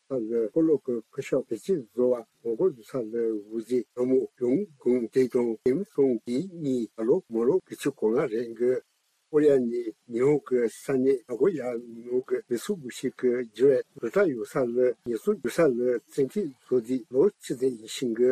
ད་ལོའི་འཁོར་ལོ་གི་སྐུ་ཞབས་བེད་སྤྱོད་བཟོ་བ་ངོ་རྒོལ་བཟོ་ས་ལ་འོག་འཛིན་ལྷ་མོ་ཡོང་གུང་དེ་དང་ཀེམ་སོང་གི་གཉིས་ད་ལོ་མ་ལོ་དགུ་བཅུ་གོ་ལྔ་རེད་འགོད། ཀོ་རི་ཡ་ནི་ཉི་ཧོང་གི་ས་གནས་ནག་གོ་ཡ་ནང་གི་མི་སུ་གུ་ཤི་གི་འགྱུར་བའི་རུ་ཏྲ་ཡོད་ས་ལ་ཉེན་སྲུང་ཡོད་ས་ལ་བཙན་ཁྲིད་བཟོ་དུས་ལོ་གཅིག་ཙམ་ཡིན་ཞིང་གི།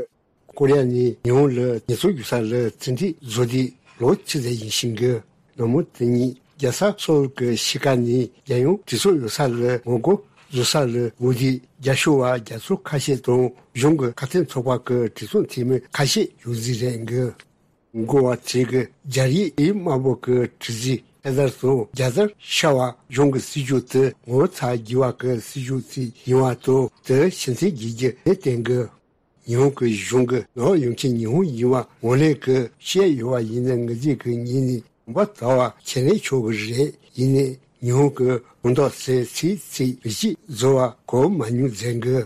ཀོ་རི་ཡ་ནི་ཉི་ཧོང་ལ་ཉེན་སྲུང་ཡོད་ས་ལ་བཙན་ཁྲིད་བཟོ་དུས་ལོ་གཅིག་ཙམ་ཡིན་ཞིང་གི། ནག་མོ་དེ་ཉིད་རྒྱལ་ས་སོལ་གྱི་གཤིས་ཀ་ནི་རྒྱལ་ཡོངས་གྲོས་ཚོགས་ཡོད་ས་ལ་ངོ་རྒོལ་བཟོ་ས་ལ་འོག་འཛིན་རྒྱ་ཤོར་བ་རྒྱ་མཚོ་ཁ་ཤས་དང་གཞུང་གི་ཁ་གཏད་ཚོགས་པ་གི་གྲོས་ཚོགས་འཐུས་མི་ཁ་ཤས་ཡོད་རྩིས་རེད་འགོད། འགོ་བ་ཚོས་ཀྱི་སྦྱར་ཡིག་ཨི་དམར་པོ་གི་དྲི་རྩི་ ཐད་ཀར་དུ་རྒྱལ་དར་ཤར་བ་གཞུང་གི་སྲིད་ཇུས་དེ་ངོ་ཚ་དགོས་པ་གི་སྲིད་ཇུས་ཅིག་ཡིན་པ་དང་དེ་ཕྱིན་ཚུལ་རྒྱས་རྒྱུ་ནས་བསྟན་དགོས། ཉི་ཧོང་གི་གཞུང་གིས་ནོར་ཡོང་ཆེད་ཉི་ཧོང་ཡིན་པ་ངོས་ལེན་གྱི་བཤད་ཡོད་པ་ཡིན་ན་ངེས་ཅན་གྱི་ཉིན་ནས་གོམ་པ་དར་བ་ཁས་ལེན་ཆོག་གི་རེད། ཡིན་ནའི་ཉི་ཧོང་གི་དགོངས་དག་སེ་ཚིག་ཚིག་རིགས་གཅིག་བཟོ་བ་གོ་མ་མྱོང་མཛད་གི།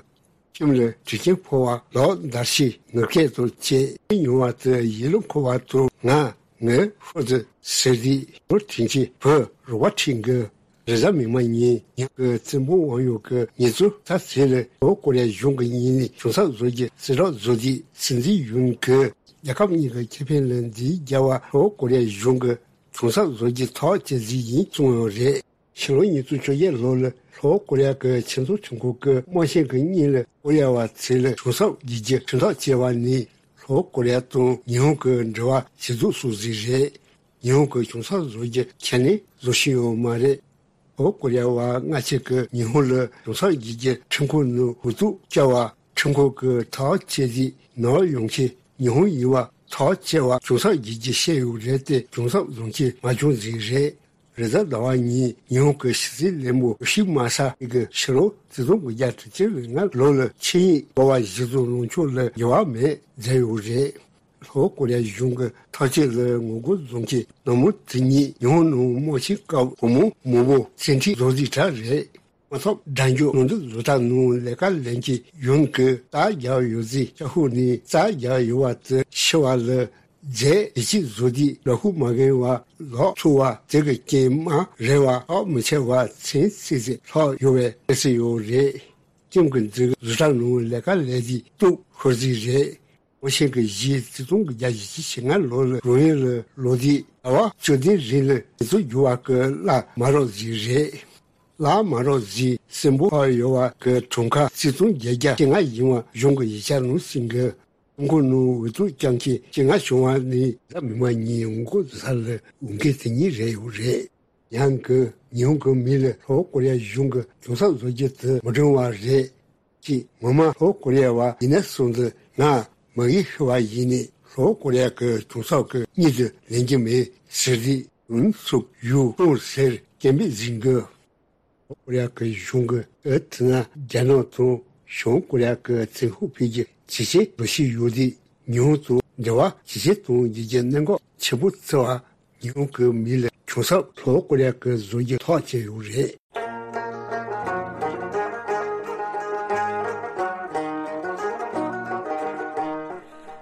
ཁྱིམ་ལ་དྲི་ཆེན་ཕོ་བ་ལོག་འདར་ཤི་ངུ་སྐད་དང་བཅས་མྱོང་བ་དེ་ཡིད་ལ་འཁོར་བ་དང་ང་ངའི་ཧོར་དུ་ཟེར་དུས་ནོར་དྲིན་ཆེ་བུ་རོགས་པ་ཁྲིད་གི། རེས་གཟའ་མིག་དམར་ཉིན་ཉིན་གྱི་བཙན་པོ་དབང་ཡོད་ཀྱི་ཉེ་ཚུལ་ད་ཟེར་ལ་ལྷོ་ཀོ་རི་ཡ་གཞུང་གི་ཉིན་ནས་གཞུང་ཚབ་བཟོ་རྒྱུ་གསལ་བསྒྲགས་བཟོ་དུས་སྲིད་འཛིན་ཡུན་གྱིས་རྒྱལ་ཁབ་གཉིས་ཀྱི་ཁེ་ཕན་ལ་འཛིང་རྒྱག་པ་ལྷོ་ཀོ་རི་ཡ་གཞུང་གི་གཞུང་ཚབ་བཟོ་རྒྱུ་ཐག་བཅད་རྩིས་ཡིན་གསུངས་ཡོད་རེད། ཕྱི་ལོ་ཉིས་སྟོང་བཅོ་བརྒྱད་ལོ་ལ་ལྷོ་ཀོ་རི་ཡ་གི་ཆེས་མཐོའི་ཁྲིམས་ཁང་གི་དམངས་ཆེན་གྱི་གཉིས་ལ་ཀོ་རི་ཡ་བ་ཚོ་ལ་གཞུང་ཚབ་བགྱིད་རྒྱུ་ཁྲིམས་ཐག་བཅད་པ་ནས་ལྷོ་ཀོ་རི་ཡ་དང་ཉི་ཧོང་གི་འབྲེལ་བ་ཇེ་སྡུག་སོང་ཟིག་རེད། ཉི་ཧོང་གི་གཞུང་ཚབ་བཟོ་རྒྱུ་ཁས་ལེན་བཟོ་བཞིན་ཡོད་མ་རེད། ལྷོ་ཀོ་རི་ཡ་བ་སྔ་ཕྱི་གི་ཉི་ཧོང་ལ་གཞུང་ཚབ་བགྱིད་རྒྱུ་ཁྲིམས་ཁང་ནང་འུ་ཐུག་བཅར་བ་ཁྲིམས་ཁང་གི་ཐག་བཅད་རྗེས་ནོར་ཡོང་ཆེད་ཉི་ཧོང་ཡིན་པ་ཐག་བཅད་པ་གཞུང་ཚབ་བགྱིད་རྒྱུ་བཤད་ཡོད་རེད་དེ་གཞུང་ཚབ་བཟོ་མཁན་མ་བྱུང་ཟིག་རེད། རེས་གཟའ་ཟླ་བ་ཉིན་ཉི་ཧོང་གི་ཕྱི་སྲིད་ལས་དབང་ཡོ་ཤི་མ་ས་གི་ཕྱི་ལོ་ཆིག་སྟོང་དགུ་བརྒྱ་དྲུག་ཅུ་རེ་ལྔ་ལོ་ལ་ཆིངས་ཡིག་འབོར་བ་གཞི་བཟུང་ལངས་ཕྱོགས་ལ་འགྱུར་བ་མེད་མཛད་ཡོད་རེད། ལྷོ་ཀོ་རི་ཡ་གཞུང་གི་ཐག་གཅོད་ལ་ངོ་རྒོལ་བཟོ་མཁན་ནང་མི་དེ་ཉིད་ཉི་ཧོང་ནང་དམག་ཆེན་སྐབས་བུ་མོ་མང་པོ་བཙན་ཁྲིད་བཟོ་རྩིས་དྲག་རེད། དམག་ཐབས་དགྲ་འཇོག་ནང་འདུག་བཟོ་ལྟ་ནང་ལས་ཀ་ལས་མཁན་ཡོན་གྱིས་རྩ་རྒྱག་ཡོད་རྩིས་ཤ་ཤུག་ནས་རྩ་རྒྱག་ཡོད་པ་དེ་ཤི་བ་ལ་རྫས་ཡིད་ཆེས་བཟོ་དུས་ལ་ཁུག་མ་གན་བ་ལོག་ཚུགས་པ་དེ་གི་རྐྱེན་མ་རེད་བ་ཐག་མི་ཆད་པ་ཚན་ཚིག་ཚིག་ལྷག་ཡོད་པའི་གནས་ཚུལ་ཡོད་རེད། ཁྱིམ་གྱི་འཛིན་བཟོ་གྲྭ་ནང་ལས་ཀ་ལས་དུས་སྟུག་ཤོར་རྩིས་རེད། དབང་ཆེན་གྱི་གཞི་བརྩི་སྟོང་གི་བརྒྱ་བཞི་བཅུ་ཞེ་ལྔ་ལོ་ལ་རང་ཡུལ་ལ་ལོག་དུས་ཟླ་བ་བཅུ་བདུན་རིང་ལ་ཉེ་ཚུལ་འགྱུར་བ་གི་གླ་མ་རག་རྩིས་རེད། གླ་མ་རག་རྩིས་སྲིན་པོ་ཁ་ཡོད་བ་གི་གྲངས་ཀ་བརྩི་སྟོང་བརྒྱད་བརྒྱ་ཞེ་ལྔ་ཡིན་བ་གཞུང་གི་ཡིག་ཆ་ནང་གསུངས་གི། ཁྲིམས་ཁང་ནང་འོས་བསྡུ་བསྐྱངས་མཁན་ཞེ་ལྔ་བྱུང་བ་ནི་གཟའ་མིག་དམར་ཉིན་ངོ་རྒོལ་ས་ལ་འོང་མཁན་དེ་ཉིད་རེད་ཡོད་རེད། ཡང་གི་ཉི་ཧོང་གི་མི་ལ་ལྷོ་ཀོ་རི་ཡ་གཞུང་གི་གཞུང་ཚབ་བཟོ་རྒྱུ་དེ་མི་འགྲིག་པ་རེད། ཅེས་ངོ་མ་ལྷོ་ཀོ་རི་ཡ་བ་ཡིན་ན་སོང་ཙང་ང་མ་གི་ཤི་བ་ཡིན་ནས་ལྷོ་ཀོ་རི་ཡ་གི་གཞུང་ཚབ་ཀྱི་མྱིང་དེ་ལེན་གྱི་མེད་ཟེར་དུས་ཡུན་སུག་ཡུ་ཀྲུང་ཟེར་སྐད་འབོད་ཟིན་གི། ལྷོ་ཀོ་རི་ཡ་གི་གཞུང་གིས་ཨེ་ཐི་ན་རྒྱ་ནག་དང་བྱང་ཀོ་རི་ཡ་གི་བཙན་ཤུགས་འཕེལ་རྒྱས་ཇེ་ཆེར་འགྲོ་བཞིན་ཡོད་དུས་ཉི་ཧོང་དང་འབྲེལ་བ་ཇེ་ཆེར་གཏོང་རྒྱུ་གྱི་གནད་འགག་ཆེན་པོ་བརྩི་བ། ཉི་ཧོང་གི་མི་ལ་གཞུང་ཚབ་ལྷོ་ཀོ་རི་ཡ་གི་བཟོ་རྒྱུ་ཐག་བཅད་ཡོད་རེད།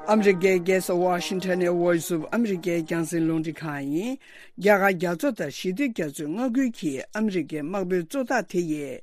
ཨ་མི་རི་ཀའི་རྒྱལ་ས་ཝ་ཤིང་ཊོན་ནས་Voice of America རྒྱང་སྲིང་རླུང་འཕྲིན་ཁང་ཡིན། རྒྱ་གར་རྒྱ་མཚོ་དང་ཞི་བདེ་རྒྱ་མཚོའི་མངའ་ཁུལ་གྱི་ཨ་མི་རི་ཀའི་དམག་དཔོན་གཙོ་བདག་དེ་ཡིས།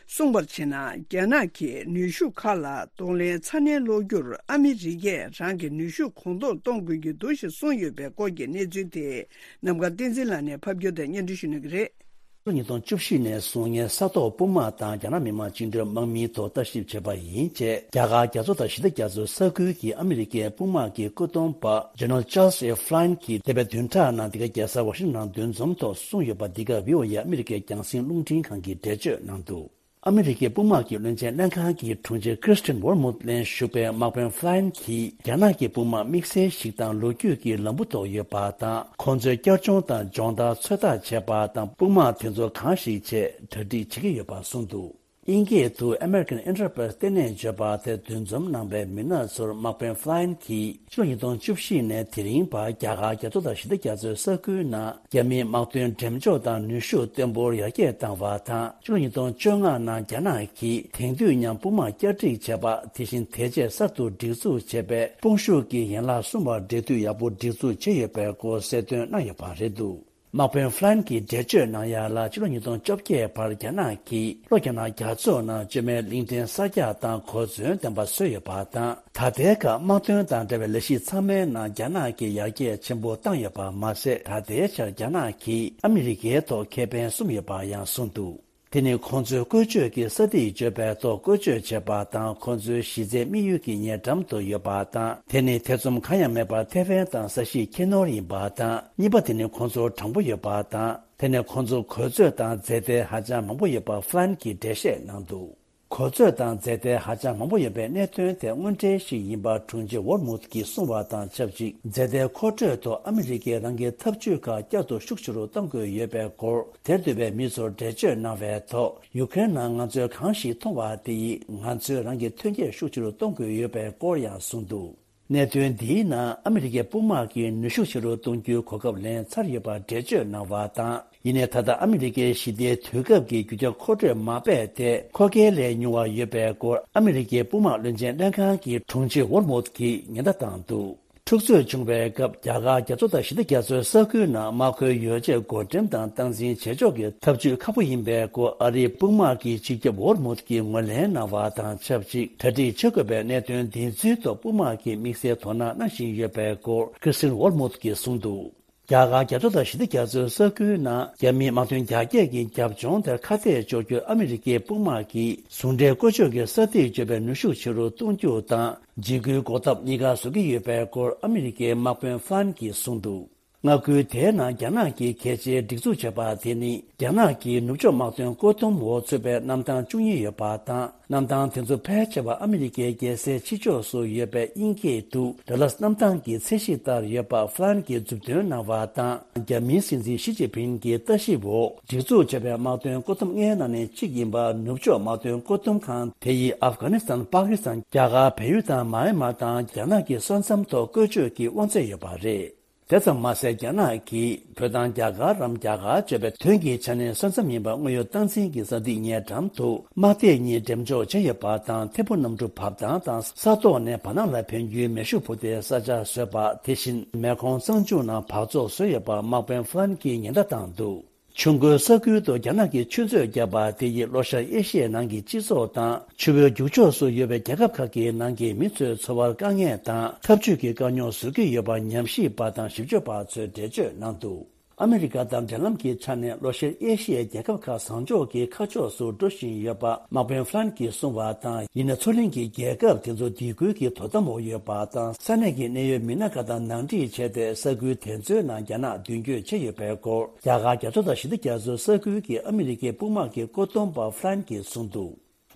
གསུངས་པར་བྱས་ན། རྒྱ་ནག་གི་ནུས་ཤུགས་ཁག་ལ་གདོང་ལེན་ཚ་ནན་སློག་རྒྱུར་ཨ་མི་རི་ཀས་རང་གི་ནུས་ཤུགས་གོང་མཐོར་གཏོང་དགོས་ཀྱི་འདུག་ཞེས་གསུངས་ཡོད་པའི་སྐོར་གྱི་གནས་ཚུལ་དེ་ནམ་མཁའ་བསྟན་འཛིན་ལགས་ནས་ཕབ་སྒྱུར་དང་སྙན་སྒྲོན་ཞུ་གནང་གི་རེད། ལོ་ཉིས་སྟོང་བཅུ་བཞི་ནས་བཟུང་ངའི་ས་ཐོག་དཔུང་དམག་དང་རྒྱ་ནག་མི་དམངས་བཅིངས་འགྲོལ་དམག་མིའི་ཐོག་ལྟ་ཞིབ་བྱས་པ་ཡིན་ཅེས། རྒྱ་གར་རྒྱ་མཚོ་དང་ཞི་བདེ་རྒྱ་མཚོའི་ས་ཁུལ་གྱི་ཨ་མི་རི་ཀའི་དཔུང་དམག་གི་སྐུ་གཏོང་པ་General Charles A Flynn གྱིས་འདས་པའི་བདུན་ཕྲག་ནང་འདི་ག་རྒྱལ་ས་ཝ་ཤིང་ཊོན་ནང་འདུ་འཛོམས་ཐོག་གསུངས་ཡོད་པ། འདི་ག་བྷི་ཨོ་ཨེ་ཨ་མི་རི་ཀའི་རྒྱང་སྲིང་རླུང་འཕྲིན་ཁང་གིས་འགྲེལ་བརྗོད་གནང་འདུག་ཨ་མི་རི་ཀའི་དཔུང་དམག་གི་བློན་ཆེན་ལྷན་ཁང་གི་དྲུང་ཆེ་Kristine Wormuth ལ་ཞུགས་པའི་དམག་དཔོན་Flynn གྱིས་རྒྱ་ནག་གི་དཔུང་དམག་དམིགས་བསལ་ཞིག་དང་ལོ་རྒྱུས་ཀྱི་ལམ་བུ་ཐོག་ཡོད་པ་དང་། ཁོང་ཚོའི་བསྐྱར་སྦྱོང་དང་སྦྱོང་བརྡར་ཚོད་ལྟ་བྱས་པ་དང་། དཔུང་དམག་དེ་ཚོ་གང་ཞིག་ཆེད་གྲ་སྒྲིག་བྱེད་ཀྱི་ཡོད་པ་གསུངས་འདུག་དབྱིན་སྐད་དུ་American Enterprise ལྟེ་གནས་བརྗོད་པ་དེ་འདུ་འཛོམས་གནང་བའི་མི་སྣ་ཚོར་དམག་དཔོན་Flynn གྱིས། ཕྱི་ལོ་ཉིས་སྟོང་བཅུ་བཞི་ནས་དེ་རིང་བར་རྒྱ་གར་རྒྱ་མཚོ་དང་ཞི་བདེ་རྒྱ་མཚོའི་ས་ཁུལ་ནང་རྒྱ་མིའི་དམག་དོན་འགྲེམས་འཇོག་དང་ནུས་ཤུགས་བརྟན་པོར་ཡར་རྒྱས་བཏང་བ་དང་། ཕྱི་ལོ་ཉིས་སྟོང་བཅོ་ལྔ་ནང་རྒྱ་ནག་གིས་དེང་དུས་མཉམ་དཔུང་དམག་བསྐྱར་སྒྲིག་བྱས་པ། དེ་བཞིན་དེ་རྗེས་གསར་དུ་སྒྲིག་འཛུགས་བྱས་པའི་དཔུང་ཤུགས་ཀྱི་ཡན་ལག་གསུམ་པ་འབྲེལ་མཐུད་ཡག་པོ་སྒྲིག་འཛུགས་བྱས་ཡོད་པའི་སྐོར་གསལ་སྟོན་གནང་ཡོད་པ་རེད་འདུག་དམག་དཔོན་Flynn གྱིས་འགྲེལ་བརྗོད་གནང་ཡ་ལ། ཕྱི་ལོ་ཉིས་སྟོང་བཅོ་བརྒྱད་བར་རྒྱ་ནག་གིས་ལྷོ་རྒྱ་ནག་རྒྱ་མཚོ་ནང་བཅོས་མའི་གླིང་ཕྲན་གསར་རྒྱག་དང་གོ་མཚོན་ལྡན་པ་བཟོས་ཡོད་པ་དང་། ད་ལྟའི་སྐབས་དམག་དོན་དང་འབྲེལ་བའི་ལས་གཞི་ཚང་མའི་ནང་རྒྱ་ནག་གིས་ཡར་རྒྱས་ཆེན་པོ་བཏང་ཡོད་པ་མ་ཟད། ད་ལྟའི་ཆར་རྒྱ་ནག་གིས་ཨ་མི་རི་ཀའི་ཐོག་ཁེ་ཕན་བཟུང་ཡོད་པ་ཡང་གསུངས་འདུག་དེ་ནི་ཁོང་ཚོའི་བཀོལ་སྤྱོད་ཀྱི་ས་ཐིག་བརྗོད་པའི་ཐོག་བཀོལ་སྤྱོད་བྱེད་པ་དང་། ཁོང་ཚོའི་གཞི་རྩའི་དམིགས་ཡུལ་གྱི་ཉེ་འགྲམ་དུ་ཡོད་པ་དང་། དེ་ནི་ཐེ་ཚོམ་གང་ཡང་མེད་པར་ཐེ་ཝན་དང་ས་གཞིས་ཁྱེར་ནོར་ཡིན་པ་དང་། གཉིས་པ་དེ་ནི་ཁོང་ཚོར་དྲང་པོ་ཡོད་པ་དང་། དེ་ནི་ཁོང་ཚོ་གོ་ཚོད་དང་རྫས་མཐའ་ཧ་ཅང་མང་པོ་ཡོད་པ་Flynn གྱིས་འགྲེལ་བཤད་གནང་འདུག་གོ་ཚོད་དང་རྫས་མཐའི་ཧ་ཅང་མང་པོ་ཡོད་པའི་གནད་དོན་དེ་དངོས་འབྲེལ་ཞིག་ཡིན་པ་དྲུང་ཆེ་ཝོར་མུཐ་ཀྱིས་གསུངས་པ་དང་ཆབས་ཅིག་རྫས་མཐའི་མཁོ་སྤྲོད་ཐོག་ཨ་མི་རི་ཀས་རང་གི་འཐབ་ཇུས་ཁག་བསྐྱར་དུ་ཤུགས་ཆེ་རུ་གཏོང་དགོས་ཡོད་པའི་སྐོར། དེར་འདུས་པའི་མི་ཚོར་འགྲེལ་བརྗོད་གནང་བའི་ཐོག་ཡུ་ཀེ་རེན་ནང་ང་ཚོས་གང་ཞིག་མཐོང་བ་དེ་ཡིས་ང་ཚོས་རང་གི་ཐོན་སྐྱེད་ཤུགས་ཆེ་རུ་གཏོང་དགོས་ཡོད་པའི་སྐོར་ཡང་གསུངས་འདུག་གནད་དོན་འདིའི་ནང་ཨ་མི་རི་ཀའི་དཔུང་དམག་གིས་ནུས་ཤུགས་ཆེ་རུ་གཏོང་རྒྱུའི་གོ་སྐབས་ལེན་ཚར་ཡོད་པར་འགྲེལ་བརྗོད་གནང་བ་དང་། ཡིན་ནའི་ད་ལྟ་ཨ་མི་རི་ཀའི་ཞི་བདེའི་དུས་སྐབས་ཀྱི་རྒྱུ་ཆ་མཁོ་སྤྲོད་མ་སྤེལ་ཏེ། མཁོ་གལ་ལས་ཉུང་བ་ཡོད་པའི་སྐོར་ཨ་མི་རི་ཀའི་དཔུང་དམག་བློན་ཆེན་ལྷན་ཁང་གི་དྲུང་ཆེ་ཝོར་མུཐ་ཀྱིས་ཉེན་བརྡ་བཏང་འདུག་འཁྲུག་རྩོད་བྱུང་བའི་སྐབས་རྒྱ་གར་རྒྱ་མཚོ་དང་ཞི་བདེ་རྒྱ་མཚོའི་ས་ཁུལ་ནང་དམག་མཁོའི་ཡོ་བྱད་བགོ་འགྲེམས་དང་སྟངས་འཛིན་བྱེད་ཕྱོགས་ཀྱི་ཐབས་ཇུས་ཁག་པོ་ཡིན་པའི་སྐོར་ཨ་རིའི་དཔུང་དམག་གི་སྤྱི་ཁྱབ་ཝོར་མུཐ་ཀྱིས་ངོས་ལེན་གནང་བ་དང་ཆབས་ཅིག་གྲ་སྒྲིག་བྱེད་དགོས་པའི་གནད་དོན་འདི་ཚོའི་ཐོག་དཔུང་དམག་གིས་དམིགས་བསལ་དོ་སྣང་གནང་བཞིན་ཡོད་པའི་སྐོར་ཁྲི་སྟིན་ཝོར་མུཐ་ཀྱིས་གསུངས་འདུག་རྒྱ་གར་རྒྱ་མཚོ་དང་ཞི་བདེ་རྒྱ་མཚོའི་ས་ཁུལ་ནང་རྒྱ་མིའི་དམག་དོན་རྒྱ་སྐྱེད་ཀྱི་རྒྱབ་ལྗོངས་དེར་ཁ་གཏད་གཅོག་རྒྱུར་ཨ་མི་རི་ཀའི་དཔུང་དམག་གིས་ཟུང་འབྲེལ་བཀོལ་སྤྱོད་ཀྱི་ས་ཐིག་གཅོད་པའི་ནུས་ཤུགས་ཆེ་རུ་གཏོང་རྒྱུ་དང་། འཇིགས་སྐུལ་འགོག་ཐབས་གཉིས་ཀ་བཟོ་གི་ཡོད་པའི་སྐོར་ཨ་མི་རི་ཀའི་དམག་དཔོན་ཧྥ་རན་གྱིས་གསུངས་འདུག་མངའ་ཁུལ་དེའི་ནང་རྒྱ་ནག་གིས་གལ་ཆེའི་སྒྲིག་འཛུགས་བྱས་པ་དེ་ནི་རྒྱ་ནག་གིས་ནུབ་ཕྱོགས་དམག་དོན་བཀོད་འདོམས་འོག་ཚུད་པའི་གནམ་ཐང་བཅུ་གཉིས་ཡོད་པ་དང་། གནམ་ཐང་དེ་ཚོ་ཕལ་ཆེ་བ་ཨ་མི་རི་ཀའི་རྒྱལ་སའི་ཕྱི་ཕྱོགས་སུ་ཡོད་པའི་དབྱིན་སྐད་དུ་ཌ་ལཱས་གནམ་ཐང་གི་ཚད་གཞི་ལྟར་ཡོད་པ་ཧྥ་རན་གྱིས་མཛུབ་སྟོན་གནང་བ་དང་། རྒྱ་མིའི་སྲིད་འཛིན་ཞི་ཅིན་ཕིང་གི་ལྟ་ཞིབ་འོག་སྒྲིག་འཛུགས་བྱས་པའི་དམག་དོན་བཀོད་འདོམས་ལྔའི་ནང་ནས་གཅིག་ཡིན་པ་ནུབ་ཕྱོགས་དམག་དོན་བཀོད་འདོམས་ཁང་དེ་ཡིས་ཨབ་གྷ་ནི་སི་ཐན། པ་ཀི་སི་ཐན། རྒྱ་གར། བལ་ཡུལ་དང་མཱ་ཨན་མཱ་དང་རྒྱ་ནག་གི་ས་མཚམས་ཐོག་བཀོལ་སྤྱོད་ཀྱི་དབང་ཚད་ཡོད་པ་རེད། དེ་ཙམ་མ་ཟད། རྒྱ་ནག་གིས་བོད་དང་རྒྱ་གར་རམ། རྒྱ་གར་བརྗོད་པའི་དོན་གྱི་ཆ་ནས་ས་མཚམས་ཡིན་པ་དངོས་ཡོད་སྟངས་འཛིན་གྱི་ས་ཐིག་ཉེ་འགྲམ་དུ་དམག་སྡེ་གཉིས་འགྲེམས་འཇོག་བྱས་ཡོད་པ་དང་། ཐད་འཕུར་གནམ་གྲུ་བབས་སྟངས་དང་། ས་ཐོག་ནས་བར་སྣང་ལ་ཕན་རྒྱུའི་མེ་ཤུགས་འཕུར་མདེལ་ས་ཆ་བཟོས་པ། དེ་བཞིན་མེ་འཁོར་གཙང་ཆུ་ནང་འབག་བཙོག་བཟོས་ཡོད་པ་དམག་དཔོན་ཧྥ་རན་གྱིས་ཉེན་བརྡ་བཏང་འདུག་ཆུ་མགོའི་ས་ཁུལ་དུ་རྒྱ་ནག་གིས་ཆུ་མཛོད་བརྒྱབ་པ་དེ་ཡིས་ལྷོ་ཤར་ཨེ་ཤི་ཡའི་ནང་གི་སྤྱི་ཚོགས་དང་། ཆུ་བོའི་རྒྱུག་ཕྱོགས་སུ་ཡོད་པའི་རྒྱལ་ཁབ་ཁག་གི་ནང་གི་མི་ཚོའི་འཚོ་བར་དཀའ་ངལ་དང་། འཐབ་ཇུས་ཀྱི་དཀའ་རྙོག་བཟོ་གི་ཡོད་པ་ཉམས་ཞིབ་པ་དང་ཞིབ་དཔྱོད་པ་ཚོས་འགྲེལ་བརྗོད་གནང་འདུག་ཨ་མི་རི་ཀ་དང་འབྲེལ་ལམ་གྱི་ཆ་ནས་ལྷོ་ཤར་ཨེ་ཤི་ཡའི་རྒྱལ་ཁབ་ཁག་བཟང་ཕྱོགས་ཀྱི་ཁ་ཕྱོགས་སུ་འགྲོ་བཞིན་ཡོད་པ་དམག་དཔོན་ཧྥ་རན་གྱིས་གསུངས་པ་དང་། ཡིན་ན་མཚོ་གླིང་གི་རྒྱལ་ཁབ་དེ་ཚོ་སྡིགས་སྐུལ་གྱི་དོ་དམ་འོག་ཡོད་པ་དང་། ས་གནས་ཀྱི་གནད་ཡོད་མི་སྣ་ཁག་དང་ནང་འཁྲིད་བྱས་ཏེ། ས་ཁུལ་དེ་ཚོའི་ནང་རྒྱ་ནག་མདུན་སྐྱོད་བྱས་ཡོད་པའི་སྐོར། རྒྱ་གར་རྒྱ་མཚོ་དང་ཞི་བདེ་རྒྱ་མཚོའི་ས་ཁུལ་གྱི་ཨ་མི་རི་ཀའི་དཔུང་དམག་གི་བཀོད་འདོམས་པ་ཧྥ་རན་གྱིས་གསུངས་འདུག་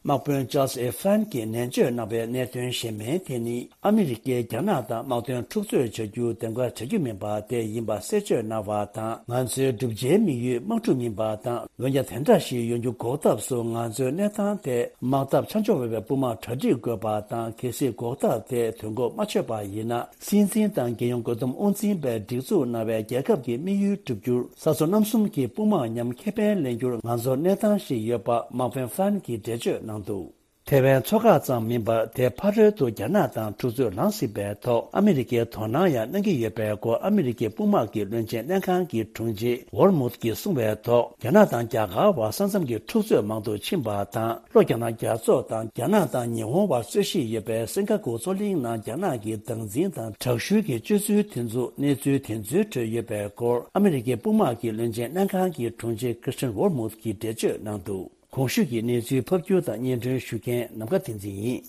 དམག་དཔོན་ཅཱལ་ཨེ་ཧྥ་རན་གྱིས་ནན་བརྗོད་གནང་བའི་གནད་དོན་གཞན་མའི་དེ་ནི། ཨ་མི་རི་ཀས་རྒྱ་ནག་དང་དམག་དོན་འཁྲུག་རྩོད་བྱ་རྒྱུ་འདེམས་ཀ་བྱ་རྒྱུ་མིན་པ་དེ་ཡིན་པ་གསལ་བརྗོད་གནང་བ་དང་། ང་ཚོའི་བསྒྲུབ་བྱའི་དམིགས་ཡུལ་དམག་འཁྲུག་མིན་པ་དང་། འོན་ཀྱང་དེ་འདྲ་ཞིག་ཡོང་རྒྱུ་འགོག་ཐབས་སུ་ང་ཚོའི་གནས་སྟངས་དེ་དམག་འཐབ་ཆ་འཇོག་འོས་པའི་དཔུང་དམག་གྲ་སྒྲིག་དགོས་པ་དང་། གལ་སྲིད་འགོག་ཐབས་དེ་དོན་འགོག་མ་ཆོད་པ་ཡིན་ན། སྲིད་འཛིན་དང་རྒྱལ་ཡོངས་བཀོད་འདོམས་དབང་འཛིན་པས་སྒྲིག་འཛུགས་གནང་བའི་རྒྱལ་ཁབ་ཀྱི་དམིགས་ཡུལ་བསྒྲུབ་རྒྱུར་ས་མཚོ་གནམ་གསུམ་གྱི་དཔུང་དམག་མཉམ་ཁེ་ཕན་ལེན་རྒྱུར་ང་ཚོར་གནས་སྟངས་ཤིག་ཡོད་པ་དམག་དཔོན་ཧྥ་རན་གྱིས་འགྲེལ་བརྗོད་གནང་འདུག་ཐེ་ཝན་མཚོ་འགག་ཙམ་མིན་པར། དེའི་ཕ་རོལ་དུ་རྒྱ་ནག་དང་འཁྲུག་རྩོད་ལངས་སྲིད་པའི་ཐོག་ཨ་མི་རི་ཀས་དོ་སྣང་ཡང་གནང་གི་ཡོད་པའི་སྐོར་ཨ་མི་རི་ཀའི་དཔུང་དམག་གི་བློན་ཆེན་ལྷན་ཁང་གི་དྲུང་ཆེ་ཝོར་མུཐ་ཀྱིས་གསུངས་པའི་ཐོག་རྒྱ་ནག་དང་རྒྱ་གར་བར་ས་མཚམས་ཀྱི་འཁྲུག་རྩོད་མང་དུ་ཕྱིན་པ་དང་། ལྷོ་རྒྱ་ནག་རྒྱ་མཚོ་དང་རྒྱ་ནག་དང་ཉི་ཧོང་བར་རྩོད་གཞི་ཡོད་པའི་སིང་ག་པུར་མཚོ་གླིང་ནང་རྒྱ་ནག་གི་བདག་འཛིན་དང་དྲག་ཤུལ་གྱི་སྤྱོད་ཚུལ་དེ་ཚོ་གནས་ཚུལ་དེ་ཚོའི་ཁྲོད་ཡོད་པའི་སྐོར་ཨ་མི་རི་ཀའི་དཔུང་དམག་གི་བློན་ཆེན་ལྷན་ཁང་གི་དྲུང་ཆེ་ཁྲི་སྟིན་ཝོར་མུཐ་ཀྱིས་འགྲེལ་བརྗོད་གནང་འདུག་གོང་ཞུས་ཀྱི་གནས་ཚུལ་ཕབ་སྒྱུར་དང་སྙན་སྒྲོན་ཞུ་མཁན་ནམ་མཁའ་བསྟན་འཛིན་ཡིན།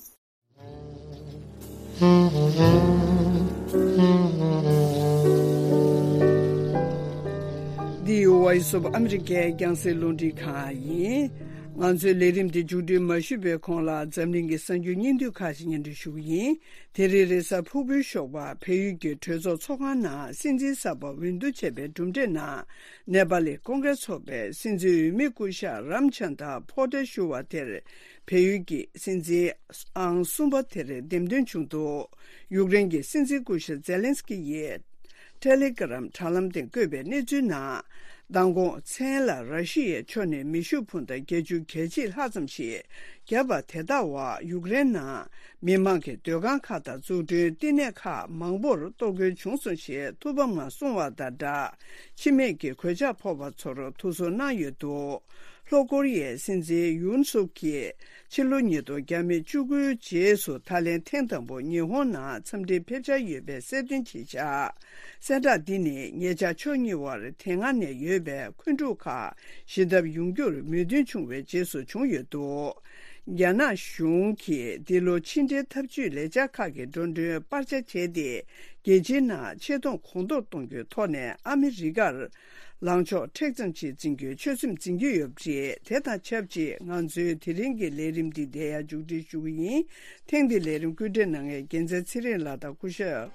འདི་Voice of America རྒྱང་སྲིང་རླུང་འཕྲིན་ཁང་ཡིན། ང་ཚོའི་ལས་རིམ་འདི་མཇུག་སྒྲིལ་མ་ཞུས་པའི་གོང་ལ་འཛམ་གླིང་གི་གསར་འགྱུར་སྙིང་བསྡུས་ཁག་ཅིག་སྙན་སྒྲོན་ཞུ་གི་ཡིན། དེ་རིང་རེས་གཟའ་ཕུར་བུའི་ཞོགས་པ་བལ་ཡུལ་གྱི་གྲོས་ཚོགས་ཚོགས་ཁང་ནང་སྲིད་འཛིན་གསར་པ་འོས་བསྡུ་བྱས་པའི་གྲུབ་འབྲས་ནང་། ནེ་པ་ལི་ཀོང་ཀྲེས་ཚོགས་པའི་སྲིད་འཛིན་འོས་མི་སྐུ་ཞབས་རམ་ཆན་དྲ་པོ་ཏེ་ཞུ་བ་དེར་བལ་ཡུལ་གྱི་སྲིད་འཛིན་ཨང་གསུམ་པ་དེར་འདེམས་ཐོན་བྱུང་འདུག་ཡུཀ་རེན་གྱི་སྲིད་འཛིན་སྐུ་ཞབས་ཛེ་ལན་སི་ཀི་ཡིས་ཊེ་ལི་གྷི་རམ་དྲ་ལམ་སྟེང་བཀོད་པའི་གནས་ཚུལ་ནང་། མདང་དགོང་མཚན་ལ་ར་ཤི་ཡའི་ཕྱོགས་ནས་མེ་ཤུགས་འཕུར་མདའ་བརྒྱད་ཅུ་གྱ་གཅིག་ལྷག་ཙམ་ཞིག་བརྒྱབ་པ་དེ་ལྟ་བ་ཡུཀ་རེན་ནང་མི་མང་གི་སྡོད་ཁང་ཁག་དང་འཛུགས་སྐྲུན་བསྟི་གནས་ཁག་མང་པོར་གཏོར་རྒོལ་བྱུང་སོང་ཞེས་ཐུགས་ཕམ་ངང་གསུངས་བ་དང་སྦྲགས། འཆི་རྨས་ཀྱི་གོད་ཆག་ཕོག་པ་ཚོར་ཐུགས་གསོ་གནང་ཡོད་འདུག་ལྷོ་ཀོ་རི་ཡའི་སྲིད་འཛིན་ཡུན་སུག་གིས་ཕྱི་ལོ་ཉིས་སྟོང་བརྒྱ་མེད་བཅུ་དགུའི་རྗེས་སུ་ད་ལན་ཐེངས་དང་པོ་ཉི་ཧོང་ནང་འཚམས་འདྲིར་ཕེབས་འཆར་ཡོད་པའི་གསལ་སྟོན་བྱས་བཞག་གསལ་བསྒྲགས་འདི་ནི་ཉེ་ཆར་ཕྱོགས་གཉིས་དབར་དེ་སྔ་ནས་ཡོད་པའི་འཁོན་འཁྲུག་ཁག་ཞི་ཐབས་ཡོང་རྒྱུར་མོས་མཐུན་བྱུང་བའི་རྗེས་སུ་བྱུང་ཡོད་འདུག་རྒྱ་ནག་གཞུང་གིས་འདི་ལོ་ཕྱི་འབྲེལ་འཐབ་ཇུས་ལས་འཆར་ཁག་གི་འགྲོ་གྲོན་སྤར་ཆ་བྱས་ཏེ། རྒྱལ་སྤྱིའི་ནང་ཆེ་མཐོང་གོང་མཐོར་གཏོང་རྒྱུའི་ཐོག་ནས་ཨ་མི་རི་ཀར་ལངས་ཕྱོགས་མཁྲེགས་ཙམ་ཞིག་འཛིན་རྒྱུའི་ཆོད་སེམས་འཛིན་གྱི་ཡོད་པ་རེད། དེ་དང་ཆབས་ཅིག་ང་ཚོའི་དེ་རིང་གི་ལས་རིམ་འདི་འདིར་ཡང་མཇུག་སྒྲིལ་ཞུ་གི་ཡིན། ཐེངས་འདིའི་ལས་རིམ་སྐུལ་འདེད་གནང་མཁན་རྒྱལ་མཚན་ཚེ་རིང་ལགས་དང་སྐུ་ཞབས་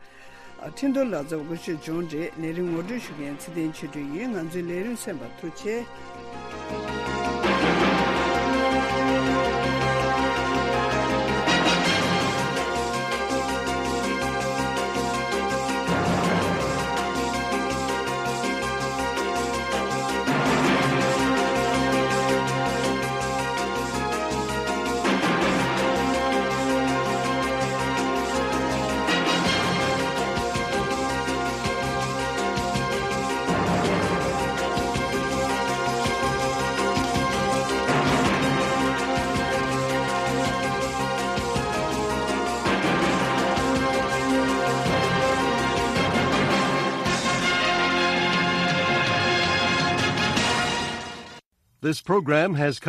ཁྲིན་ཏུ་ལགས་ཚོ་སྐུ་ཞབས་ཇོན་རེད། ལས་རིམ་ངོ་སྤྲོད་ཞུ་མཁན་ཚེ་བརྟན་ཆོས་སྒྲོན་ཡིན། ང་ཚོའི་ལས་རིམ་གསན་པར་ཐུགས་རྗེ་ཆེ། This program has come